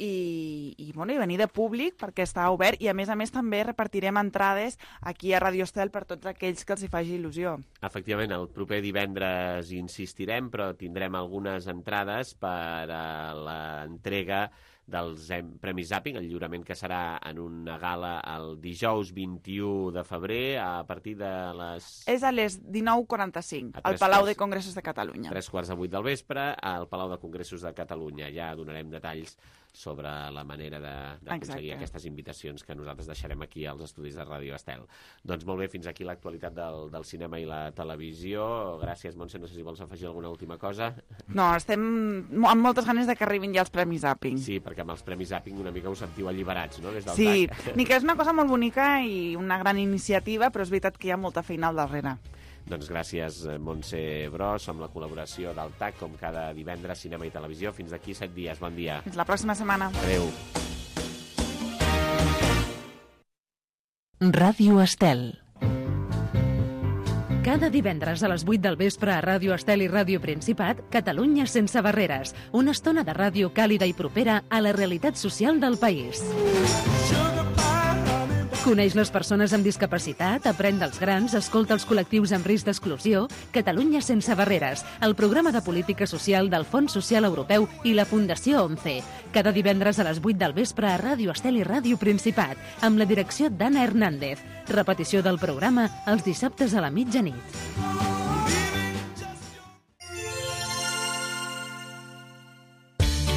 i venir de públic perquè està obert, i a més també repartirem entrades aquí a Radio Estel per tots aquells que els hi faci il·lusió. Efectivament, el proper divendres insistirem, però tindrem algunes entrades per a l'entrega dels Premis Zapping, el lliurament que serà en una gala el dijous 21 de febrer a partir de les... És a les 19:45, al Palau de Congressos de Catalunya. 7:45 del vespre, al Palau de Congressos de Catalunya. Ja donarem detalls sobre la manera d'aconseguir aquestes invitacions que nosaltres deixarem aquí als estudis de Ràdio Estel. Doncs molt bé, fins aquí l'actualitat del cinema i la televisió. Gràcies, Montse, no sé si vols afegir alguna última cosa. No, estem amb moltes ganes de que arribin ja els Premis Zapping. Sí, perquè amb els Premis Zapping una mica us sentiu alliberats, no?, des del sí, TAC. ni que és una cosa molt bonica i una gran iniciativa, però és veritat que hi ha molta feina al darrere. Doncs gràcies, Montse Bros, amb la col·laboració del TAC, com cada divendres, cinema i televisió. Fins d'aquí 7 dies. Bon dia. Fins la pròxima setmana. Adéu. Ràdio Estel. Cada divendres a les 8 del vespre a Ràdio Estel i Ràdio Principat, Catalunya sense barreres. Una estona de ràdio càlida i propera a la realitat social del país. Coneix les persones amb discapacitat, aprèn dels grans, escolta els col·lectius amb risc d'exclusió. Catalunya sense barreres, el programa de política social del Fons Social Europeu i la Fundació 11. Cada divendres a les 8 del vespre a Ràdio Estel i Ràdio Principat, amb la direcció d'Anna Hernández. Repetició del programa els dissabtes a la mitjanit.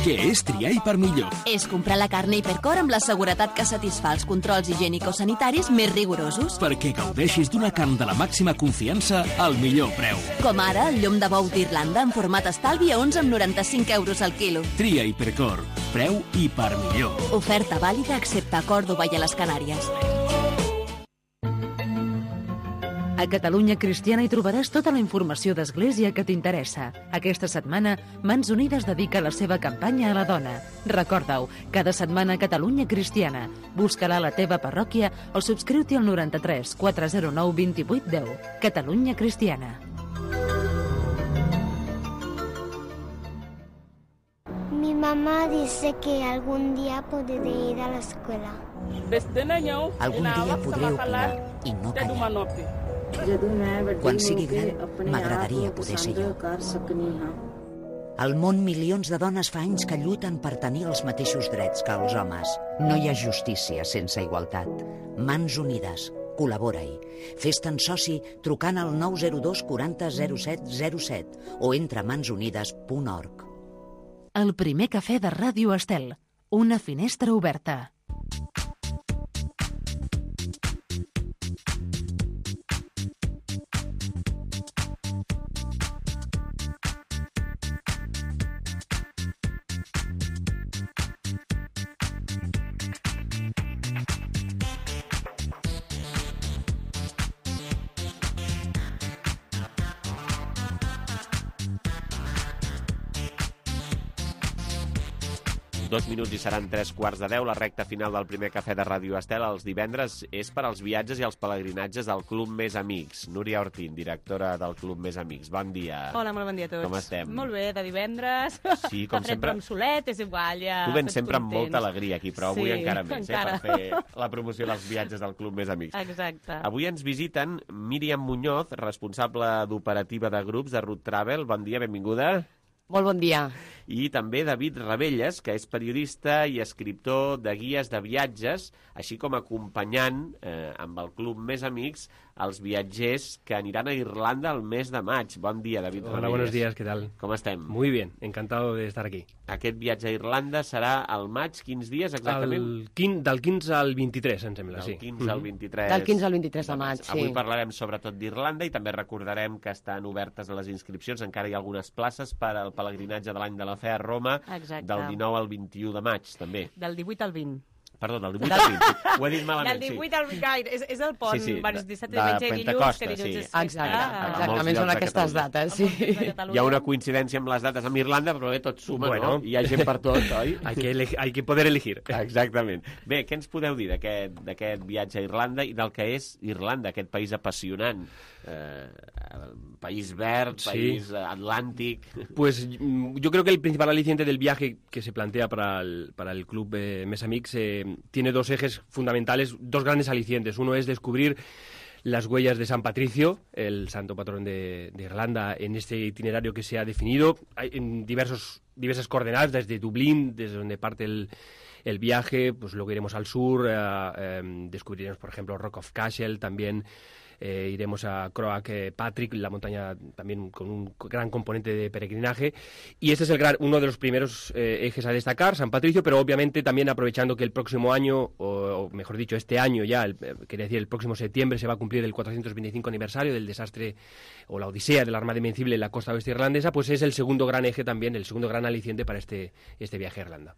Què és triar Hipermillor? És comprar la carn Hipercor amb la seguretat que satisfà els controls higiènico-sanitaris més rigorosos. Perquè gaudeixis d'una carn de la màxima confiança al millor preu. Com ara el llom de bou d'Irlanda en format estalvi a 11,95 euros al quilo. Tria Hipercor. Preu Hipermillor. Oferta vàlida excepte a Còrdova i a les Canàries. A Catalunya Cristiana hi trobaràs tota la informació d'Església que t'interessa. Aquesta setmana, Mans Unides dedica la seva campanya a la dona. Recorda-ho, cada setmana Catalunya Cristiana. Busca-la a la teva parròquia o subscriu-t'hi al 93 409 28 10. Catalunya Cristiana. Mi mamá dice que algún día podré ir a la escuela. Algun dia podré opinar i no callar. Quan sigui gran, m'agradaria poder ser jo. Al món, milions de dones fa anys que lluiten per tenir els mateixos drets que els homes. No hi ha justícia sense igualtat. Mans Unides. Col·labora-hi. Fes-te'n soci trucant al 902 40 07 07 o entra a mansunides.org. El primer cafè de Ràdio Estel. Una finestra oberta. Dos minuts i seran 3:15. La recta final del primer cafè de Ràdio Estel els divendres és per als viatges i els pelegrinatges del Club Més Amics. Núria Ortín, directora del Club Més Amics. Bon dia. Hola, molt bon dia a tots. Com estem? Molt bé, de divendres. Sí, com sempre. Amb solet, és igual, ja. Tu vens sempre amb molta alegria aquí, però avui encara més, encara. Per fer la promoció dels viatges del Club Més Amics. Exacte. Avui ens visiten Míriam Muñoz, responsable d'operativa de grups de Root Travel. Bon dia, benvinguda. Molt bon dia. I també David Ravelles, que és periodista i escriptor de guies de viatges, així com acompanyant amb el Club Més Amics els viatgers que aniran a Irlanda el mes de maig. Bon dia, David Ravelles. Hola, buenos días, ¿qué tal? Com estem? Muy bien, encantado de estar aquí. Aquest viatge a Irlanda serà al maig, quins dies exactament? Del 15 al 23, em sembla, sí. Del 15 al 23. Del 15 al 23 de maig, sí. Avui parlarem sobretot d'Irlanda i també recordarem que estan obertes a les inscripcions. Encara hi ha algunes places per al pelegrinatge de l'any de la fe a Roma. Exacte. Del 19 al 21 de maig, també. Del 18 al 20. Perdó, del 18 al 20. Ho he dit malament, Del 18 al 20, és el pont, sí, dissabte, diumenge i dilluns, que dilluns és... Exactament, són aquestes dates, sí. Hi ha una coincidència amb les dates amb Irlanda, però bé, tot suma, no? Hi ha gent per tot, oi? Hay que poder elegir. Exactament. Bé, què ens podeu dir d'aquest viatge a Irlanda i del que és Irlanda, aquest país apassionant? País verd, país atlàntic... Pues yo creo que el principal aliciente del viaje que se plantea para el Club Més Amics tiene dos ejes fundamentales, dos grandes alicientes. Uno es descubrir las huellas de San Patricio, el santo patrón de Irlanda, en este itinerario que se ha definido. Hay en diversas coordenadas, desde Dublín, desde donde parte el viaje, pues luego iremos al sur, descubriremos, por ejemplo, Rock of Cashel, también iremos a Croagh Patrick, la montaña también con un gran componente de peregrinaje, y este es uno de los primeros ejes a destacar, San Patricio, pero obviamente también aprovechando que el próximo año, o mejor dicho, este año ya, quería decir el próximo septiembre, se va a cumplir el 425 aniversario del desastre o la odisea de la Armada Invencible en la costa oeste irlandesa, pues es el segundo gran eje también, el segundo gran aliciente para este viaje a Irlanda.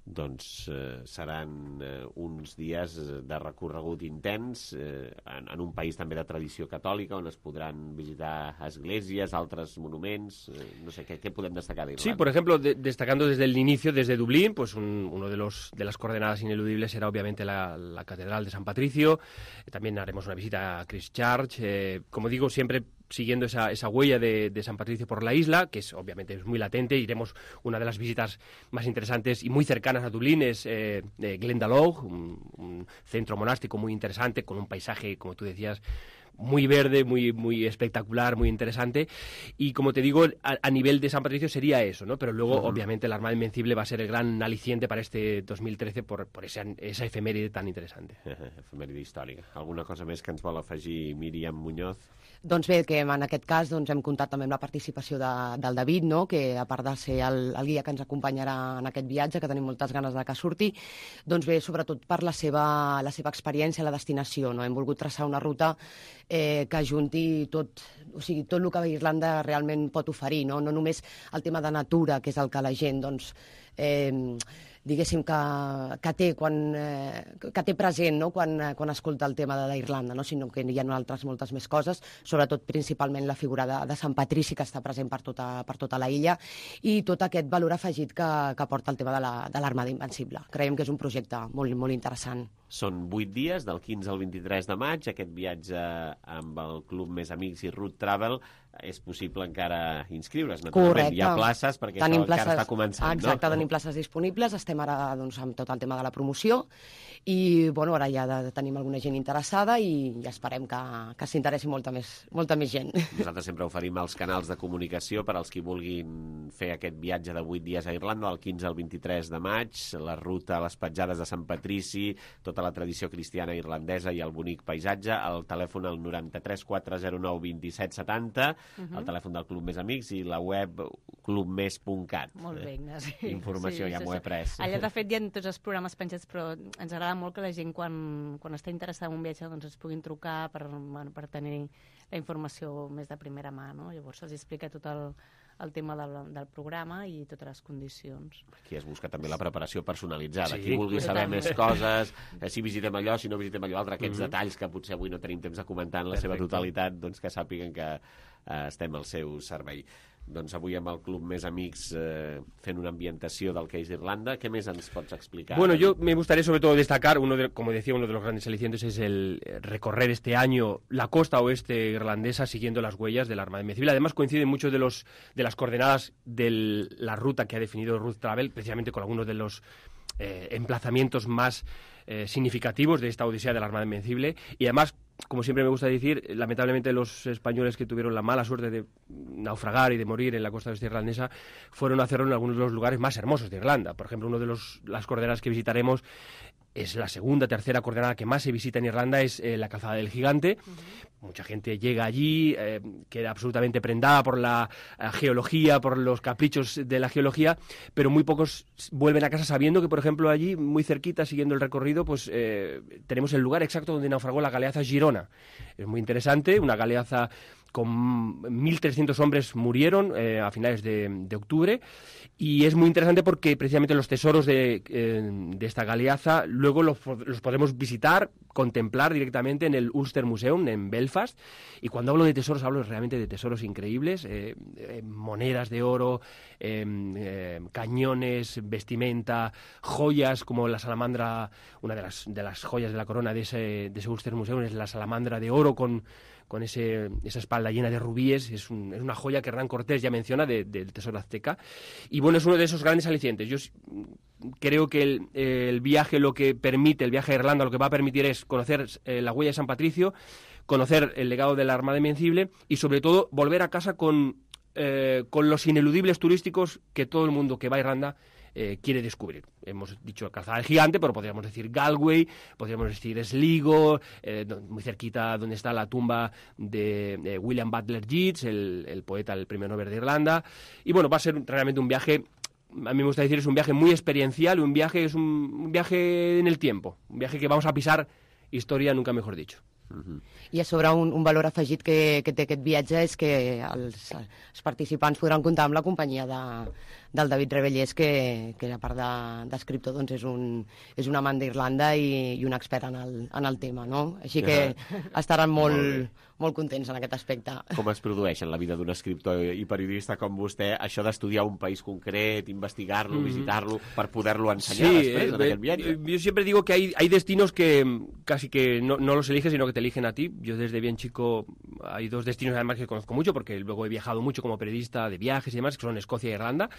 Doncs seran uns dies de recorregut intens en un país també de tradició catòlica on es podran visitar esglésies, altres monuments, no sé, què podem destacar d'Irlanda? Sí, por ejemplo, destacando desde el inicio, desde Dublín, pues uno de las coordenadas ineludibles será obviamente la Catedral de San Patricio, también haremos una visita a Christchurch, como digo, siempre siguiendo esa huella de San Patricio por la isla, que obviamente es muy latente. Iremos, una de las visitas más interesantes y muy cercanas a Dublín es Glendalough, un centro monástico muy interesante, con un paisaje, como tú decías, muy verde, muy espectacular, muy interesante. Y como te digo, a nivel de San Patricio sería eso, ¿no? Pero luego, obviamente, la Armada Invencible va a ser el gran aliciente para este 2013 por esa efeméride tan interesante. Efemèride històrica. Alguna cosa més que ens vol afegir Míriam Muñoz? Doncs bé, que en aquest cas hem comptat també amb la participació del David, no? Que a part de ser el guia que ens acompanyarà en aquest viatge, que tenim moltes ganes de que surti, doncs bé, sobretot per la seva experiència, la destinació, no? Hem volgut traçar una ruta que ajunti tot el que Irlanda realment pot oferir, no només el tema de natura, que és el que la gent diguéssim, que té present, no?, quan escolta el tema d'Irlanda, no?, sinó que hi ha moltes més coses, sobretot principalment la figura de Sant Patrici, que està present per tota la illa, i tot aquest valor afegit que porta el tema de l'Armada Invencible. Creiem que és un projecte molt, molt interessant. Són 8 dies, del 15 al 23 de maig, aquest viatge amb el Club Més Amics i Route Travel. És possible encara inscriure's, naturalment. Correcte. Hi ha places, perquè això encara està començant, no? Exacte, tenim places disponibles, estem ara amb tot el tema de la promoció, i ara ja tenim alguna gent interessada i esperem que s'interessi molta més gent. Nosaltres sempre oferim els canals de comunicació per als qui vulguin fer aquest viatge de 8 dies a Irlanda, del 15 al 23 de maig, la ruta a les petjades de Sant Patrici, tota la tradició cristiana irlandesa i el bonic paisatge. El telèfon al 93 409 27 70, el telèfon del Club Més Amics i la web clubmes.cat. Molt bé, Ignasi. Informació, ja m'ho he pres. Allà, de fet, hi ha tots els programes penjats, però ens agrada molt que la gent, quan està interessada en un viatge, doncs es puguin trucar per tenir la informació més de primera mà, no? Llavors se'ls explica tot el tema del programa i totes les condicions. Aquí es busca també la preparació personalitzada. Sí, qui vulgui saber més coses, si visitem allò, si no visitem allò altre, aquests detalls que potser avui no tenim temps de comentar en la seva totalitat, doncs que sàpiguen que estem al seu servei. Doncs avui amb el Club Més Amics fent una ambientació del que és Irlanda. ¿Qué més ens pots explicar? Bueno, yo me gustaría sobre todo destacar, como decía, uno de los grandes alicientes es el recorrer este año la costa oeste irlandesa siguiendo las huellas de la Armada Invencible. Además coinciden muchos de las coordenadas de la ruta que ha definido Route Travel, precisamente con algunos de los emplazamientos más significativos de esta odisea de la Armada Invencible, y además, como siempre me gusta decir, lamentablemente los españoles que tuvieron la mala suerte de naufragar y de morir en la costa oeste irlandesa fueron a hacerlo en algunos de los lugares más hermosos de Irlanda. Por ejemplo, uno de las coordenadas que visitaremos es la segunda, tercera coordenada que más se visita en Irlanda, es la Calzada del Gigante. Mucha gente llega allí, queda absolutamente prendada por la geología, por los caprichos de la geología, pero muy pocos vuelven a casa sabiendo que, por ejemplo, allí, muy cerquita, siguiendo el recorrido, pues tenemos el lugar exacto donde naufragó la galeaza Girona. Es muy interesante, una galeaza con 1.300 hombres murieron a finales de octubre, y es muy interesante porque precisamente los tesoros de esta galeaza luego los podemos visitar, contemplar directamente en el Ulster Museum en Belfast. Y cuando hablo de tesoros, hablo realmente de tesoros increíbles, monedas de oro, cañones, vestimenta, joyas como la salamandra. Una de las joyas de la corona de ese Ulster Museum es la salamandra de oro con esa espalda llena de rubíes. Es una joya que Hernán Cortés ya menciona del tesoro azteca. Y bueno, es uno de esos grandes alicientes. Yo creo que el viaje el viaje a Irlanda lo que va a permitir es conocer la huella de San Patricio, conocer el legado de la Armada Invencible y sobre todo volver a casa con los ineludibles turísticos que todo el mundo que va a Irlanda quiere descubrir. Hemos dicho Calzada del Gigante, pero podríamos decir Galway, podríamos decir Sligo, muy cerquita donde está la tumba de William Butler Yeats, el poeta, el premio Nobel de Irlanda. Y bueno, va a ser realmente un viaje, a mí me gusta decir, es un viaje muy experiencial, es un viaje en el tiempo, un viaje que vamos a pisar historia, nunca mejor dicho. I a sobre un valor afegit que té aquest viatge és que els participants podran comptar amb la companyia del David Rebellés, que a part d'escriptor doncs és un amant d'Irlanda i un expert en el tema, no? Així que estaran molt contents en aquest aspecte. Com es produeix en la vida d'un escriptor i periodista com vostè això d'estudiar un país concret, investigar-lo, visitar-lo, per poder-lo ensenyar després en aquest viatge? Yo siempre digo que hay destinos que casi que no los eliges, sino que te eligen a ti. Yo desde bien chico hay dos destinos además que conozco mucho, porque luego he viajado mucho como periodista de viajes y demás, que son Escocia e Irlanda.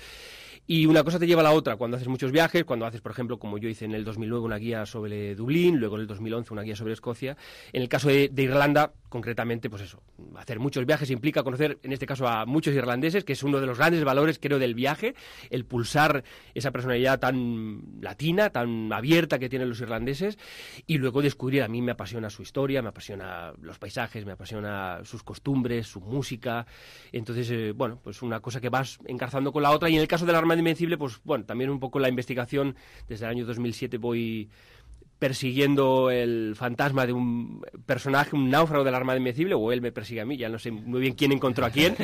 Y una cosa te lleva a la otra cuando haces muchos viajes, cuando haces, por ejemplo, como yo hice en el 2009 una guía sobre Dublín, luego en el 2011 una guía sobre Escocia. En el caso de Irlanda, concretamente, pues eso, hacer muchos viajes implica conocer, en este caso, a muchos irlandeses, que es uno de los grandes valores, creo, del viaje, el pulsar esa personalidad tan latina, tan abierta que tienen los irlandeses, y luego descubrir, a mí me apasiona su historia, me apasiona los paisajes, me apasiona sus costumbres, su música. Entonces, bueno, pues una cosa que vas encarzando con la otra, y en el caso de la Armada Invencible, pues bueno, también un poco la investigación. Desde el año 2007 voy persiguiendo el fantasma de un personaje, un náufrago de la Armada Invencible, o él me persigue a mí, ya no sé muy bien quién encontró a quién,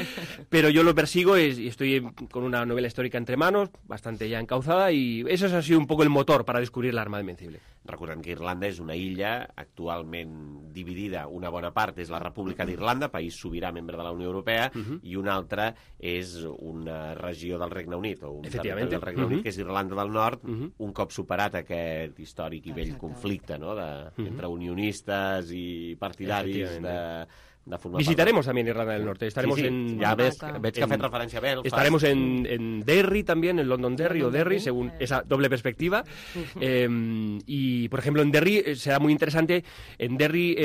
pero yo lo persigo y estoy con una novela histórica entre manos, bastante ya encauzada, y eso ha sido un poco el motor para descubrir la Armada Invencible. Recordem que Irlanda és una illa actualment dividida. Una bona part és la República d'Irlanda, país sobirà membre de la Unió Europea, i una altra és una regió del Regne Unit, o un territori del Regne Unit, que és Irlanda del Nord, un cop superat aquest històric i vell conflicte, no?, entre unionistes i partidaris de formar Visitaremos también Irlanda del Norte. Estaremos en... Ya veig que ha fet referència a Belfast. Estaremos en Derry también, en London Derry o Derry, según esa doble perspectiva. Y, por ejemplo, en Derry será muy interesante. En Derry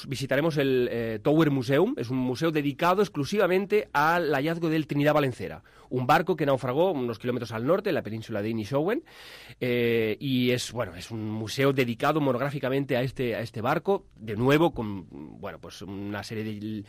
visitaremos el Tower Museum. Es un museo dedicado exclusivamente al hallazgo del Trinidad Valencera, un barco que naufragó unos kilómetros al norte, en la península de Inishowen, y es un museo dedicado monográficamente a este barco, de nuevo con una serie de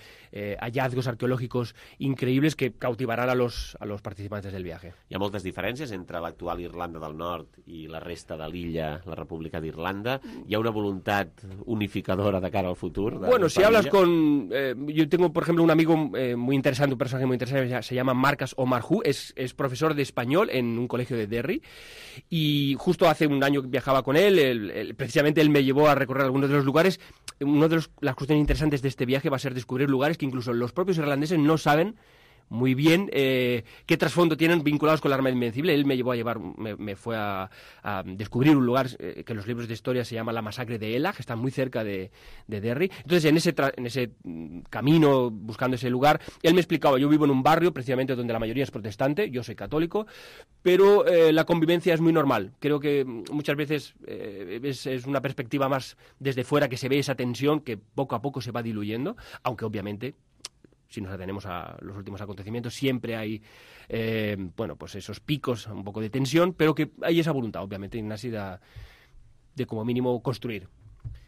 hallazgos arqueológicos increïbles que cautivaran a los participants del viaje. Hi ha moltes diferències entre l'actual Irlanda del Nord i la resta de l'illa, la República d'Irlanda. Hi ha una voluntat unificadora de cara al futur? Si hablas con... yo tengo, por ejemplo, un amigo muy interesante, un personaje muy interesante, se llama Marcas Omarjú, es profesor de español en un colegio de Derry, y justo hace un año que viajaba con él, precisamente él me llevó a recorrer algunos de los lugares. Una de las cuestiones interesantes de este viaje va a ser descubrir lugares que incluso los propios irlandeses no saben muy bien qué trasfondo tienen vinculados con la Armada Invencible. Él me fue a descubrir un lugar que en los libros de historia se llama la masacre de Ela, que está muy cerca de Derry. Entonces, en ese camino, buscando ese lugar, él me explicaba, yo vivo en un barrio precisamente donde la mayoría es protestante, yo soy católico, pero la convivencia es muy normal. Creo que muchas veces es una perspectiva más desde fuera, que se ve esa tensión que poco a poco se va diluyendo, aunque obviamente, si nos atenemos a los últimos acontecimientos, siempre hay esos picos, un poco de tensión, pero que hay esa voluntad, obviamente, Ignasi, de como mínimo construir.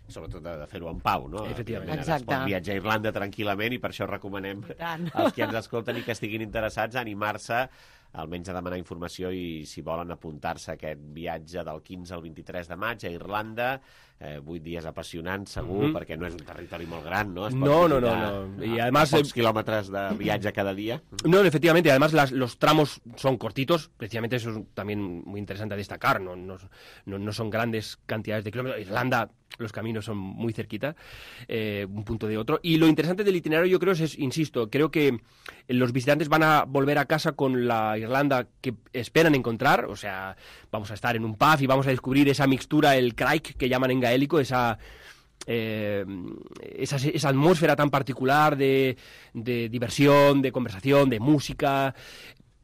Sobretot de fer-ho en pau, no? Efectivament. Es pot viatjar a Irlanda tranquil·lament, i per això recomanem als que ens escolten i que estiguin interessats a animar-se, almenys a demanar informació, i si volen apuntar-se a aquest viatge del 15 al 23 de maig a Irlanda, 8 dies apassionants, segur, perquè no és un territori molt gran, ¿no? No. Y además, pocs kilómetros de viatge cada día. No, efectivamente, además los tramos son cortitos, precisamente eso es también muy interesante a destacar, no son grandes cantidades de kilómetros. Irlanda, los caminos son muy cerquita, un punto de otro. Y lo interesante del itinerario, yo creo, insisto, creo que los visitantes van a volver a casa con la Irlanda que esperan encontrar. O sea, vamos a estar en un pub y vamos a descubrir esa mixtura, el craic, que llaman en gaélico, esa atmósfera tan particular de diversión, de conversación, de música.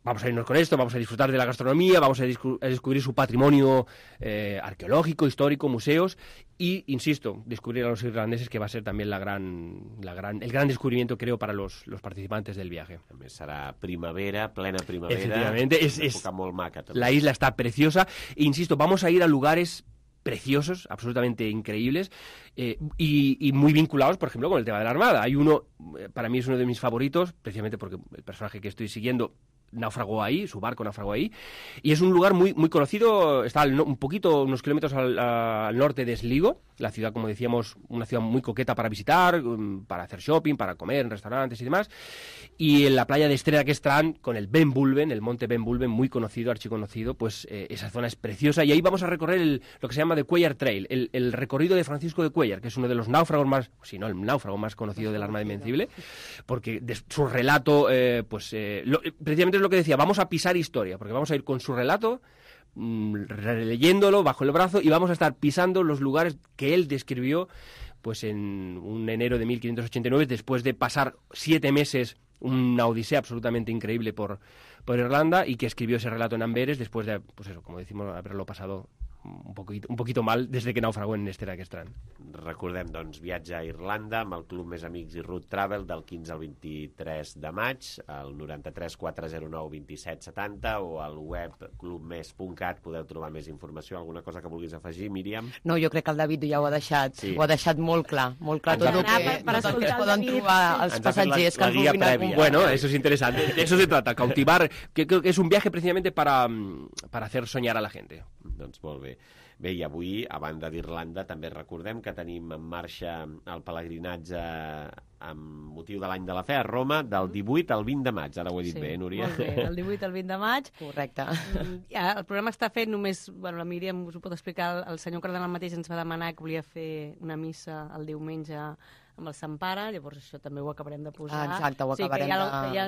Vamos a irnos con esto, vamos a disfrutar de la gastronomía, vamos a descubrir su patrimonio arqueológico, histórico, museos, y, insisto, descubrir a los irlandeses, que va a ser también el gran descubrimiento, creo, para los participantes del viaje. També serà primavera, plena primavera. Efectivamente, època molt maca, també. La isla está preciosa, e, insisto, vamos a ir a lugares preciosos, absolutamente increíbles, y muy vinculados, por ejemplo, con el tema de la Armada. Hay uno, para mí es uno de mis favoritos, precisamente porque el personaje que estoy siguiendo naufragó ahí, su barco naufragó ahí, y es un lugar muy, muy conocido, está unos kilómetros al norte de Sligo, la ciudad, como decíamos, una ciudad muy coqueta para visitar, para hacer shopping, para comer en restaurantes y demás, y en la playa de Estrella, que están con el Ben Bulben, el monte Ben Bulben, muy conocido, archiconocido, pues esa zona es preciosa, y ahí vamos a recorrer lo que se llama The Cuellar Trail, el recorrido de Francisco de Cuellar, que es uno de los náufragos más, si no el náufrago más conocido de la Armada Invencible, porque su relato, precisamente es lo que decía, vamos a pisar historia, porque vamos a ir con su relato, releyéndolo bajo el brazo, y vamos a estar pisando los lugares que él describió pues en un enero de 1589, después de pasar 7 meses, una odisea absolutamente increíble por Irlanda, y que escribió ese relato en Amberes después de, pues eso, como decimos, haberlo pasado un poquito mal des que naufragó en Estera aquest any. Recordem, doncs, viatge a Irlanda amb el Club Més Amics i Route Travel del 15 al 23 de maig, al 93 409 27 70, o al web clubmes.cat podeu trobar més informació. Alguna cosa que vulguis afegir, Míriam? No, jo crec que el David ja ho ha deixat, ho ha deixat molt clar tot el que es poden trobar els passatgers que vulguin acompanyar. Bueno, eso es interesante, de eso se trata, cautivar, que creo que es un viaje precisamente para hacer soñar a la gente. Doncs molt bé. Bé, i avui, a banda d'Irlanda, també recordem que tenim en marxa el pelegrinatge amb motiu de l'any de la fe a Roma del 18 al 20 de maig. Ara ho he dit bé, Núria? Molt bé, del 18 al 20 de maig. Correcte. El programa està fet només... Bueno, la Míriam us ho pot explicar. El senyor cardenal mateix ens va demanar que volia fer una missa el diumenge amb el Sant Pare, llavors això també ho acabarem de posar. Exacte, ho acabarem de... Hi ha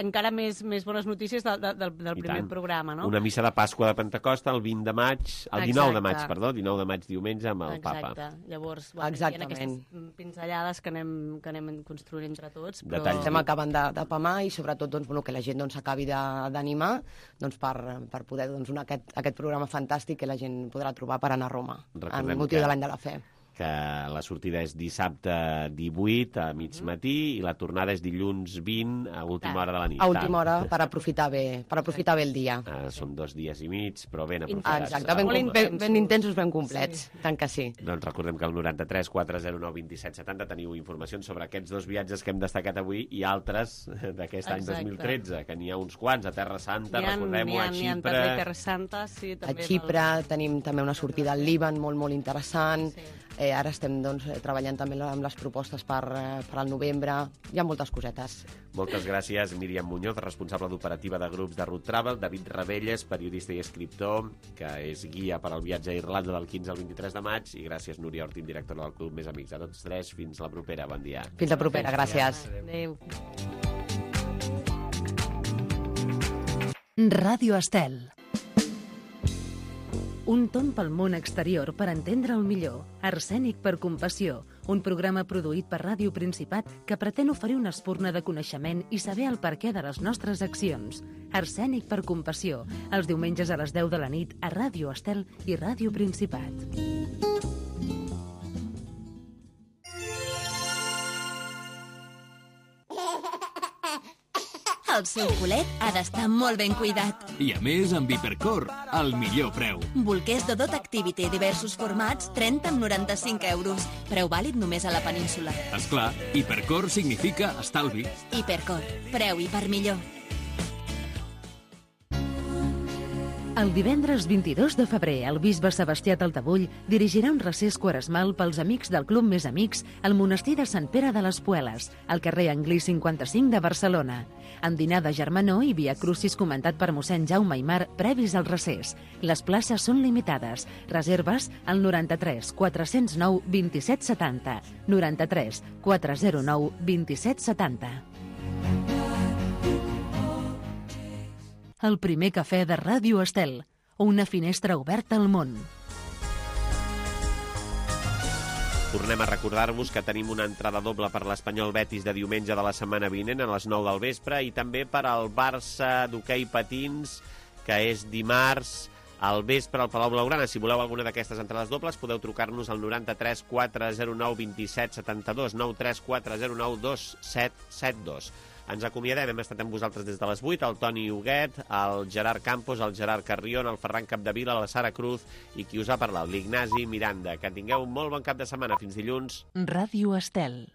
encara més bones notícies del primer programa, no? Una missa de Pasqua de Pentecosta el 20 de maig, el 19 de maig, perdó, 19 de maig diumenge amb el Papa. Exacte, llavors hi ha aquestes pinzellades que anem construint entre tots. Però... Estem acabant de pamar i sobretot que la gent s'acabi d'animar per poder aquest programa fantàstic que la gent podrà trobar per anar a Roma, en motiu de l'any de la fe. Que la sortida és dissabte 18 a mig matí i la tornada és dilluns 20 a última hora de la nit. A última hora per aprofitar bé el dia. Són 2 dies i mig, però ben aprofitats. Exacte, ben intensos, ben complets, tant que sí. Doncs recordem que al 93 409 27 70 teniu informacions sobre aquests 2 viatges que hem destacat avui i altres d'aquest any 2013, que n'hi ha uns quants, a Terra Santa, recordem-ho, a Xipre. A Terra Santa, sí. A Xipre tenim també una sortida al Líban molt interessant. Ara estem treballant també amb les propostes per al novembre. Hi ha moltes cosetes. Moltes gràcies, Míriam Muñoz, responsable d'operativa de grups de Route Travel, David Ravelles, periodista i escriptor, que és guia per al viatge a Irlanda del 15 al 23 de maig, i gràcies, Núria Ortín, directora del Club Més Amics. A tots tres, fins la propera. Bon dia. Fins la propera, gràcies. Adéu. Ràdio Estel. Un tomb pel món exterior per entendre'l millor. Arsènic per compassió, un programa produït per Ràdio Principat que pretén oferir una espurna de coneixement i saber el perquè de les nostres accions. Arsènic per compassió, els diumenges a les 10 de la nit a Ràdio Estel i Ràdio Principat. El seu culet ha d'estar molt ben cuidat. I a més amb Hipercor, el millor preu. Bolquers Dodot Activity, diversos formats, 30 amb 95 euros. Preu vàlid només a la península. Esclar, Hipercor significa estalvi. Hipercor, preu hiper millor. El divendres 22 de febrer, el bisbe Sebastià Taltabull dirigirà un recés quaresmal pels amics del Club Més Amics al monestir de Sant Pere de les Pueles, al carrer Anglí 55 de Barcelona. Amb dinar de germanor i via crucis comentat per mossèn Jaume Aimar previs al recés. Les places són limitades. Reserves al 93 409 27 70. 93 409 27 70. El primer cafè de Ràdio Estel, una finestra oberta al món. Tornem a recordar-vos que tenim una entrada doble per l'Espanyol Betis de diumenge de la setmana vinent a les 9 del vespre i també per al Barça d'hoquei patins, que és dimarts al vespre al Palau Blaugrana. Si voleu alguna d'aquestes entrades dobles podeu trucar-nos al 93 409 27 72, 93 409 2772. Ens acomiadem, hem estat amb vosaltres des de les 8, el Toni Huguet, el Gerard Campos, el Gerard Carrion, el Ferran Capdevila, la Sara Cruz i qui us ha parlat, l'Ignasi Miranda. Que tingueu un molt bon cap de setmana. Fins dilluns. Ràdio Estel.